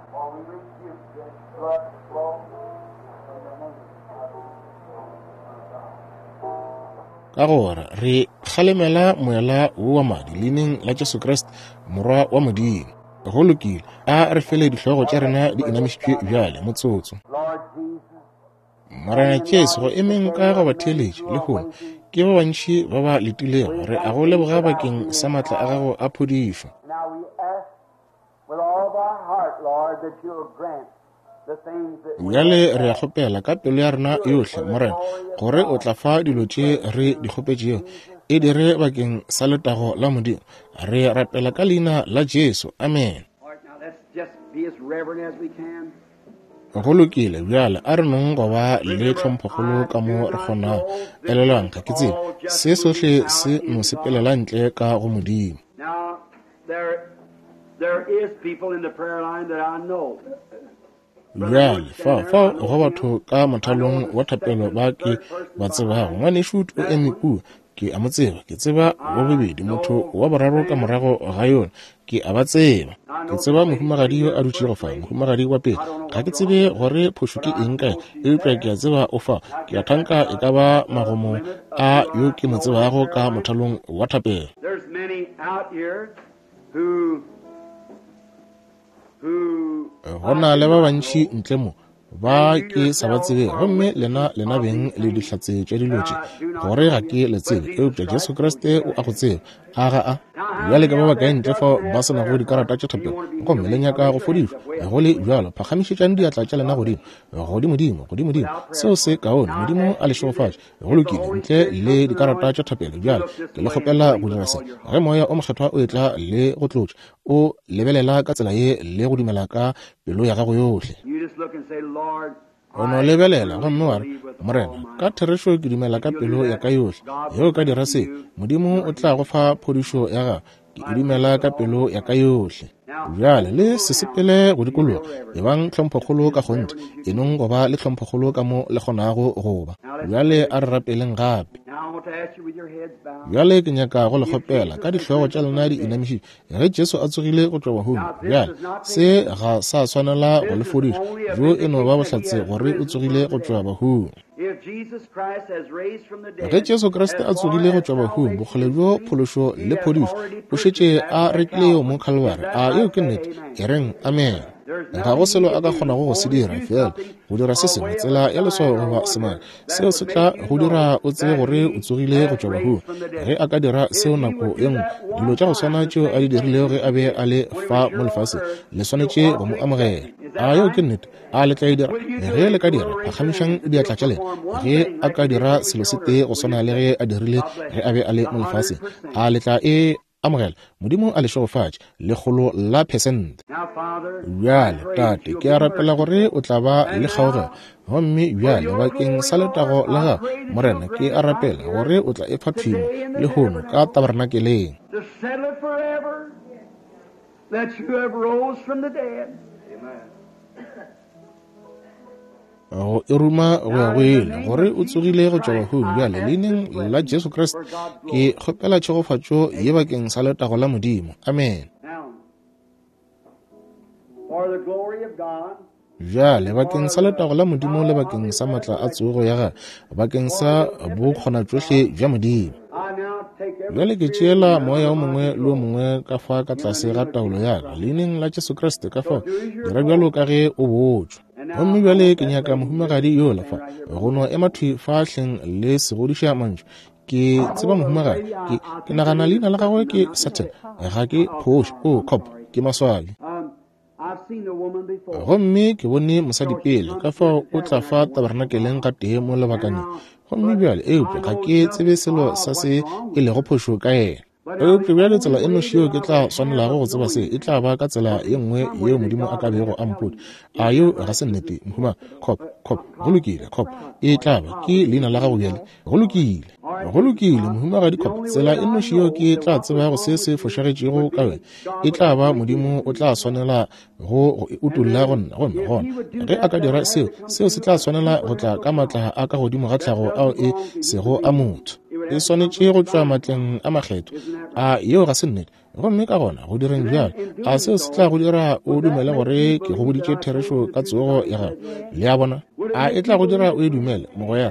Ka gore re kgalemela moela wo wa madi leineng la Jesu Kriste, Morwa wa Modimo. Go lokile, a re fele dihlogo tša rena di inamišitšwe bjale motsotso. Morena Jesu, go emeng ka go batheeletši lehono ke ba bantši ba ba letilego. Re a go leboga bakeng sa matla a gago a phodišo. Bjale re a kgopela ka pelo ya rena yohle, Morena, gore o tla fa dilo tše re di kgopetšego. E dire bakeng sa letago la Modimo. Re rapela ka leina la Jesu. Amen. Go lokile, bjale a re nong go ba le tlhomphokgolo ka mo re kgonago. Elelwang, ga ke tsebe, se sohle se no sepelela ntle ka go Modimo. Bjale fao fao go batho ka mothalong wa thapelo ba ke ba tsebago. Ngwanešu o eme kua, ke a mo tseba. Ke tseba wa bobedi, motho wa boraro ka morago ga yona, ke a ba tseba. Ke tseba mohumagadi yo a dutšego fa, mohumagadi wa pele. Ga ke tsebe gore phošo ke eng kae, eupša ke a tseba o fa. Ke a thanka e ka ba magomo a yo ke mo tsebago ka mothalong wa thapelo. Go na le ba bantši ntle mo ba ke sa ba tsebe, gomme lena lena beng le dihlatse tša dilo tše, gore ga ke le tsebe, eupša Jesu Kriste o a go tseba. A ga a? Bjale ke ba bakae ntle fao ba se nago dikarata tša thapelo gomme le nyaka go fodišwa? Go le bjalo, phagamišetšang diatla tša lena godimo, godimodimo, godimodimo. Seo se kaone. Modimo a le šegofatše. Go lokile, ntle le dikarata tša thapelo. Bjale ke le kgopela go dira se. Ge Moya o Mokgethwa o etla le go tlotša, o lebelela ka tsela ye le go dumela ka pelo ya gago yohle. O no lebelela gomme wa re, Morena, ka therešo ke dumela ka pelo ya ka yohle. Ge o ka dira se, Modimo o tla go fa phodišo ya gago. Ke e dumela ka pelo ya ka yohle. Bjale le se sepele go dikologa, ebang tlhomphokgolo ka kgonthe, enong go ba le tlhomphokgolo ka mo le kgonago go ba. Bjale a re rapeleng gape. Bjale ke nyaka go le kgopela ka dihlogo tša lena di inamišitšwe. Ge Jesu a tsogile go tšwa bahung, bjale se ga sa swanela go le fodiša, bjo e no ba bohlatse gore o tsogile go tšwa bahung. Ge Jesu Kriste a tsogile go tšwa bahung, bokgole bjo phološo le phodišo o šetše a rekile yeo mo Calvary. A yeo ke nnete? E reng amen. Ga go selo a ka kgonago go se dira, fela go dira se sengwe, tsela ya leswao goba semaka, seo se tla go dira o tsebe gore o tsogile go tšwa bahung. Ge a ka dira seo nako ye nngwe, dilo tša go swana tšeo a di dirilego ge a be a le fa mo lefaseng, le swanetše go mo amogela. A yeo ke nnete? A le tla e dira? Ge le ka dira, phagamišang diatla tša lena. Ge a ka dira selo se tee go swana le ge a dirile ge a be a le mo lefaseng, a le tla e amogela? Modimo a le šegofatše, lekgolo la phesente. Bjale, Tate, ke a rapela gore o tla ba le kgaogelo. Gomme bjale bakeng sa letago la gago, Morena, ke a rapela gore o tla e fa thwimo lehono ka tabernakeleng. Go e ruma go ya go ile, gore o tsogile go tšwa bahung. Bjale leineng la Jesu Kriste ke kgopela tšhegofatšo ye bakeng sa letago la Modimo. Amen. Bjale bakeng sa letago la Modimo le bakeng sa matla a tsogo ya gagwe, bakeng sa bokgonatšohle bja Modimo. Bjale ke tšeela moya o mongwe le o mongwe ka fa ka tlase ga taolo ya ka, leineng la Jesu Kriste. Ka fao dira bjalo ka ge o botšwa. Gomme bjale ke nyaka mohumagadi yola fa go no ema thwi fa hleng le segodiša mantšu. Ke tseba mohumagadi, ke, ke nagana leina la gagwe ke Satan, ga ke phošo. O cop, ke maswabi. Gomme ke bone mosadi pele, ka fao o tla fa tabernakeleng gatee mo lebakaneng. Gomme bjale, eupša ga ke tsebe selo sa se e lego phošo ka yena. Eupša bjale tsela e nnoši yeo ke tla swanelago go tseba se e tla ba ka tsela ye nngwe yeo Modimo a ka bego a mpotša. A yeo ga se nnete, mohuma? Cop, cop, go lokile, cop. E tla ba ke leina la gago bjale. Go lokile, go lokile, mohumagadi cop. Tsela e nnoši yeo ke tla tsebago se se fošagetšego ka wena e tla ba Modimo o tla swanela go go utolla go nna. Gomme gona ge a ka dira seo, seo se tla swanela go tla ka matla a ka godimo ga tlhago ao e sego a motho. E swanetše go tšwa matleng a makgetho. A yeo ga se nnete? Gomme ka gona go direng bjalo, a seo se tla go dira o dumele gore ke go boditše therešo ka tsogo ya gago? Le a bona? A e tla go dira o e dumele, mogwera?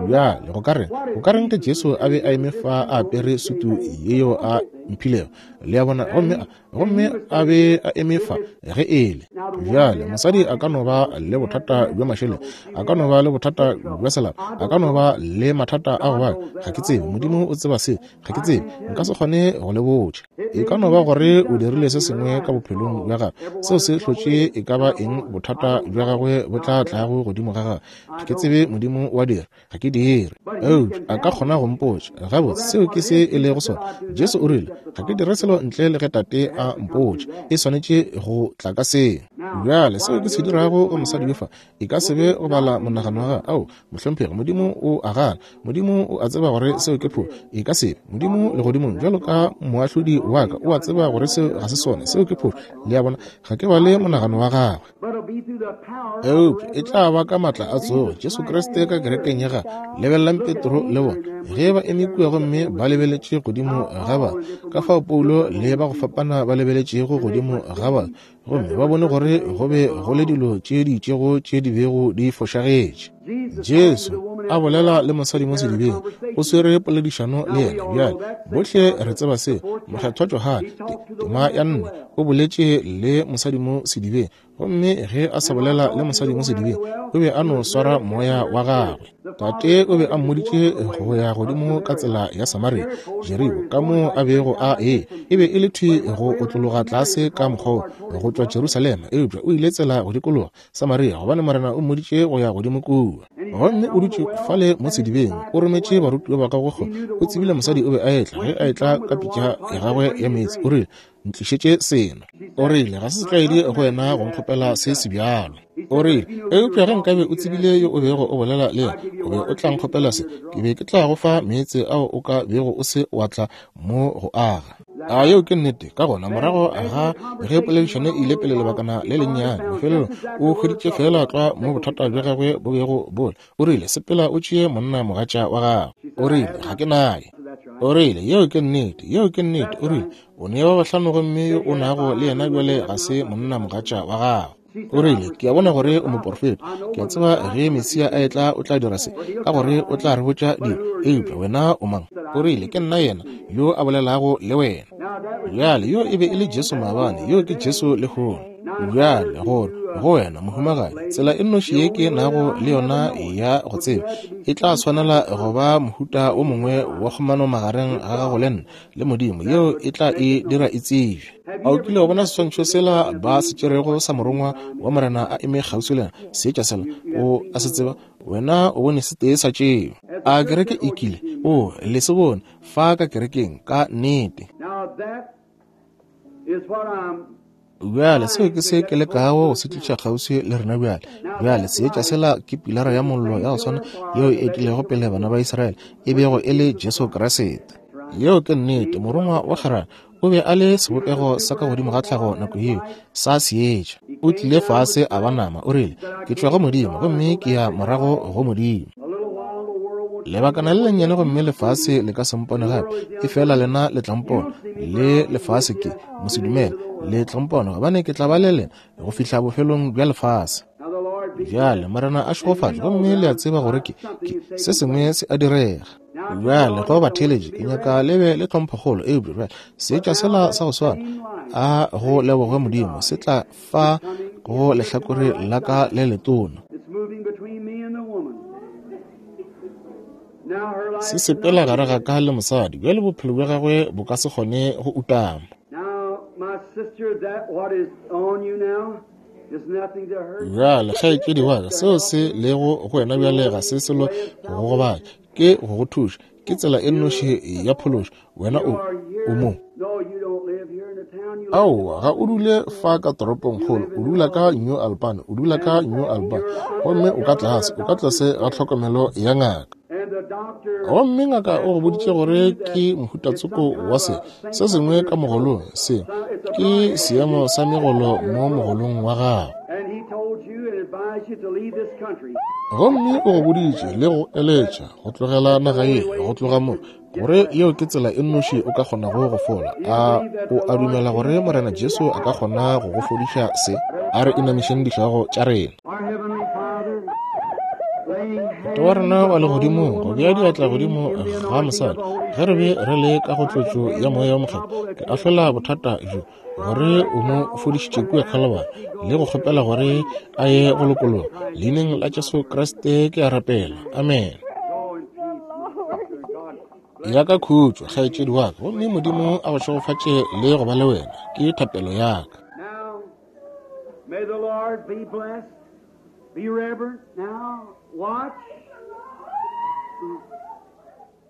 Bjale go ka reng, go ka reng ge Jesu a be a eme fa a apere sutu yeo a mphilego? Le a bona? Gomme gomme a be a eme fa ge e le bjale. Mosadi a ka no ba le bothata bja mašeleng, a ka no ba le bothata bja selapa, a ka no ba le mathata a go baka, ga ke tsebe. Modimo o tseba se, ga ke tsebe, nka se kgone go le botša. E ka no ba gore o dirile se sengwe ka bophelong bja gagwe seo se hlotše e ka ba eng bothata bja gagwe bo tla tlago godimo ga gagwe. Ga ke tsebe, Modimo wa dira, ga ke dire. Eupša a ka kgona go mpotša gabotse seo ke se e lego sona. Jesu o rile, ga ke dire selo ntle le ge Tate a mpotša. E swanetše go tla ka seo. Bjale seo ke se dirago go mosadi yo fa e ka se be go bala monagano wa gagwe. Ao, mohlomphegi, Modimo o a gana. Modimo o a tseba gore seo ke phošo. E ka se be. Modimo legodimong bjalo ka moahlodi wa ka o a tseba gore seo ga se sona, seo ke phošo. Le a bona? Ga ke bale monagano wa gagwe. Eupša e tla ba ka matla a tsogo Jesu Kriste ka kerekeng ya gagwe. Lebelelang Petro le bona ge ba eme kua gomme ba lebeletše godimo ga ba, ka fao Paulo le ba go fapana ba lebeletšego godimo ga ba, gomme ba bone gore go be go le dilo tše di itšego tše di bego di fošagetše. Jesu a bolela le mosadi mo sedibeng, o swere poledišano le yena. Bjale bohle re tseba seo. Mokgethwa Johane tema ya nne o boletše le mosadi mo sedibeng, gomme ge a sa bolela le mosadi mo sedibeng o be a no swara moya wa gagwe. Tate o be a mmoditše go ya godimo ka tsela ya Samaria, Jeriko, ka mo a bego a e e be e le thwi go otlologa tlase ka mokgwa go tšwa Jerusalema, eupša o ile tsela go dikologa Samaria gobane Morena o mmoditše go ya godimo kua. Gomme o dutše fale mo sedibeng, o rometše barutiwa ba gagwe kgole. O tsebile mosadi o be a etla ge a etla ka pitša ya gagwe ya meetse. O rile, ntlišetše seno. O rile, ga se setlwaedi go wena go nkgopela se se bjalo. O rile, eupša ge nkabe o tsebile yo o bego o bolela le yena, o be o tla nkgopela se, ke be ke tla go fa meetse ao o ka bego o se wa tla mo go aga. A yeo ke nnete? Ka gona morago ga ge poledišano e ile pele lebakana le lennyane, mafelelong o hweditše fela tlwa mo bothata bja gagwe bo bego bo le. O rile, sepela o tšee monna mogatša wa gago. O rile, ga ke naye. O rile, yeo ke nnete, yeo ke nnete. O rile, o ne ba bahlano gomme yo o nago le yena bjale ga se monna mogatša wa gago. O rile, ke a bona gore o moporofeta. Ke a tseba ge Mesia a etla o tla dira se, ka gore o tla re botša dilo. Eupša wena o mang? O rile, ke nna yena yo a bolelago le wena. Bjale yo e be e le Jesu maabane, yo ke Jesu lehono. Bjale gore go wena mohumagadi, tsela e nnoši ye ke nago le yona ya go tseba e tla swanela go ba mohuta o mongwe wa kgomano magareng ga gago le nna le Modimo, yeo e tla e dira e tsebje. A o kile wa bona seswantšho sela ba se tšerego sa morongwa wa Morena a eme kgauswi le yena, seetša sela? O a se tseba? Wena o bone se tee sa tšeo. A kereke e kile? O le se bone fa ka kerekeng ka nnete. Bjale seo ke se ke lekago go se tliša kgauswi le rena bjale. Bjale seetša sela ke pilara ya mollo ya go swana yeo e etilego pele bana ba Israele, e bego e le Jesu Kriste. Yeo ke nnete. Morongwa wa kgwerano o be a le sebopego sa ka godimo ga tlhago nako yeo, sa seetša. O tlile fase a ba nama. O rile, ke tšwa go Modimo gomme ke ya morago go Modimo. Lebakana le lennyane gomme lefase le ka se mpone gape, efela lena le tla mpona. Le lefase ke mosedumele, le tla mpona gobane ke tla ba le lena go fihla bofelong bja lefase. Bjale Morena a šegofatše, gomme le a tseba gore ke, ke se sengwe se a direga. Bjale go batheeletši, ke nyaka le be le tlhomphokgolo, eupša bjale seetša sela sa go swana, a go lebogwe Modimo, se tla fa go lehlakore la ka le letona. Se sepela gare ga ka le mosadi, bjale bophelo bja gagwe bo ka se kgone go utama. Bjale kgaetšedi wa ka, seo se lego go wena bjale ga se selo go go gobatša, ke go go thuša, ke tsela e nnoši ya phološo. Wena o o mo. Aowa, ga o dule fa ka toropongkgolo, o dula ka New Albany, o dula ka New Albany, gomme o ka tlase, o ka tlase ga tlhokomelo ya ngaka. Gomme ngaka o go boditše gore ke mohutatsoko wa se, se sengwe ka mogolong, se ke seemo sa megolo mo mogolong wa gago. Gomme o go boditše le go eletša go tlogela naga ye, go tloga mo, gore yeo ke tsela e nnoši o ka kgonago go fola. A o a dumela gore Morena Jesu a ka kgona go go fodiša se? A re inamišeng dihlogo tša rena. Tate wa rena wa legodimong, go bea diatla godimo ga mosadi ge re be re le ka go tlotšo ya Moya wo Mokgethwa, ke ahlola bothata bjo gore o mo fodišitše kua Calvary, le go kgopela gore a ye go lokologa. Leineng la Jesu Kriste ke a rapela, amen. Ya ka khutšo, kgaetšedi wa ka, gomme Modimo a go šegofatše le go ba le wena, ke thapelo ya ka. May the Lord be blessed. Be reverent now. Watch.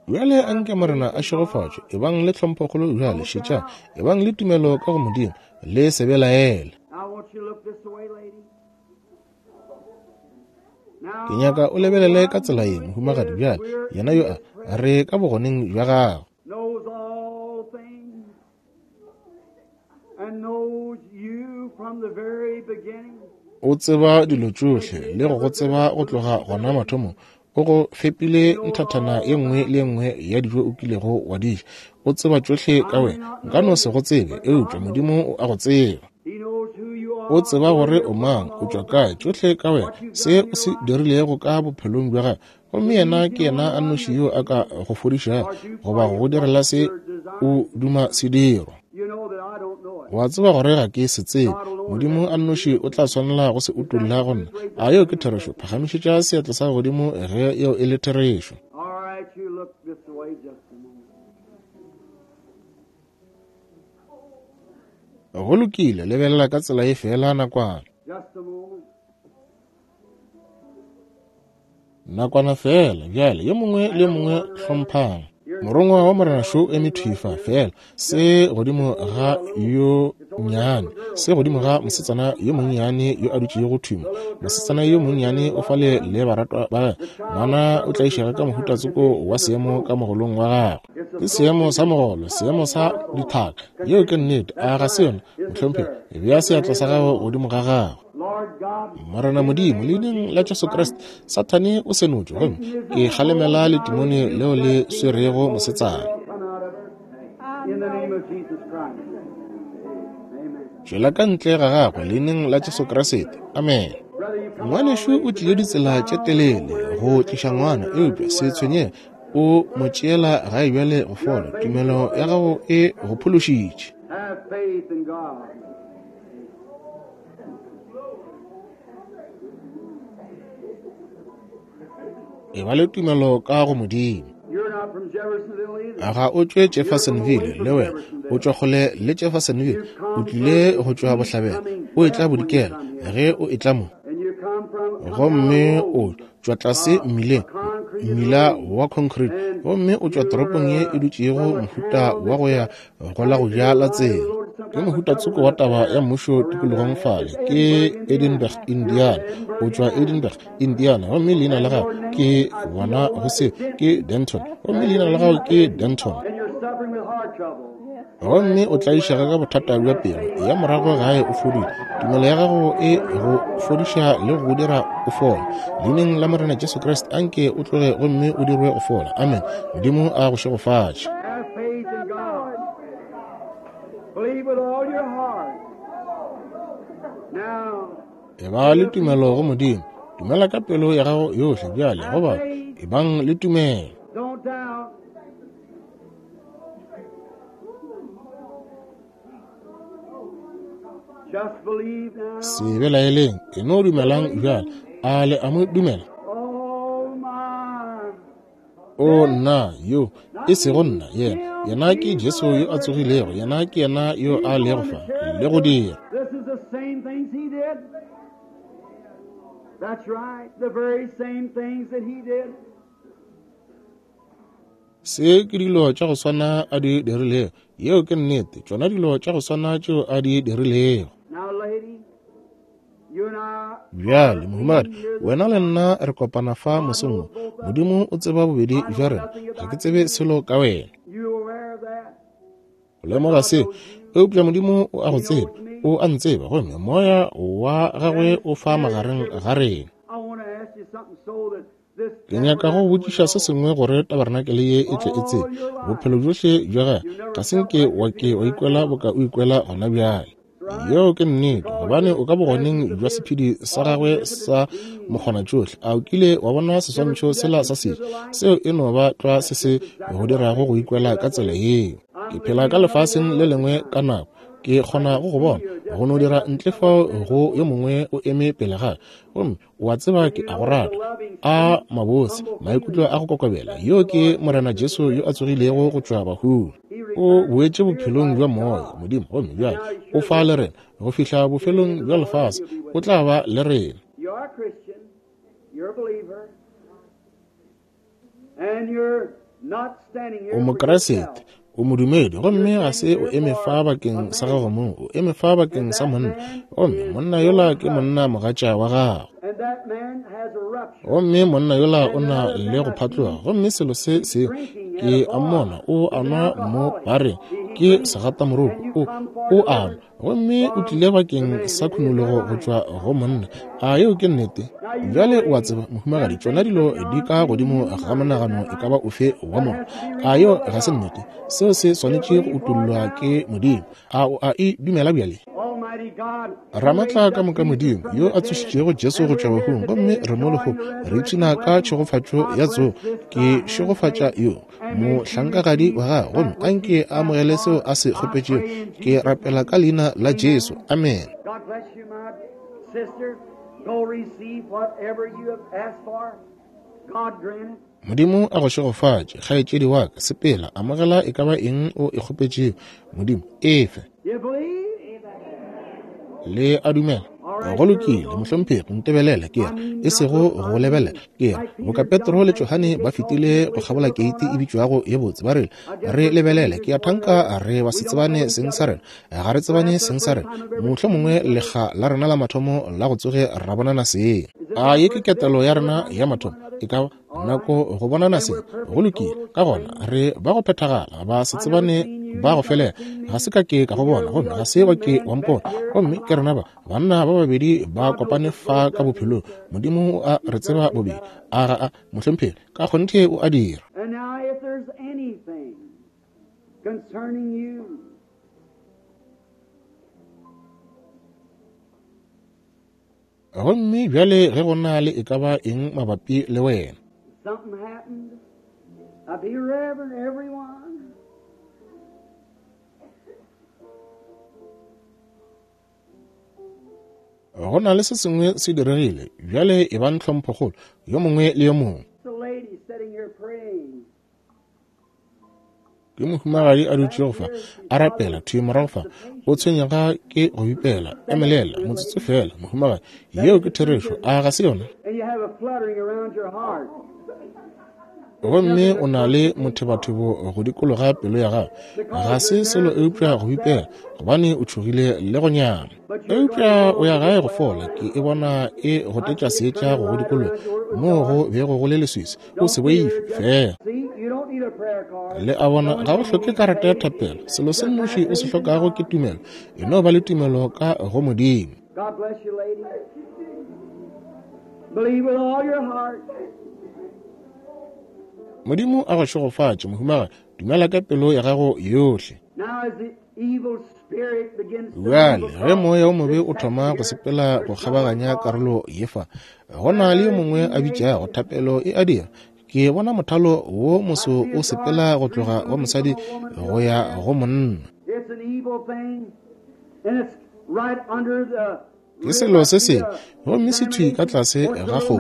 Bjale anke Morena a šegofatšwe, ebang le tlhomphokgolo bjale, šetšang, ebang le tumelo ka go Modimo, le se belaele. I want you to look this way, lady. Ke nyaka o lebelele ka tsela ye, mohumagadi, bjale, yena yo a re ka bogoneng bja gago. Knows all things and knows you from the very beginning. O tseba dilo tšohle le go go tseba go tloga gona mathomong. O go fepile nthathana ye nngwe le ye nngwe ya dijo o kilego wa di ja. O tseba tšohle ka wena. Nka no se go tsebe, eupša Modimo o a go tseba. He knows who you are. O tseba gore o mang, o tšwa kae, tšohle ka wena, se o se dirilego ka bophelong bja gago. Gomme yena ke yena a nnoši yo a ka go fodišago goba go go direla se o duma se dirwa. You know that I don't know it. Wa tseba gore ga ke se tsebe. Modimo a nnoši o tla swanela go se utolla go nna. A yeo ke therešo? Phagamišetša seatla sa godimo ge yeo e le therešo. All right, you look this way just a moment. Go lokile, lebelela ka tsela ye fela nakwana. Just a moment. Nakwana fela, bjale, yo mongwe le yo mongwe hlomphang. Morongwa wa Morena šo eme thwi fa fela, se godimo ga yo nnyane, se godimo ga mosetsana yo monnyane yo a dutšego thwi mo. Mosetsana yo monnyane o fale le baratwa ba gagwe. Ngwana o tlaišega ka mohuta tsoko wa seemo ka mogolong wa gagwe. Ke seemo sa mogolo, seemo sa dithaka. Yeo ke nnete, a ga se yona, mohlomphegi? Bea seatla sa gago godimo ga gagwe. Lord God, Morena Modimo, leineng la Jesu Kriste, Sathane o senotšwe, gomme ke kgalemela letimone leo le swerego mosetsana. come out of her in the name of Jesus Christ. Amen. Tšwela ka ntle ga gagwe leineng la Jesu Kriste. Amen. Brother, you come Ngwanešu o tlile ditsela tše telele go tliša ngwana, eupša se tshwenyege, o mo tšeela gae bjale go fola. Tumelo ya gago e go phološitše. have faith in God. E ba le tumelo ka go Modimo. You're not from Jeffersonville either. Ga o tšwe Jeffersonville le wena, o tšwa kgole le Jeffersonville, o tlile go tšwa bohlabela, o etla bodikela ge o etla mo. And you come from come Gomme down the o road. tšwa tlase mmileng, mmila wa concrete, gomme o tšwa toropong ye e dutšego mohuta wa go ya go la go ja la tsela. Ke mohuta tsoko wa taba ya mmušo tikologong fale, ke Edinburgh, Indiana. O tšwa Edinburgh, Indiana, gomme leina la gago ke bona go se ke Denton, gomme leina la gago ke Denton. And you're suffering with heart trouble. Gomme o tlaišega ka bothata bja pelo ya morago gae o fodile. Tumelo ya gago e go fodiša le go dira o fola. Leineng la Morena Jesu Kriste, anke o tloge gomme o dirwe go fola. Amen. Modimo a go šegofatše. Have faith in God. Believe with all your heart. Now, E ba le tumelo go Modimo. Dumela ka pelo ya gago yohle bjale, go batho. Ebang le tumelo. Don't doubt. Just believe now. Se belaeleng, e no dumelang bjale. A le a mo dumela? Oh my. O nna yo, e sego nna, yena. Yena ke Jesu yo a tsogilego, yena ke yena yo a lego fa le go dira. This is the same things he did. That's right, the very same things that he did. Se ke dilo tša go swana a di dirilego. Yeo ke nnete, tšona dilo tša go swana tšeo a di dirilego. Now, lady, you and I Bjale, mohumagadi, wena le nna re kopana fa mosong wo. Modimo o tseba bobedi bja rena. Ga ke tsebe selo ka wena. you aware of that? O lemoga seo, eupša Modimo o a go tseba, o a ntseba, gomme moya wa gagwe o fa magareng ga rena. I want to ask you something so that this Ke nyaka go botšiša se sengwe gore tabarenakele ye e tle e tsebe. Bophelo bjohle bja gage ga se nke wa ke wa ikwela boka o ikwela gona bjale. Yeo ke nnete, gobane o ka bogoneng bja sephedi sa gagwe sa mokgonatšohle. A o kile wa bona seswantšho sela sa setša? Seo e no ba tlwa se se go dirago go ikwela ka tsela yeo. Ke phela ka lefaseng le lengwe ka nako. Ke kgona go go bona go no dira ntle fao go yo mongwe o eme pele ga ka, gomme o a tseba ke a go rata. A mabose, maikutlo a go kokobela. Yo ke Morena Jesu yo a tsogilego go tšwa bahung. O boetše bophelong bja moya Modimo, gomme bjale o fa le rena go fihla bofelong bja lefase. O tla ba le rena. You are a Christian, you're a believer, and you're not standing here O for Mokreste, yourself. o modumedi, gomme ga se o eme fa bakeng sa gago mong, o eme fa bakeng sa monna, gomme monna yola ke monna mogatša wa gago. And that man has a rupture. Gomme monna yola o na le go phatloga, gomme selo se seo ke a mmona o a nwa mo bareng ke segatamoroko, o o a nwa, gomme o tlile bakeng sa khunologo go tšwa go monna. A yeo ke nnete? Bjale o a tseba, mohumagadi, tšona dilo di ka godimo ga monagano e ka ba ofe wa motho. A yeo ga se nnete? Seo se swanetše go utollwa ke Modimo. A o a e dumela bjale? Almighty God, Ramatla ka moka Modimo yo a tsošitšego Jesu go tšwa bahung, gomme re mo lehono re ipshina ka tšhegofatšo ya tsogo. Ke šegofatša yo mohlankagadi wa gagwe, gomme a nke a amogele seo a se kgopetšego. Ke rapela ka leina la Jesu, amen. God bless you, my sister. Go receive whatever you have asked for. God grant it. Modimo a go šegofatše, kgaetšedi wa ka. Sepela, amogela e ka ba eng o e kgopetšego. Modimo efe. You believe? Le a dumela? Go lokile, mohlomphegi, ntebelele ke re, e sego go lebelela ke re. Boka Petro le Johane ba fetile go kgabola keiti e bitšwago ye botse, ba rile, re lebelele. Ke a thanka re ba se tsebane seng sa rena, ga re tsebane seng sa rena, mohlomongwe lekga la rena la mathomo la go tsoge ra bonana seng. A ye ke ketelo ya rena ya mathomo, e ka ba nako go bonana seng. Go lokile, ka gona re ba go phethagala, ba se tsebane ba go felela. Ga se ka ke ka go bona, gomme ga se wa ke wa mpona, gomme ke rena ba banna ba babedi ba kopane fa ka bophelong. Modimo o a re tseba bobedi. A ga a, mohlomphegi, ka kgonthe o a dira. And now, if there's anything concerning you, Gomme bjale ge go na le e ka ba eng mabapi le wena, something happened, now be reverent, everyone. go na le se sengwe se diregile, bjale e bang tlhomphokgolo yo mongwe le yo mongwe. It's a lady sitting here praying. Ke mohumagadi a dutšego fa a rapela thwi morago fa, o tshwenyega ke go bipela. Emelela motsotso fela, mohumagadi. Yeo ke therešo, a ga se yona? And you have a fluttering around your heart. Gomme o na le mothebathebo go dikologa pelo ya gago. Ga se selo eupša go bipela, gobane o tšhogile le go nyama. Eupša o ya gae go fola. Ke e bona e gotetša seetša go go dikologa moo go bego go le leswiswi. O se boife fela. See, you don't need a prayer card. Le a bona, ga o hloke karata ya thapelo. Selo se nnoši o se hlokago ke tumelo. E no ba le tumelo ka go Modimo. God bless you, lady. Believe with all your heart. Modimo a go šegofatše, mohumagadi. Dumela ka pelo ya gago yohle. Now, as the Bjale ge moya o mobe o thoma go sepela go kgabaganya karolo ye fa, go na le yo mongwe a bitšago thapelo e a dira. Ke bona mothalo wo moso o sepela go tloga go mosadi go ya go monna. Ke selo se sebe, gomme se thwi ka tlase ga kgopo.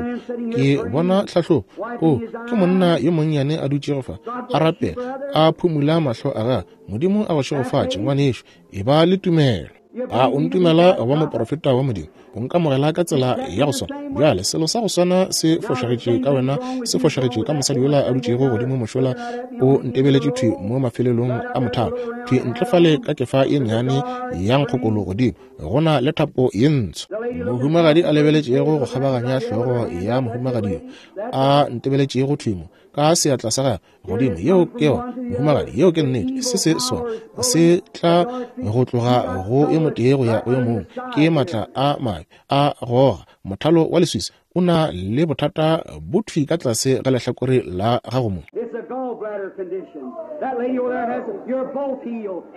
Ke bona tlhahlobo. O ke monna yo monnyane a dutšego fa, a rapela, a phumula mahlo a gagwe. Modimo a go šegofatše, ngwanešo. E ba le tumelo. A o ntumela go ba moprofeta wa Modimo? O nkamogela ka tsela ya go swana. Bjale selo sa go swana se fošagetše ka wena, se fošagetše ka mosadi yola a dutšego godimo mošola, o ntebeletše thwi mo mafelelong a mothalo, thwi ntle fale ka kefa ye nnyane ya nkgokolo godimo, go na le thapo ye ntsho. Mohumagadi a lebeletšego go kgabaganya hlogo ya mohumagadi yo a ntebeletšego thwi mo ka seatla sa gagwe godimo, yeo ke yona mohumagadi, yeo ke nnete. Se se sona se tla go tloga go yo motee go ya go yo mongwe, ke maatla a mabe a goga. Mothalo wa leswiswi o na le bothata bo thwi ka tlase ga lehlakore la gago mo.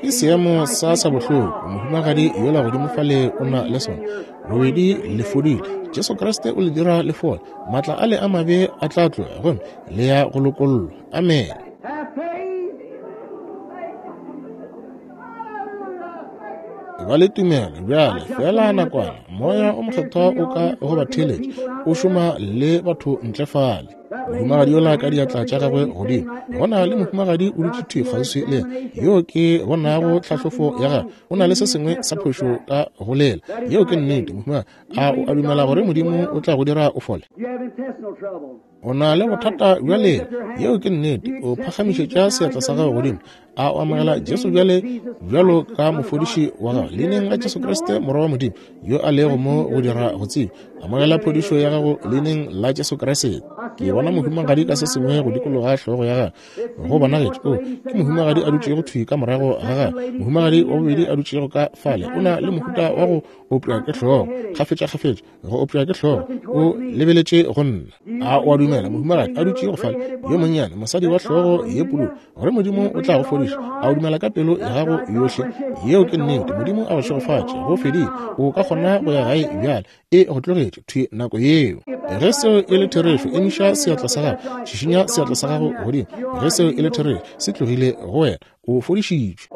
Ke seemo sa sa bohloko, mohumagadi yola godimo fale o na le sona. Bobedi le fodile. Jesu Kriste o le dira le fole. Maatla a le a mabe a tla tloga gomme le ya go lokollwa. Amen. Ba le tumelo bjale fela nakwana. Moya o mokgethwa o ka go ba theeletša, o šoma le batho ntle fale. Mohumagadi yola ka diatla tša gagwe godimo, go na le mohumagadi o dutše thwi kgauswi le yena, yo ke bonago tlhahlofo ya gagwe, o na le se sengwe sa phošo ka go lela. Yeo ke nnete, mohumagadi. A o a dumela gore Modimo o tla go dira o fole? O na le bothata bja lela. Yeo ke nnete. O phagamišetša seatla sa gago godimo. A o amogela Jesu bjale bjalo ka mofodiši wa gago? Leineng la Jesu Kriste, Morwa wa Modimo, yo a lego mo go dira go tseba, amogela phodišo ya gago leineng la Jesu Kriste. Ke bona mohumagadi ka se sengwe go dikologa hlogo ya gagwe. Go bonagetše o ke mohumagadi a dutšego thwi ka morago ga gagwe. Mohumagadi wa bobedi a dutšego ka fale o na le mohuta wa go opša ke hlogo kgafetša-kgafetša, go opša ke hlogo. O lebeletše go nna. A o a dumela, mohumagadi a dutšego fale yo monnyane, mosadi wa hlogo ye pududu, gore Modimo o tla go fodiša? A o dumela ka pelo ya gago yohle? Yeo ke nnete. Modimo a go šegofatše. Go fedile. O ka kgona go ya gae bjale. E go tlogetše thwi nako yeo. Ge seo e le therešo, emiša seatla sa gago, šišinya seatla sa gago godimo. Ge seo e le therešo, se tlogile go wena. O fodišitšwe.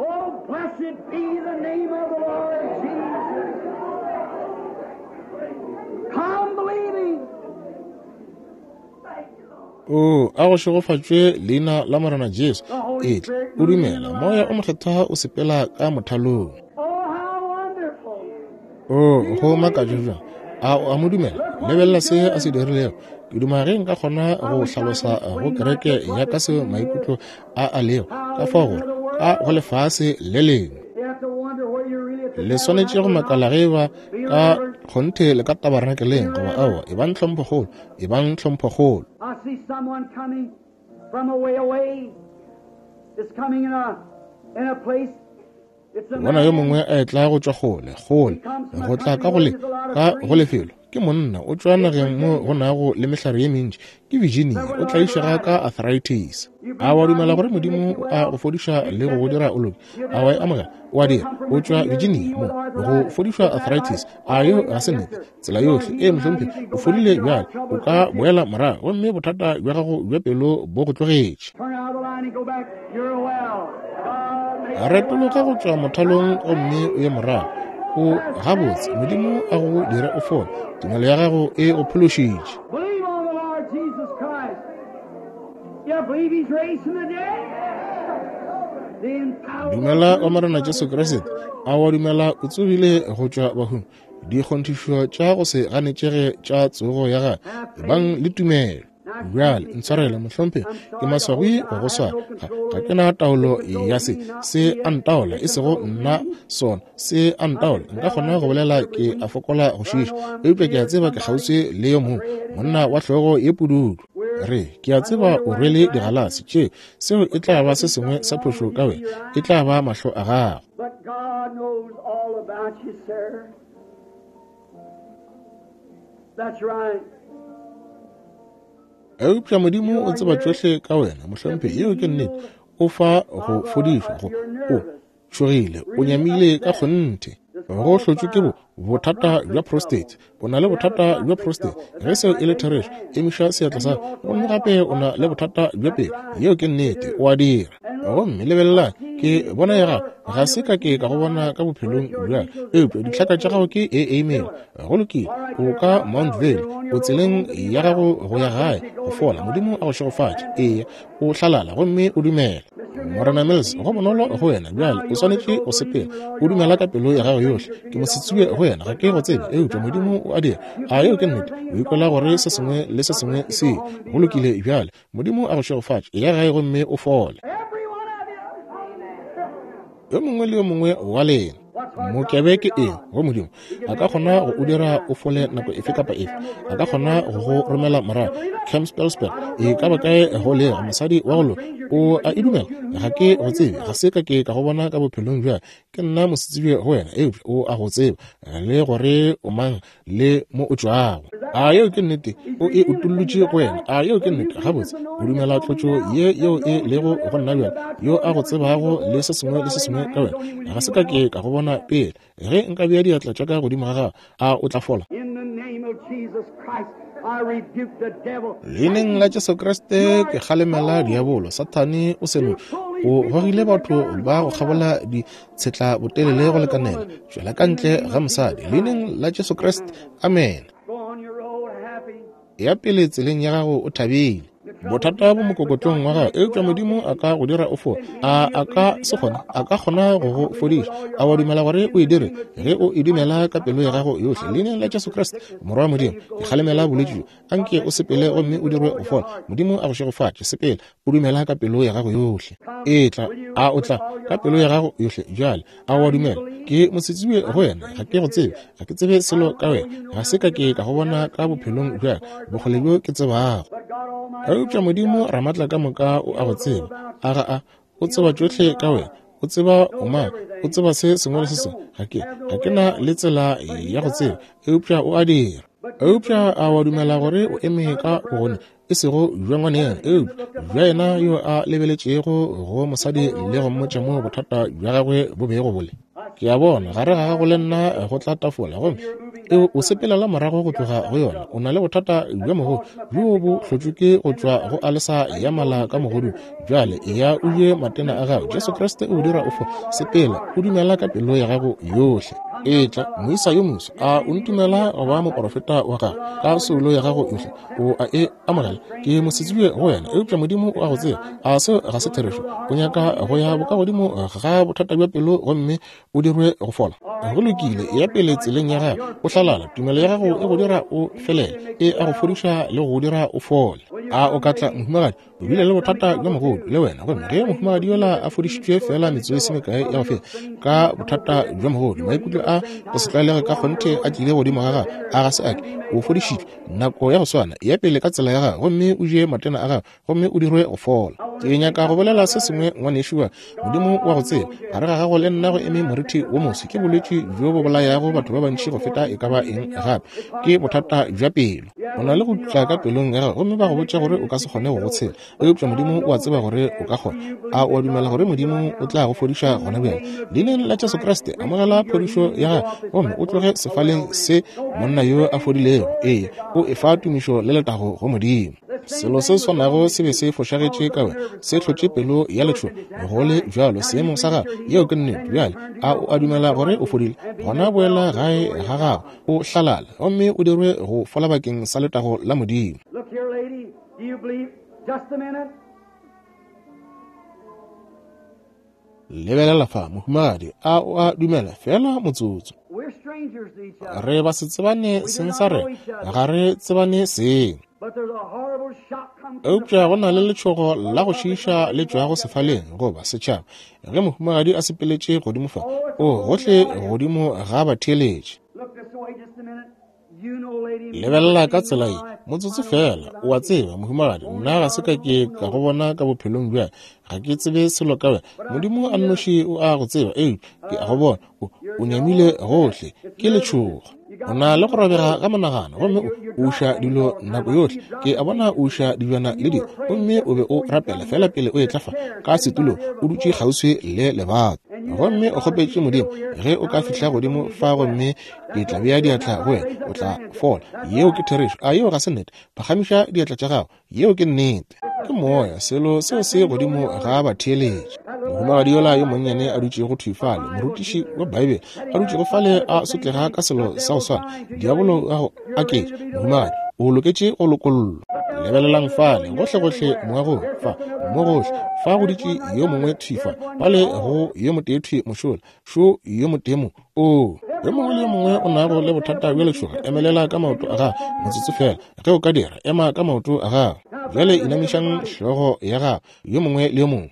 O a go šegofatšwe leina la Morena Jesu. Etla o dumela. Moya o mokgethwa o sepela ka mothalong. O go makatša bjang. A o a mo dumela? Lebelela se a se dirilego. Ke duma ge nka kgona go hlalosa go kereke ya ka seo maikutlo a a lego ka fao gore ka go lefase le lengwe. Le swanetše go makala ge ba ka kgonthe le ka tabarenakeleng goba aowa. E bang tlhomphokgolo, e bang tlhomphokgolo. I see someone coming from a way away. It's coming in a in a place. Bona yo mongwe a etla go tšwa kgole, kgole, go tla ka go le ka go lefelo. Ke monna o tšwa nageng mo go nago le mehlare ye mentši. Ke Virginia, o tlaišega ka arthritis. A wa dumela gore Modimo a go fodiša le go go dira o loke? A wa e amogela? O a dira. O tšwa Virginia mo go fodišwa arthritis. A yo ga se nnete? Tsela yohle. Ee, mohlomphegi, o fodile bjale. O ka boela morago gomme bothata bja gago bja pelo bo go tlogetše. Retologa go tšwa mothalong gomme o ye morago. O gabotse. Modimo a go dire o fole. Tumelo ya gago e go phološitše. Dumela wa Morena Jesu Kriste. A wa dumela o tsogile go tšwa bahung? Dikgonthišo tša go se ganetšege tša tsogo ya gagwe. Ebang le tumelo. Bjale ntshwarele, mohlomphegi, ke maswabi go go swara. Ga, ga ke na taolo ya se. Se a ntaola, e sego nna sona. Se a ntaola. Nka kgona go bolela ke a fokola go šiša, eupša ke a tseba ke kgauswi le yo mongwe, monna wa hlogo ye pududu. Re, ke a tseba o rwele digalase tše. Seo e tla ba se sengwe sa phošo ka wena. E tla ba mahlo a gago. But God knows all about you, sir. That's right. Eupša Modimo o tseba tšohle ka wena, mohlomphegi. Yeo ke nnete. O fa go fodišwa go o tšhogile, o nyamile ka kgonthe. Go hlotšwe ke bo bothata bja prostate. O na le bothata bja prostate. Ge seo e le therešo, emiša seatla sa gago. Gomme gape o na le bothata bja pelo. Yeo ke nnete, o a dira. Gomme lebelelang, ke bona ya gago. Ga se ka ke ka go bona ka bophelong bja, eupša ditlhaka tša gago ke e amen. Go lokile, o ka Mount Vale, o tseleng ya gago go ya gae go fola. Modimo a go šegofatše. Eya, o hlalala gomme o dumela. Morena Mills, go bonolo go wena bjale, o swanetše go sepela. O dumela ka pelo ya gago yohle. Ke mosetsebje go wena, ga ke go tsebe, eupša Modimo o a dira. A yeo ke nnete? O ikwela gore se sengwe le se sengwe se go lokile bjale. Modimo a go šegofatše. Eya gae gomme o fole. Yo mongwe le yo mongwe wa lena. Mokebe ke eng go Modimo? A ka kgona go o dira o fole nako efe kapa efe. A ka kgona go go romela morago Campbellsburg, e ka ba kae go lega. Mosadi wa go loka, o a e dumela? Ga ke go tsebe, ga se ka ke ka go bona ka bophelong bja. Ke nna mosetsebje go wena, eupša o a go tseba le gore o mang le mo o tšwago. A yeo ke nnete? O e utollotše go wena. A yeo ke nnete? Gabotse, o dumela tlotšo ye yeo e lego go nna bjale, yo a go tsebago le se sengwe le se sengwe ka wena. Ga se ka ke ka go bona pele. Ge nka bea diatla tša ka godimo ga gago, a o tla fola? Leineng la Jesu Kriste ke kgalemela diabolo. Sathane o seno o gogile batho ba go kgabola ditshetla botelele go lekanela. Tšwela ka ntle ga mosadi. Leineng la Jesu Kriste, amen. Ya pele tseleng ya gago o thabile. Bothata bo mokokotlong wa gago, eupša Modimo a ka go dira o fole. A a ka se kgone, a ka kgona go go fodiša. A wa dumela gore o e dire? Ge o e dumela ka pelo ya gago yohle, leineng la Jesu Kriste, Morwa wa Modimo, ke kgalemela bolwetši bjo. Anke o sepele gomme o dirwe go fola. Modimo a go šegofatše. Sepela, o dumela ka pelo ya gago yohle. Etla, a o tla ka pelo ya gago yohle bjale? A wa dumela? Ke mosetsebje go wena, ga ke go tsebe, ga ke tsebe selo ka wena, ga se ka ke ka go bona ka bophelong bja bokgole bjo ke tsebago. Eupša Modimo Ramatla ka moka o a go tseba. A ga a? O tseba tšohle ka wena. O tseba o mang, o tseba se sengwe le se sengwe. Ga ke, ga ke na le tsela ya go tseba, eupša o a dira. Eupša a wa dumela gore o eme ka bogone, e sego bja ngwaneno, eupša bja yena yo a lebeletšego go mosadi le go mmotša mo bothata bja gagwe bo bego bo le. Ke a bona gare ga gago le nna go tla tafola, gomme o sepelela morago go tloga go yona. O na le bothata bja mogodu bjo bo hlotšwe ke go tšwa go alesa ya mala ka mogodung. Bjale eya o je matena a gago. Jesu Kriste o dira o fo. Sepela, o dumela ka pelo ya gago yohle. Etla, moisa yo moso, a o ntumela go ba moporofeta wa gago ka soulo ya gago yohle? O a e amogela? Ke mosetsebje go wena, eupša Modimo o a go tseba. A seo ga se therešo? O nyaka go ya bokagodimo ga bothata bja pelo gomme o dirwe go fola. Go lokile, ya pele tseleng ya gago, o hlalala. Tumelo ya gago e go dira o felele, e a go fodiša le go dira o fole. A o ka tla, mohumagadi? O bile le bothata bja mogodu le wena, gomme ge mohumagadi yola a fodišitšwe fela metsotso e se mekae ya go feta ka bothata bja mogodu, maikutlo a go se tlwaelege ka kgonthe a tlile godimo ga gago. A ga se ake? O fodišitšwe nako ya go swana. Ya pele ka tsela ya gago, gomme o je matena a gago, gomme o dirwe go fola. Ke nyaka go bolela se sengwe, ngwanešu wa Modimo wa go tseba. Gare ga gago le nna go eme morithi wo moso. Ke bolwetši bjo bo bolayago batho ba bantši go feta e ka ba eng gape. Ke bothata bja pelo. O na le go tla ka pelong ya gago, gomme ba go botša gore o ka se kgone go go tshela, eupša Modimo o a tseba gore o ka kgona. A o a dumela gore Modimo o tla go fodiša gona bjale? Leineng la Jesu Kriste, amogela phodišo ya gago gomme o tloge sefaleng se monna yo a fodilego. Ee, o efa tumišo le letago go Modimo. Selo se swanago se be se fošagetše ka wena, se hlotše pelo ya letšhogo. Go le bjalo seemong sa gago, yeo ke nnete. Bjale a o a dumela gore o fodile? Gona boela gae ga gago, o hlalala, gomme o dirwe go fola bakeng sa letago la Modimo. Lebelela fa, mohumagadi, a o a dumela? Fela motsotso. Re ba se tsebane seng sa rena, ga re tsebane seng. Eupša go na le letšhogo la go šiiša le tšwago sefaleng goba setšhaba. Ge mohumagadi a sepeletše godimo fa, o gohle godimo ga batheeletše. Lebelela ka tsela ye, motsotso fela. O a tseba, mohumagadi, nna ga se ka ke ka go bona ka bophelong bja, ga ke tsebe selo ka wena. Modimo a nnoši o a go tseba, eupša ke a go bona. O, o nyamile gohle, ke letšhogo. O na le go robega ga monagano, gomme o uša dilo nako yohle. Ke a bona o uša dijwana le dilo, gomme o be o rapela fela pele o etla fa ka setulong, o dutše kgauswi le lebato. Gomme o kgopetše Modimo, ge o ka fihla godimo fa gomme ke tla bea diatla go wena, o tla fola. Yeo ke therešo. A yeo ga se nnete? Phagamiša diatla tša gago. Yeo ke nnete. Ke moya, selo seo se godimo ga batheeletši. Mohumagadi yola yo monnyane a dutšego thwi fale, morutiši wa Bibele, a dutšego fale a sotlega ka selo sa go swana, diabolo a go aketša. Mohumagadi, o loketše go lokollwa. Lebelelang fale, gohlegohle moagong, fa, mo gohle, fa go dutše yo mongwe thwi fa, fale go yo motee thwi mošola, šo yo motee mo. Oo, yo mongwe le yo mongwe o nago le bothata bja letšhogo, emelela ka maoto a gago, motsotso fela. Ge o ka dira, ema ka maoto a gago. Bjale inamišang hlogo ya gago, yo mongwe le yo mongwe.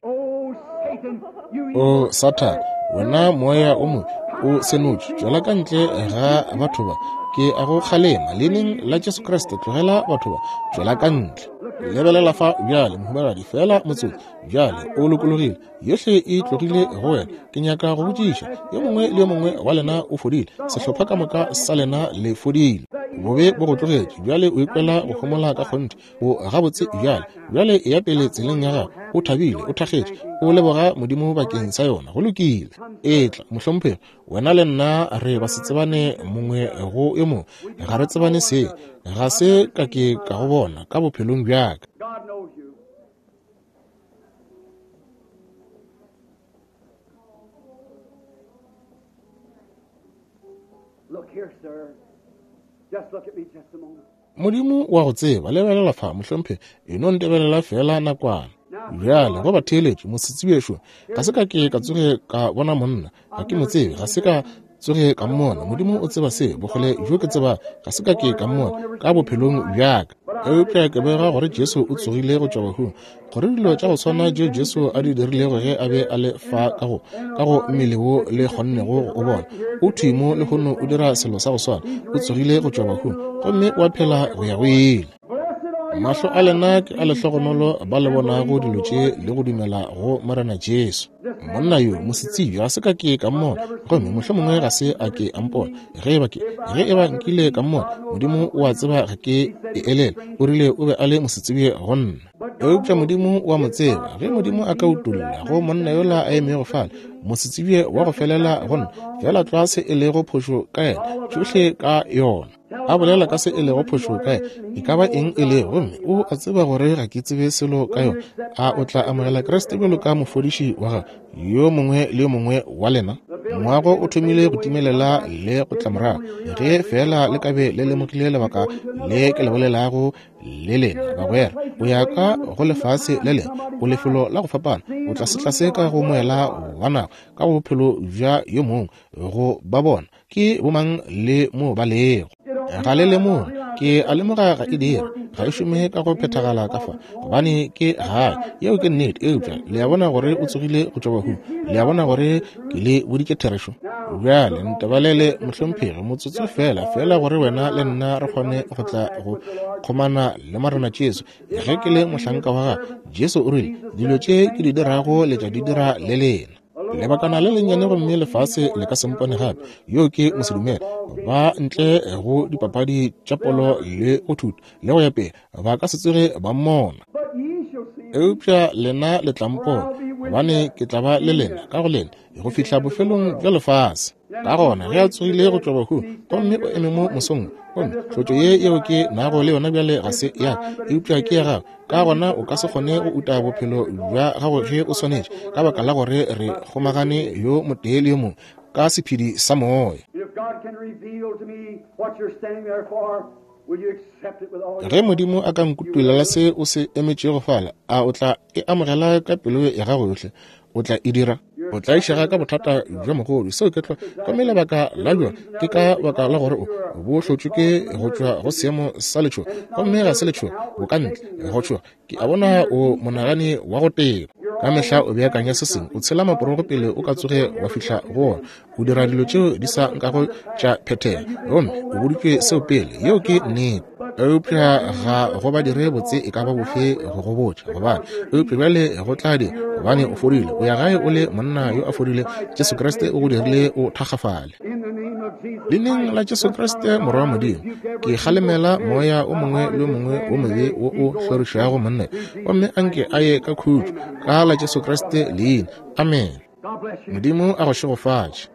O Sathane, wena moya o mobe, o senotše, tšwela ka ntle ga batho ba. Ke a go kgalema leineng la Jesu Kriste, tlogela batho ba, tšwela ka ntle. Lebelela fa bjale, mohumagadi, fela motsotso. Bjale o lokologile, yohle e tlogile go wena. Ke nyaka go botšiša, yo mongwe le yo mongwe wa lena o fodile, sehlopha ka moka sa lena le fodile. Bobe bo go tlogetše, bjale o ikwela go homola ka kgonthe, o gabotse bjale. Bjale eya pele tseleng ya gago, o thabile, o thakgetše, o leboga Modimo bakeng sa yona. Go lokile. Etla, mohlomphegi, wena le nna re ba se tsebane mongwe go yo mongwe, ga re tsebane se, ga se ka ke ka go bona ka bophelong bjaka. Look here, sir. Just look at me just a moment. Modimo wa go tseba, lebelela fa, mohlomphegi, e no ntebelela fela nakwana. Bjale go batheeletši, mosetsebešo, ga se ka ke ka tsoge ka bona monna, ga ke mo tsebe, ga se ka tsoge ka mmona. Modimo o tseba se, bogole bjo ke tseba, ga se ka ke ka mmona ka bophelong bjaka. Eupša ke bega gore Jesu o tsogile go tšwa bahung, gore dilo tša go swana tšeo Jesu a di dirilego ge a be a le fa ka go ka go mmele wo le kgonnego go o bona, o thwi mo lehono o dira selo sa go swana. O tsogile go tšwa bahung gomme wa phela go ya go ile. Mahlo a lena ke a lehlogonolo ba le bonago dilo tše le go dumela go Morena Jesu. Monna yo mosetsebje ga se ka ke ka mmona, gomme mohlomongwe ga se a ke a mpona. Ge eba ke ge eba nkile ka mmona, Modimo o a tseba ga ke e elele. O rile o be a le mosetsebje go nna. Eupša Modimo o a mo tseba. Ge Modimo a ka utolla go monna yola a emego fale, mosetsebje wa go felela go nna, fela tlwa se e lego phošo ka yena, tšohle ka yona. A bolela ka se e lego phošo ka yena, e ka ba eng e lego, gomme o a tseba gore ga ke tsebe selo ka yona. A o tla amogela Kriste bjalo ka mofodiši wa gago, yo mongwe le yo mongwe wa lena? Moago o thomile go timelela le go tla morago. Ge fela le ka be le lemogile lebaka le ke le bolelago le lena, bagwera, o ya ka go lefase le lengwe, o lefelo la go fapana, o tlasetlase ka go moela wa nako, ka go bophelo bja yo mongwe, go ba bona ke bomang le mo ba lego. Ga le lemoge, ke a lemoga ga e dira, ga e šome ka go phethagala ka fa, gobane ke gae. Yeo ke nnete. Eupša le a bona gore o tsogile go tšwa bahung, le a bona gore ke le boditše therešo. Bjale ntebalele, mohlomphegi, motsotso fela, fela gore wena le nna re kgone go tla go kgomana le Morena Jesu. Ge ke le mohlanka wa gagwe, Jesu o rile, dilo tše ke di dirago le tla di dira le lena. Lebakana le lennyane gomme lefase le ka se mpone gape. Yo ke mosedumele, ba ntle go dipapadi tša polo le go thuta le go ya pele, ba ka se tsoge ba mmona. Eupša lena le tla mpona, gobane ke tla ba le lena ka go lena go fihla bofelong bja lefase. Ka gona ge a tsogile go tšwa bahung gomme o eme mo mosong, gomme tlotšo ye yeo ke nago le yona bjale ga se ya ka, eupša ke ya gago. Ka gona o ka se kgone go uta bophelo bja gago ge o swanetše, ka baka la gore re kgomagane yo motee le yo mongwe ka sephedi sa moya. Ge Modimo a ka nkutulela se o se emetšego fala, a o tla e amogela ka pelo ya gago yohle? O tla e dira? O tlaišega ka bothata bja mogodu, seo ke tlwa. Gomme lebaka la bjona ke ka baka la gore o bo hlotšwe ke go tšwa go seemo sa letšhogo, gomme ga se letšhogo, bo ka ntle go tšhoga. Ke a bona o monagane wa go teba. Ka mehla o beakanya se sengwe, o tshela maporogo pele o ka tsoge wa fihla go ona. O dira dilo tšeo di sa nkago tša phethega, gomme o boditšwe seo pele. Yeo ke nnete. Eupša ga go ba dire botse e ka ba bofe go go botša, gobane eupša bjale go tla dira, gobane o fodile, o ya gae o le monna yo a fodile. Jesu Kriste o go dirile o thakgafale. Leineng la Jesu Kriste Morwa wa Modimo, ke kgalemela moya o mongwe le o mongwe wo mobe wo o hlorišago monna, gomme anke a ye ka khutšo ka la Jesu Kriste leina. Amen. Modimo a go šegofatše.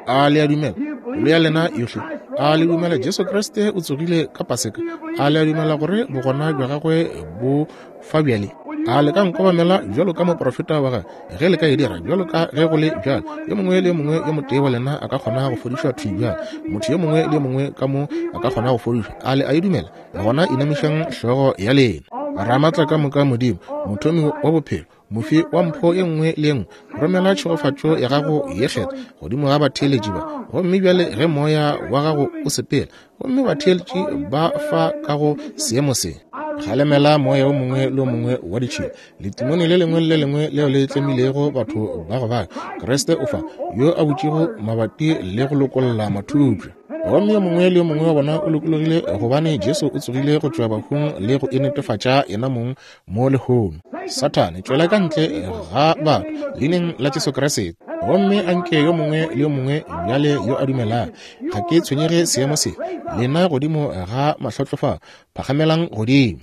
A le a dumela? Pelo ya lena yohle. A le dumela Jesu Kriste o tsogile ka Paseka? A le a dumela gore bogona bja gagwe bo fa bjale? A le ka nkobamela bjalo ka moprofeta wa gagwe? Ge le ka e dira, bjalo ka ge go le bjalo, yo mongwe le yo mongwe yo motee wa lena a ka kgona go fodišwa thwi bjalo. Motho yo mongwe le yo mongwe ka mo a ka kgona go fodišwa. A le a e dumela? Gona inamišang hlogo ya lena. Ramatla ka moka Modimo, mothomi wa bophelo, mofi wa mpho e nngwe le nngwe, romela tšhegofatšo ya gago ye kgethwa godimo ga batheeletši ba. Gomme bjale ge moya wa gago o sepela, gomme batheeletši ba fa ka go seemo se, kgalemela moya o mongwe le o mongwe wa ditšhila, letimone le lengwe le lengwe leo le tlemilego batho ba go baka. Kriste o fa, yo a butšego mabati le go lokolla mathupša. Gomme yo mongwe le yo mongwe wa bona o lokologile, gobane Jesu o tsogile go tšwa bahung le go enetefatša yena mong mo lehono. Sathane, tšwela ka ntle ga batho leineng la Jesu Kriste. Gomme anke yo mongwe le yo mongwe bjale yo a dumelago, ga ke tshwenyege seemo se, lena godimo ga mahlotlofa, phagamelang godimo.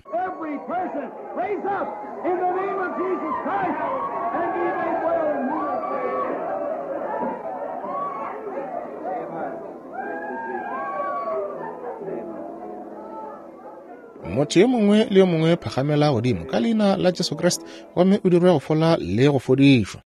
Motho yo mongwe le yo mongwe phagamela godimo ka leina la Jesu Kriste, gomme o dirwe go fola le go fodišwa.